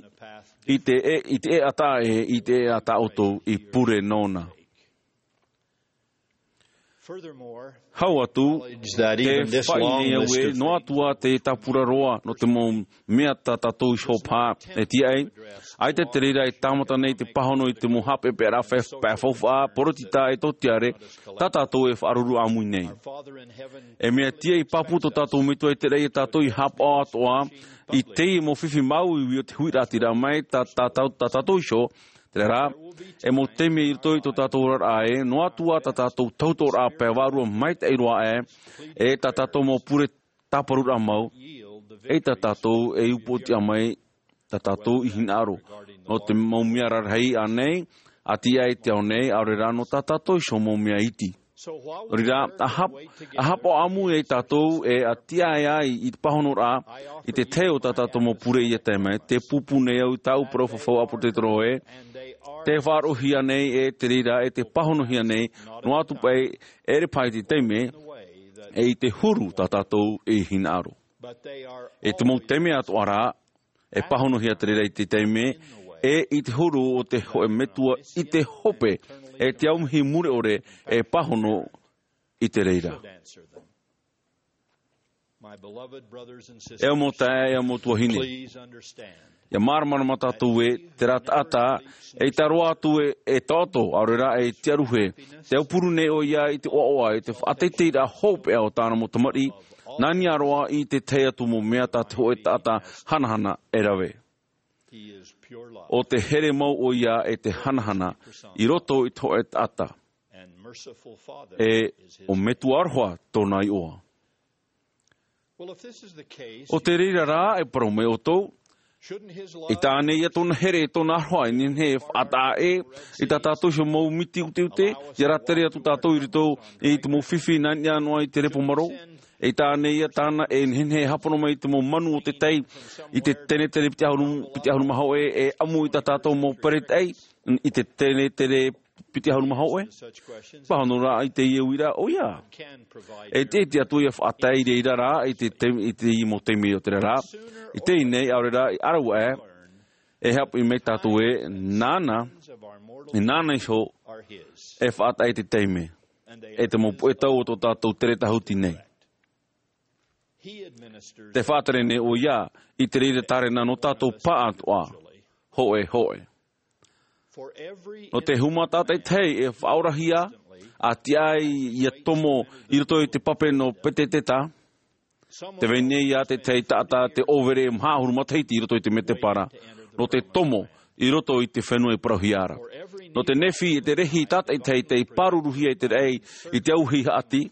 i te e, i te ʻēʻa taʻa ʻē, i te ʻēʻa tā ʻoutou i pure nōna. Hau atu, te faʻaʻite nei au ē, noa atu ā te tāpura roa nō te mau mea tā tātou iho paha e tiaʻi, ʻaita te reira e tāmata nei te pāhono i te mau haʻapeʻapeʻaraʻa faufaʻa, poritita e tōtiare, tā tātou e faʻaruru ʻāmui nei. E mea tiaʻi pāpū tō tātou Metua i te raʻi ia tātou i haʻapaʻo atoʻa i teie mau fifi māuiui o te huiraʻatira mai tā, tā, tā, tā tātou iho, terā rā, e mau taime i roto i tō tātou oraraʻa ē, noa atu ā tā tātou tautooraʻa pae vārua maitaʻi roa ē, e tā tātou mau pure tāparuraʻa mau, e tā tātou e upoʻotiʻa mai, tā tātou i hinaʻaro. Nō te mau mea rarahi ānei, a tiaʻi te ao nei, ʻaore rā nō tā tātou iho mau mea iti. Nō reira, a hap-, a haʻapaʻo ʻāmui ai tātou e a tiaʻi ai i te pāhonoraʻa, i te tahi o tā tātou mau pure ia tae mai, tē pūpū nei au i tāʻu parau fafau ʻāpōsetolo ē, tē faʻaroʻohia nei e te reira, e tē pāhonohia nei, noa atu paʻi, ʻere paha i te taime, e i te huru tā tātou e hinaʻaro. E te mau taime atoʻa rā, e pāhonohia te reira i te taime, e i te huru o te hōʻē metua i te hope, e te aumihi mure ʻore, e pāhono i te reira. E au mau taeaʻe, e au mau tuahine. ʻIa māramarama tātou ē, terā taʻata, eʻita roa atu e, e taʻoto, ʻaore rā e tiaruhe. Tē aupuru nei ʻoia i te ʻoaʻoa, i te faʻateiteiraʻa hopeʻa o tāna mau tamariʻi, nā niʻa roa i te tahi atu mau mea tā te hōʻē taʻata hanahana e rave. ʻO te here mau ʻoia e te hanahana i roto i te hōʻē taʻata. E ʻo Metua aroha tōna iʻoa. ʻO te reira rā, e parau mai ʻoutou, ʻaita ānei ia tōna here, tōna aroha, e nehenehe e faʻataʻa ē, i tā tātou iho mau miti uteute, ʻia rātere atu tātou i roto i te mau fifi nā niʻa noa i te repo marō. ʻAita ānei ia tāna e nehenehe e hāpono mai i te mau manu o te tai, i te tenetere piti ʻahuru, piti ʻahuru mā hōʻē, e ʻamu i tā tātou mau peretaʻi, i te tenetere piti ʻahuru mā hōʻē. Pāhono rā i teie uiraʻa, ʻoia. E te, e te Atua ʻia faʻatae i reira rā, i te, te, i te mau taime o terā rā. I teie nei, ʻaore rā, i ʻaraua ē, e haʻapiʻi mai tātou ē, nāna, e nāna iho, e faʻataʻa i te taime. E te mau puʻe tau o tō tātou tere tāhuti nei. Tē faʻatere nei ʻoia, i te reira tārena nō tātou pāʻatoʻa, hōʻē, hōʻē. Nō te huma tātaʻitahi e faʻaorahia, a tiaʻi ʻia tomo i roto i te pape nō Peteteta, tē vai nei ā te tahi taʻata tē ʻōvere maha ʻahuru matahiti i roto i te mētēpara, nō te tomo i roto i te fenua i parauhia ra. Nō te nehenehe e te rahi tātaʻitahi tei pāruruhia i te raʻi i te auahi haʻati,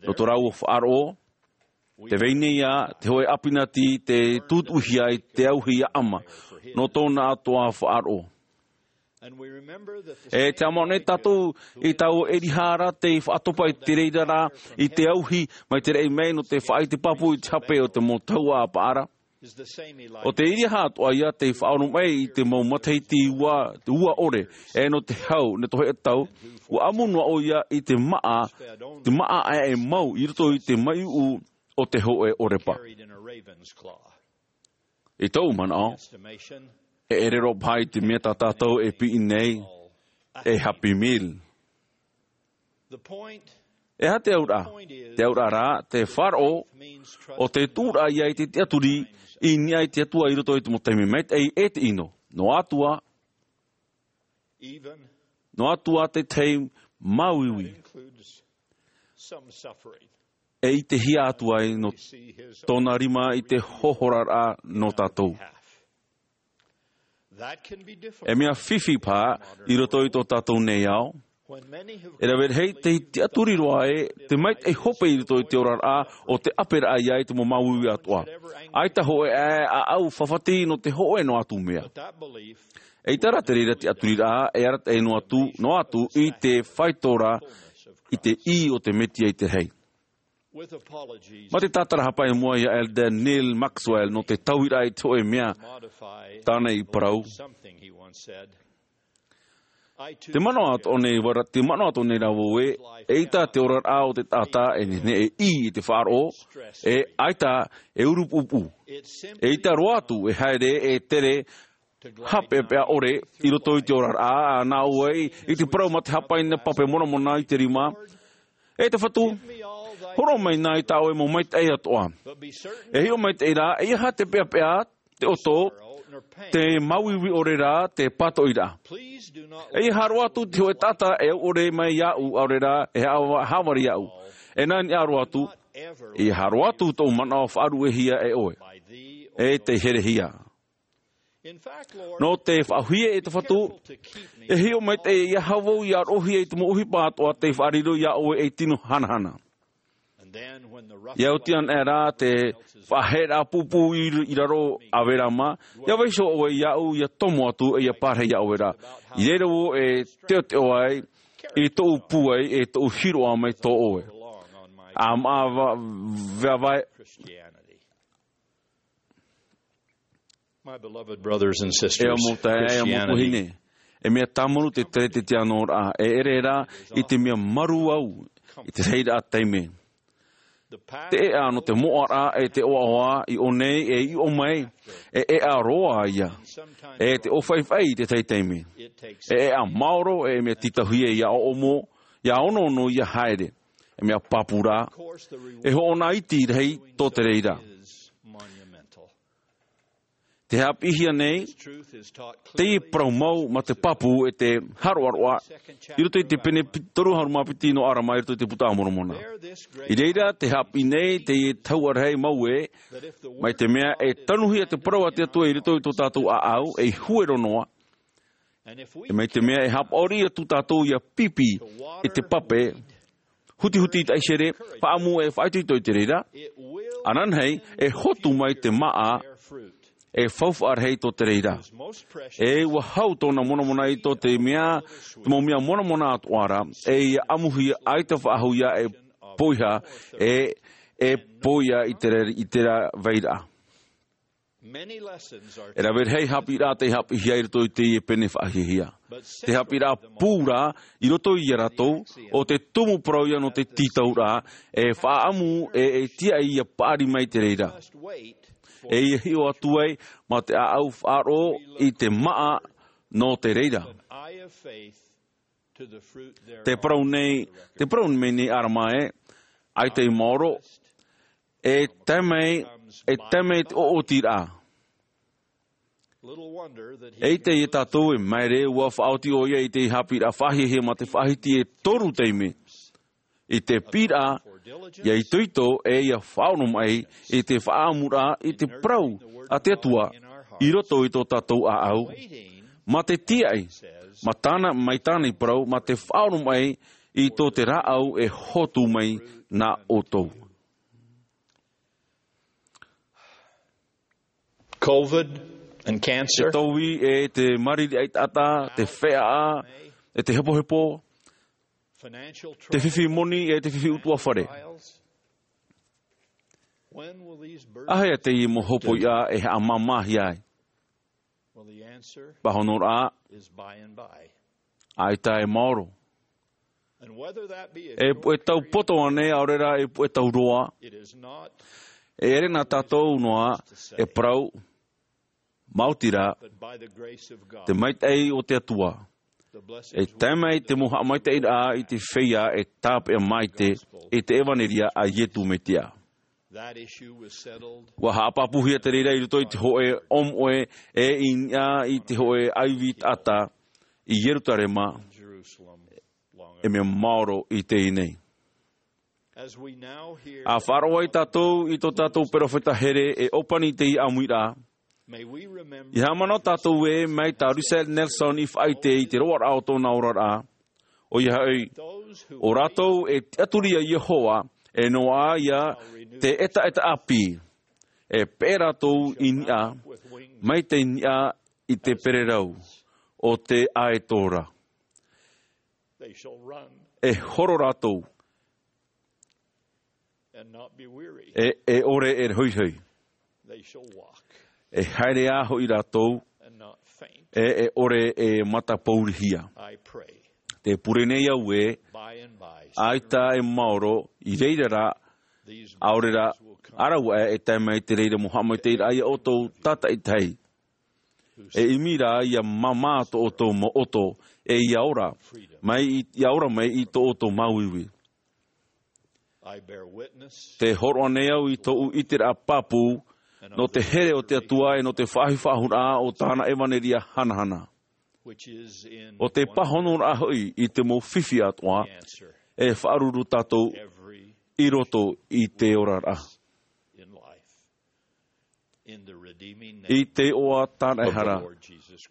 nō tō rāua faʻaroʻo, tē vai nei ā te hōʻē ʻāpinati tē tūtuʻihia i te auahi ʻaʻama, nō tōna atoʻa faʻaroʻo. E te haʻamanaʻo nei tātou i taua ʻEliha ra tei faʻatopa i te reira rā, i te auahi, mai te raʻi mai nō te faʻaʻite pāpū i te hape o te mau tahuʻa a Paʻara. ʻO te ʻEliha atoʻa ia tei faʻaoromaʻi i te mau matahiti ua, ua ʻore, e nō te hau, nō te hōʻē tau, ʻua ʻamu noa ʻoia i te māʻa, te māʻa ʻaeʻae mau i roto i te maiʻuʻu o te hōʻē ʻōrepa. I tōʻu manaʻo, e ʻere roa paha i te mea tā tātou e piʻi nei, e Happy Meal. E aha te auraʻa? Te auraʻa rā, te faʻaroʻo, ʻo te tuʻuraʻa ia i te tiʻaturi i niʻa i te Atua i roto i te mau taime maitaʻi e te ʻino. Noa atu ā, noa atu ā te tahi māuiui. E ʻitehia atu ai nō tōna rima i te hohoraraʻa nō tātou. E mea fifi paha i roto i tō tātou nei ao. E rave rahi te tiʻaturi roa ē, te maitaʻi hope i roto i te oraraʻa, ʻo te ʻāperaʻa ia i te mau māuiui atoʻa. ʻAita hōʻē ʻaeʻae ʻāʻau fafati nō te hōʻē noa atu mea. ʻAita rā te reira tiʻaturiraʻa, e arataʻi noa atu, noa atu i te faito ra, i te ʻī o te Mesia i te rahi. Mā te tātarahapa i mua ia Elder Neal Maxwell nō te tauiraʻa i te hōʻē mea, tāna i parau. Te manaʻo atoʻa nei vau ra, te manaʻo atoʻa nei rā vau ē, eʻita te oraraʻa o te taʻata e nehenehe e ʻī i te faʻaroʻo, e ʻaita e ʻurupuʻupuʻu. Eʻita roa atu e haere e tere haʻapeʻapeʻa ʻore i roto i te oraraʻa, ā, nā ʻō ai, i te parau mā te hāpaina pape Moramona i te rima, E te Fatu, hōroʻa mai nā i tā ʻoe mau maitaʻi atoʻa. E hiʻo maitaʻi rā, ʻeiaha te peʻapeʻa, te ʻoto, te māuiui ʻore rā, te pātoʻiraʻa. ʻEiaha roa atu te hōʻē taʻata e au ʻore mai iāʻu, ʻaore rā, e haʻa-, haʻavare iāʻu. E nā niʻa roa atu, ʻeiaha roa atu tōʻu manaʻo faʻaruʻehia e ʻoe. E tei herehia. Nō te faʻaʻauhia e te Fatu, e hiʻo maitaʻi ʻeiaha vau ʻia roʻohia i te mau ʻohipa atoʻa tei faʻariro iā ʻoe ei tino hanahana. ʻIa oti anaʻe rā te faʻaheʻeraʻa pūpū i, i raro ʻāvera mā, ʻia vaiiho ʻoe iāʻu ʻia tomo atu ʻe ʻia pārahi iā ʻoe rā. I reira vau e teʻoteʻo ai, i tōʻu pūai, e tōʻu hiroʻa mai tō ʻoe. ʻA maʻa va-, va-, va-, My beloved brothers and sisters, e au mau taeaʻe, e au mau Christianity tuahine. E mea tāmaru te teretetianoraʻa, e ʻere rā i te mea marū au, i te reira taime. Te ʻēʻa nō te moʻaraʻa e te ʻoaʻoa i ʻō nei e i ʻō mai, e ʻēʻa roa ia. E te ʻōfaʻifaʻi i te tahi taime. E ʻēʻa maoro e mea tītauhia ʻia ʻoʻomo, ʻia onoono ʻia haere. E mea pāpū rā. E hoʻona iti rahi tō te reira. Te haʻapiʻihia nei, teie parau mau mā te pāpū e te hāroʻaroʻa, i roto i te pene pi-, toru ʻahuru mā piti nō ʻArama, i roto i te Buka a Moromona. I reira, te haʻapiʻi nei, teie tahuʻa rahi mau ē, mai te mea e tanuhia te parau a te Atua i roto i tō tātou ʻāʻau, ei huero noa, e mai te mea e haʻapaʻori atu tātou ʻia pipi i te pape, hutihuti i te ʻaisere, faʻaʻamu e faʻaitoito i te reira, ananahi, e hotu mai te māʻa, e faufaʻa rahi tō te reira. E ʻua hau tōna monamona i tō te mea, te mau mea monamona atoʻa ra, e ʻia ʻamuhia ʻaita faʻahou ia e poiha, e, e poiha i te re-, i te ra-, vairaʻa. E rave rahi haʻapiʻiraʻa tei haʻapiʻihia i roto i teie pene faʻahiahia. Te haʻapiʻiraʻa pū rā, i roto ia rātou, ʻo te tumu parau ia nō te tītauraʻa, e faʻaʻamu e, e tiaʻi ʻia paʻari mai te reira. E ʻia hiʻo atu ai, mā te ʻāʻau faʻaroʻo i te māʻa nō te reira. Te parau nei, te parau mai nei ʻArama ē, ʻaita i maoro, e tae mai, e tae mai te ʻoʻotiraʻa. E ʻite ia tātou e maere ʻua faʻaoti ʻoia i te haʻapiʻiraʻa faʻahiahia mā te faʻahiti e toru taime. I te piʻiraʻa, ʻia itoito e ʻia faʻaoromaʻi, i te faʻaʻamuraʻa, i te parau a te Atua, i roto i tō tātou ʻāʻau. Mā te tiaʻi, mā tāna, mai tāna i parau, mā te faʻaoromaʻi, i tō te rāʻau e hotu mai nā ʻoutou. COVID and cancer. Te tauihaʻa e te mariri ʻaitaʻata, te feʻaʻa, e te hepohepo, te fifi moni, e te fifi ʻutuāfare. Āhea teie mau hopoiʻa e haʻamāmāhia ai? Pāhonoraʻa, ʻaita e maoro. E puʻe tau poto ānei, ʻaore rā e puʻe tau roa. E ʻere nā tātou noa e parau, maoti rā, te maitaʻi o te Atua. E tae mai te mau haʻamaitaʻiraʻa i te feiā e tāpeʻa maite i te ʻevaneria a Iesu Mesia. ʻUa haʻapāpūhia te reira i roto i te hōʻē ʻōmoʻe e i niʻa i te hōʻē ʻaivi taʻata i Ierusalema, e mea maoro i teie nei. ʻA faʻaroʻo ai tātou i tō tātou perofeta here e ʻōpani i teie ʻāmuiraʻa, ʻia haʻamanaʻo tātou ē mai tā Russell Nelson i faʻaʻite i te roaraʻa o tōna oraraʻa, ʻoia hoʻi, ʻo rātou e tiʻaturi iā Iehova, e noaʻa ia te ʻetaʻeta ʻāpī, e peʻe rātou i niʻa, mai te niʻa i te pererau o te ʻaeto ra. E horo rātou, e, e ʻore e hoihoi. E haere ā hoʻi rātou, e, e ʻore e matapourihia. Te pure nei au ē, ʻaita e maoro, i reira rā, ʻaore rā, ʻa rāua e tae mai te reira mau haʻamaitaʻiraʻa iā ʻoutou tātaʻitahi. E ʻimi rā ʻia māmā tō ʻoutou mau ʻoto, e ʻia ora, mai i, ʻia ora mai i tō ʻoutou māuiui. Te hōroʻa nei au i tōʻu ʻiteraʻa pāpū nō te here o te Atua e nō te faʻahi faʻahou raʻa o tāna ʻevanelia hanahana. ʻO te pāhonoraʻa hoʻi i te mau fifi atoʻa e faʻaruru tātou i roto i te oraraʻa. I te iʻoa tāna ʻehara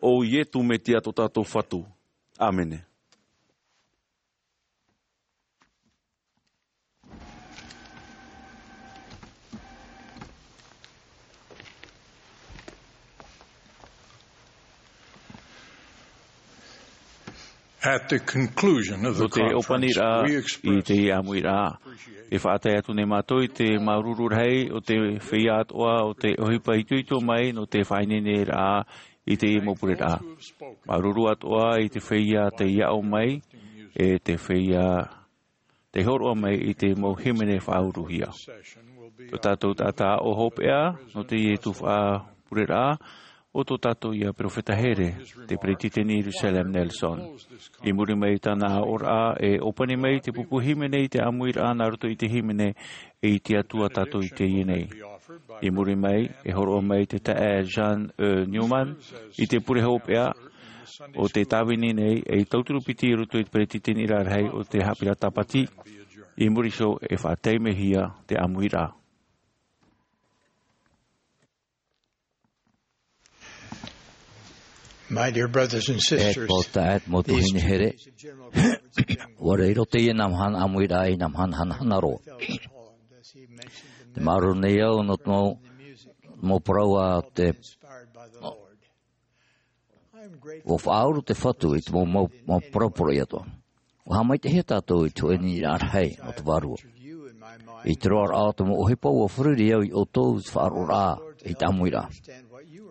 o Iesu Mesia tō tātou Fatu. ʻĀmene. At the conclusion of the conference, we express ʻōpaniraʻa i te ʻāmuiraʻa, e faʻatae atu nei mātou i te māuruuru rahi o te feiā atoʻa o te ʻohipa itoito mai nō te faʻaineineraʻa i te mau pureraʻa. Māuruuru atoʻa i te feiā tei aʻo mai, e te feiā tei hōroʻa mai i te mau hīmene faʻauruhia. Tō tātou taʻata aʻo hopeʻa nō teie tuhaʻa pureraʻa, ʻo tō tātou ia perofeta here, te peretiteni Russell M. Nelson. I muri mai i tāna aʻoraʻa, e ʻōpani mai te pupu hīmene i te ʻāmuiraʻa nā roto i te hīmene, E ʻite atu ā tātou i teie nei. I muri mai, e hōroʻa mai te taeaʻe John E. Newman i te pure hopeʻa o te tāvini nei, e tauturu piti i roto i te peretiteniraʻa rahi o te haʻapiʻiraʻa Tāpati. I muri iho, e faʻataimehia te ʻāmuiraʻa. My dear brothers and sisters, e te mau taeaʻe, mau tuahine here, ʻua riro teie nā mahana ʻāmuiraʻa i nā mahana hanahana roa. Te māuruuru nei au nō te mau, mau parau a te, ʻua faʻauru te Fatu i te mau, mau, mau parau poroʻi atoʻa. ʻUa haʻamaitaʻihia tātou i te hōʻē nīnaʻa rahi o te Vārua. I te roaraʻa o te mau ʻohipa, ʻua feruri au iā ʻoutou i te faʻaroʻoraʻa i te ʻāmuiraʻa.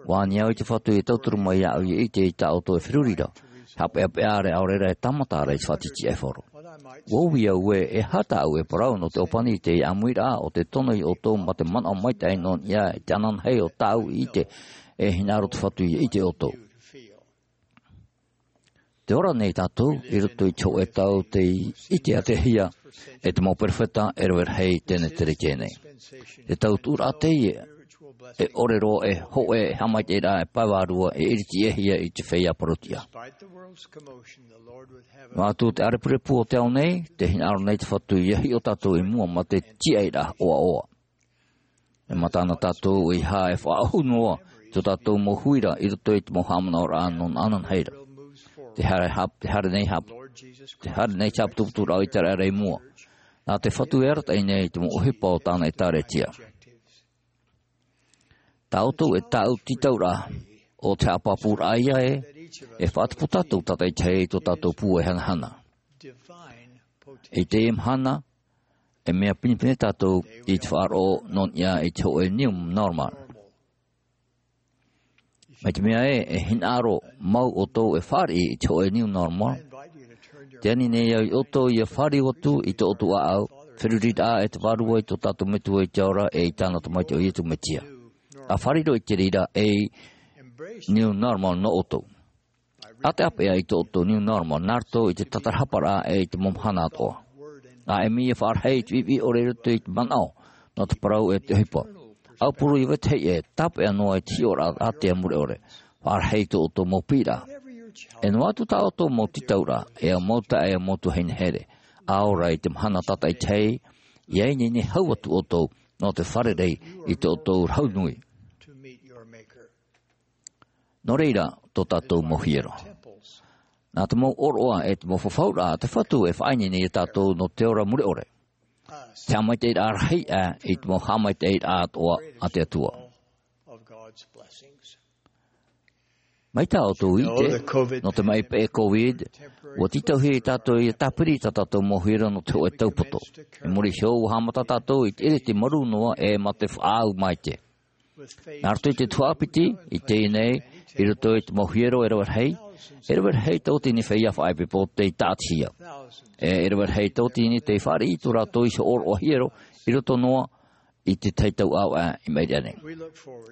ʻUa ani au i te Fatu e tauturu mai iāʻu ʻia ʻite i tā ʻoutou e feruri ra, haʻapeʻapeʻa ra, ʻaore ra e tāmata ra i te faʻatītīʻaifaro. ʻUa ui au ē, e aha tāʻu e parau nō te ʻōpani i te ʻāmuiraʻa, ʻo te tono iā ʻoutou mā te manaʻo maitaʻi nō niʻa i te ananahi o tāʻu i ʻite, e hinaʻaro te Fatu ʻia ʻite ʻoutou. Tē ora nei tātou i roto i te hōʻē tau tei ʻiteʻatehia e te mau perofeta e rave rahi i teie nei. Te tau tuʻuraʻa teie e ʻore roa e hōʻē e haʻamaitaʻiraʻa e pae vārua e iritiʻihia i te feiā Parōtia. Noa atu te ʻārepurepu o te ao nei, tē hinaʻaro nei te Fatu ʻia hiʻo tātou i mua mā te tiʻairaʻa ʻoaʻoa. E mata na tātou ʻeiaha e faʻaʻohu noa i tō tātou mau huira i roto i te mau haʻamanaʻoraʻa nō nā ananahi ra. Te haere hap-, te haere nei hap-, te haere nei te haʻaputuputuraʻa o ʻĪteraʻera i mua. Nā te Fatu e arataʻi nei i te mau ʻohipa o tāna ʻĒtārētia. Tā ʻoutou e tāʻu tītauraʻa, ʻo te haʻapāpūraʻa ïa ē, e faʻatupu tātou tātaʻitahi i tō tātou pūai hanahana. I teie mahana, e mea pinepine tātou i te faʻaroʻo nō niʻa i te hōʻē new normal. Mai te mea ē, e hinaʻaro mau ʻoutou e fāriʻi i te hōʻē new normal, tē ani nei au iā ʻoutou ʻia fāriu atu i tō ʻoutou ʻāʻau, feruriraʻa e te Vārua i tō tātou Metua i te ao ra e i tāna Tamaiti ʻo Iesu Mesia. ʻA fāriu i te reira ei new normal nō ʻoutou. ʻA tae ā paʻi i tō ʻoutou new normal, nā roto i te tātarahaparaʻa e i te mau mahana atoʻa. ʻA ʻimi ʻia faʻarahi i te viʻiviʻi ʻore i roto i te manaʻo, nō te parau e te ʻohipa. ʻAupuru ʻia vetahi ʻē, tāpeʻa noa i te hiʻoraʻa ātea mure ʻore. Faʻarahi i tō ʻoutou mau piʻiraʻa. E noa atu tā ʻoutou mau tītauraʻa, e ʻo mau taeaʻe, e ʻo mau tuahine here. ʻA ora i te mahana tātaʻitahi, ʻia ineine hau atu ʻoutou, nō te fārerei i tō ʻoutou Rahu nui. Nō reira, tō tātou mau hiero. Nā te mau ʻōroʻa e te mau fafauraʻa a te Fatu e faʻaineine iā tātou nō te ora mure ʻore. Te haʻamaitaʻiraʻa rahi aʻe i te mau haʻamaitaʻiraʻa atoʻa a te Atua. Mai tā ʻoutou i ʻite, nō te maʻi peʻe COVID, ʻua tītauhia iā tātou ʻia tāpiri i tā tātou mau hiero nō te hōʻē tau poto. I muri iho, ʻua haʻamata tātou i te ʻiriti marū noa e mā te faʻaau maite. Nā roto i te tuhaʻa piti, i teie nei, i roto i te mau hiero e rave rahi, e rave rahi tauatini feiā faʻaʻepisepo tei tāʻatihia. E, e rave rahi tauatini tei fāriʻi i tō rātou iho ʻōroʻa hiero, i roto noa i te tahi tau ʻāvaʻe i maʻiri aʻe nei.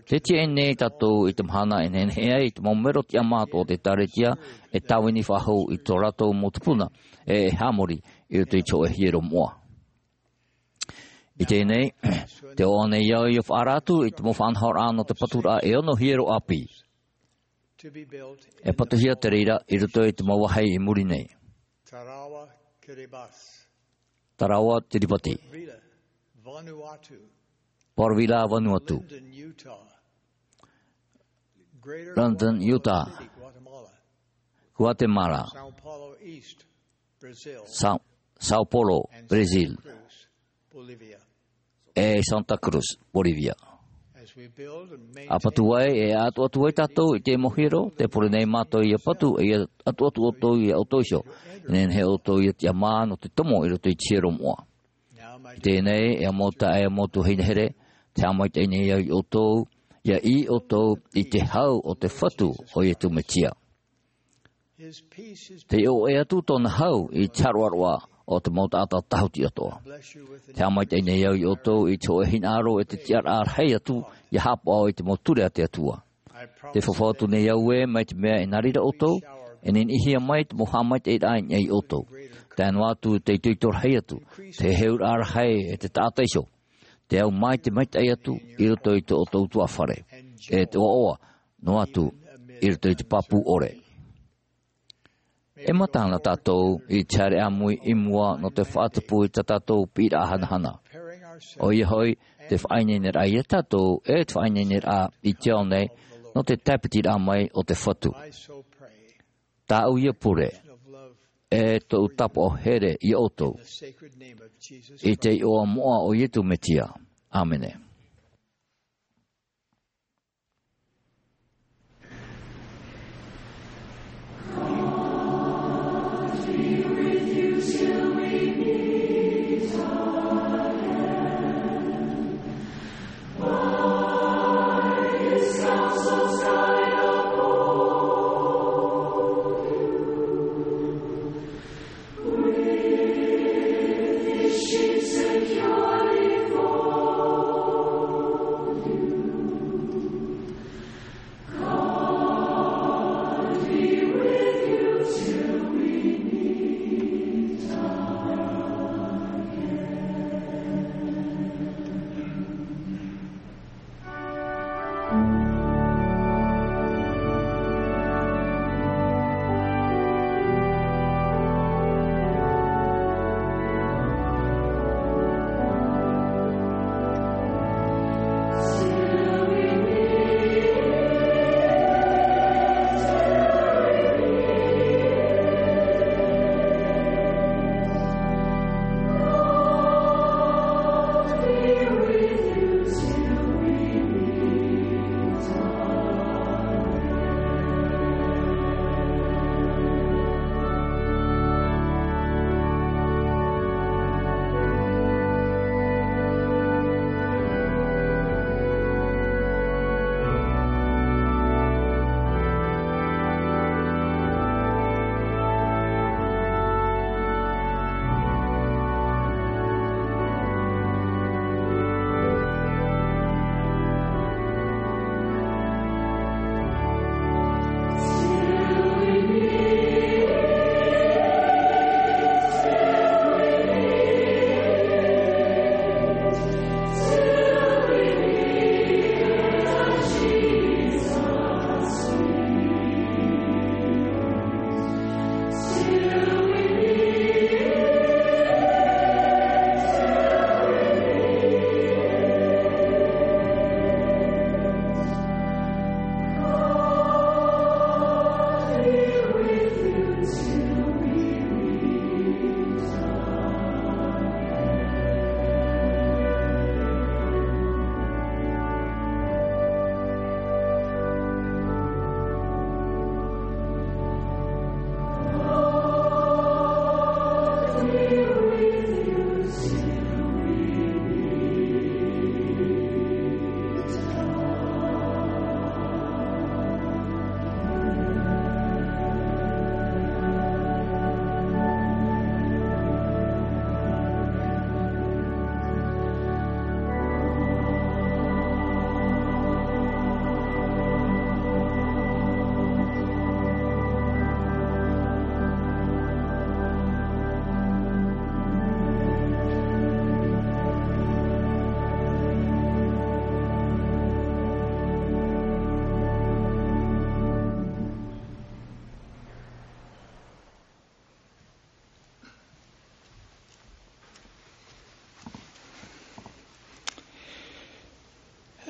Tē tiaʻi nei tātou i te mahana e nehenehe ai i te mau mero tiʻamā atoʻa o te ʻĒtārētia, e tāvini faʻahou i tō rātou mau tupuna, e, e haʻamori i roto i te hōʻē hiero moʻa. I teie nei, tē ʻoaʻoa nei au ʻia faʻaara atu i te mau faʻanahoraʻa nō te paturaʻa e ono hiero ʻāpī. E patuhia te reira i roto i te mau vāhi i muri nei. Tarawa Kiribati. Portville, Vanuatu. London, Utah. Guatemala. Sao Paulo, Brazil. E Santa Cruz, Bolivia. ʻA patu ai, e ʻatuʻatu ai tātou i te mau hiero, tē pure nei mātou ʻia patu, ʻia ʻatuʻatu ʻoutou ia ʻoutou iho. Nehenehe ʻoutou ʻia tiʻamā nō te tomo i roto i te hiero moʻa. I teie nei, e mau taeaʻe, e mau tuahine here, tē haʻamaitaʻi nei au ia ʻoutou, ʻia ʻī ʻoutou i te hau o te Fatu o Iesu Mesia. Tē ʻoaʻoa atu tōna hau i te haroʻaroʻa o te mau taʻata tāhuti atoʻa. Tē haʻamaitaʻi nei au ia ʻoutou i te hōʻē hinaʻaro e te tiʻaraʻa rahi atu ʻia haʻapaʻo i te mau ture a te Atua. Tē fafau atu nei au ē, mai te mea e nā reira ʻoutou, e niniʻihia mai te mau haʻamaitaʻiraʻa i niʻa ia ʻoutou. Tae noa atu te itoito rahi atu, te heheuraʻa rahi e te taʻata iho. Te au mai te maitaʻi atu i roto i tō ʻoutou ʻutuāfare. E te ʻoaʻoa noa atu i roto i te pāpū ʻore. E matahana tātou i te haere ʻāmui i mua nō te faʻatupu i tā tātou piʻiraʻa hanahana. ʻOia hoʻi, te faʻaineineraʻa ia tātou, e te faʻaineineraʻa i te ao nei, nō te tāpitiraʻa mai o te Fatu. Tāʻu ia pure, e tōʻu tāpaʻo here ia ʻoutou. I te iʻoa moʻa o Iesu Mesia. ʻĀmene.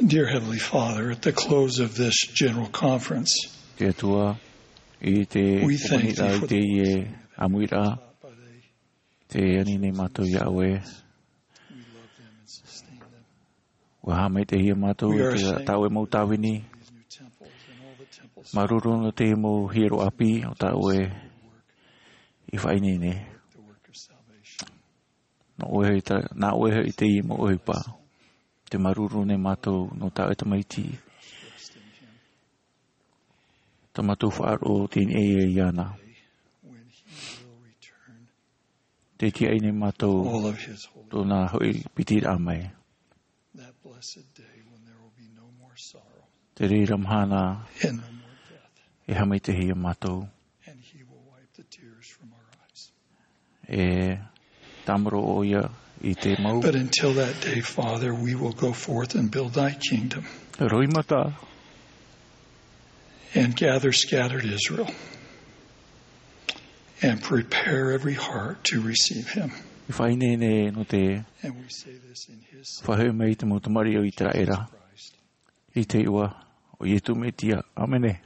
Dear Heavenly Father, at the close of this general conference, Te Atua, i te We thank thee poponiraʻa i for the teie ʻāmuiraʻa, te ani nei mātou iā ʻoe. We love them and sustain them. ʻUa haʻamaitaʻihia mātou We are i te ashamed tāʻoe mau tāvini. These new temples and all the temples Māuruuru nō te mau hiero ʻāpī o tā ʻoe i faʻaineine. The work of salvation. Nō ʻoe hoʻi ta-, nā ʻoe hoʻi teie mau ʻohipa. Tē māuruuru nei mātou nō tā ʻoe tamaiti. Tā mātou faʻaroʻo teie nei iāna. When he will return, Tē tiʻaʻi nei mātou all of his holy tōna hoʻi piti raʻa mai. That blessed day when there will be no more sorrow Te reira mahana and no more death. E haʻamaitaʻihia mātou. And he will wipe the tears from our eyes. E tāmaro ʻoia i te mau. But until that day, Father, we will go forth and build thy kingdom. Roimata. And gather scattered Israel. And prepare every heart to receive him. I faʻaineine nō te And we say this in his Son, faʻahoʻi mai i te mau tamariʻi o Iseraela. Christ. I te iʻoa o Iesu Mesia. ʻĀmene.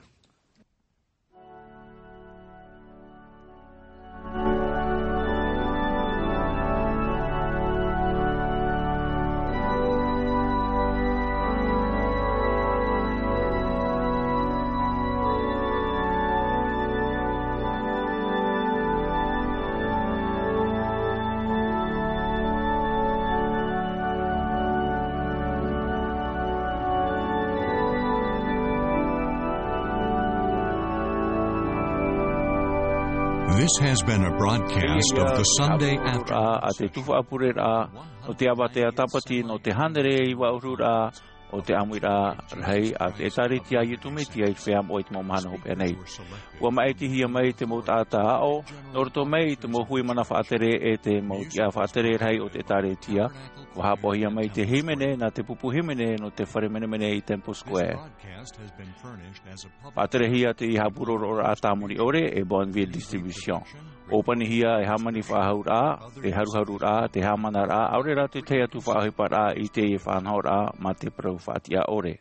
This has been a broadcast of the Sunday after. A te tuhaʻa pureraʻa o te avatea tāpati nō te hānere iva ʻahuru o te ʻāmuiraʻa rahi a te ʻĒtārētia a Iesu Mesia i te feiā moʻa i te mau mahana hopeʻa nei. ʻUa māʻitihia mai te mau taʻata aʻo, nō roto mai i te mau hui mana faʻatere e te mau tiʻa faʻatere rahi o te ʻĒtārētia. ʻUa haʻapaʻohia mai te hīmene nā te pupu hīmene nō te fare menemene i Temple Square. Faʻaterehia te haʻapuroroʻoraʻa tāmoni ʻore e Bonneville Distribution. ʻŌpanihia e hāmani faʻahauraʻa, te haruharuraʻa, te haʻamanaraʻa, ʻaore rā te tahi atu faʻaʻohiparaʻa i teie faʻanahoraʻa mā te parau faʻatiʻa ʻore.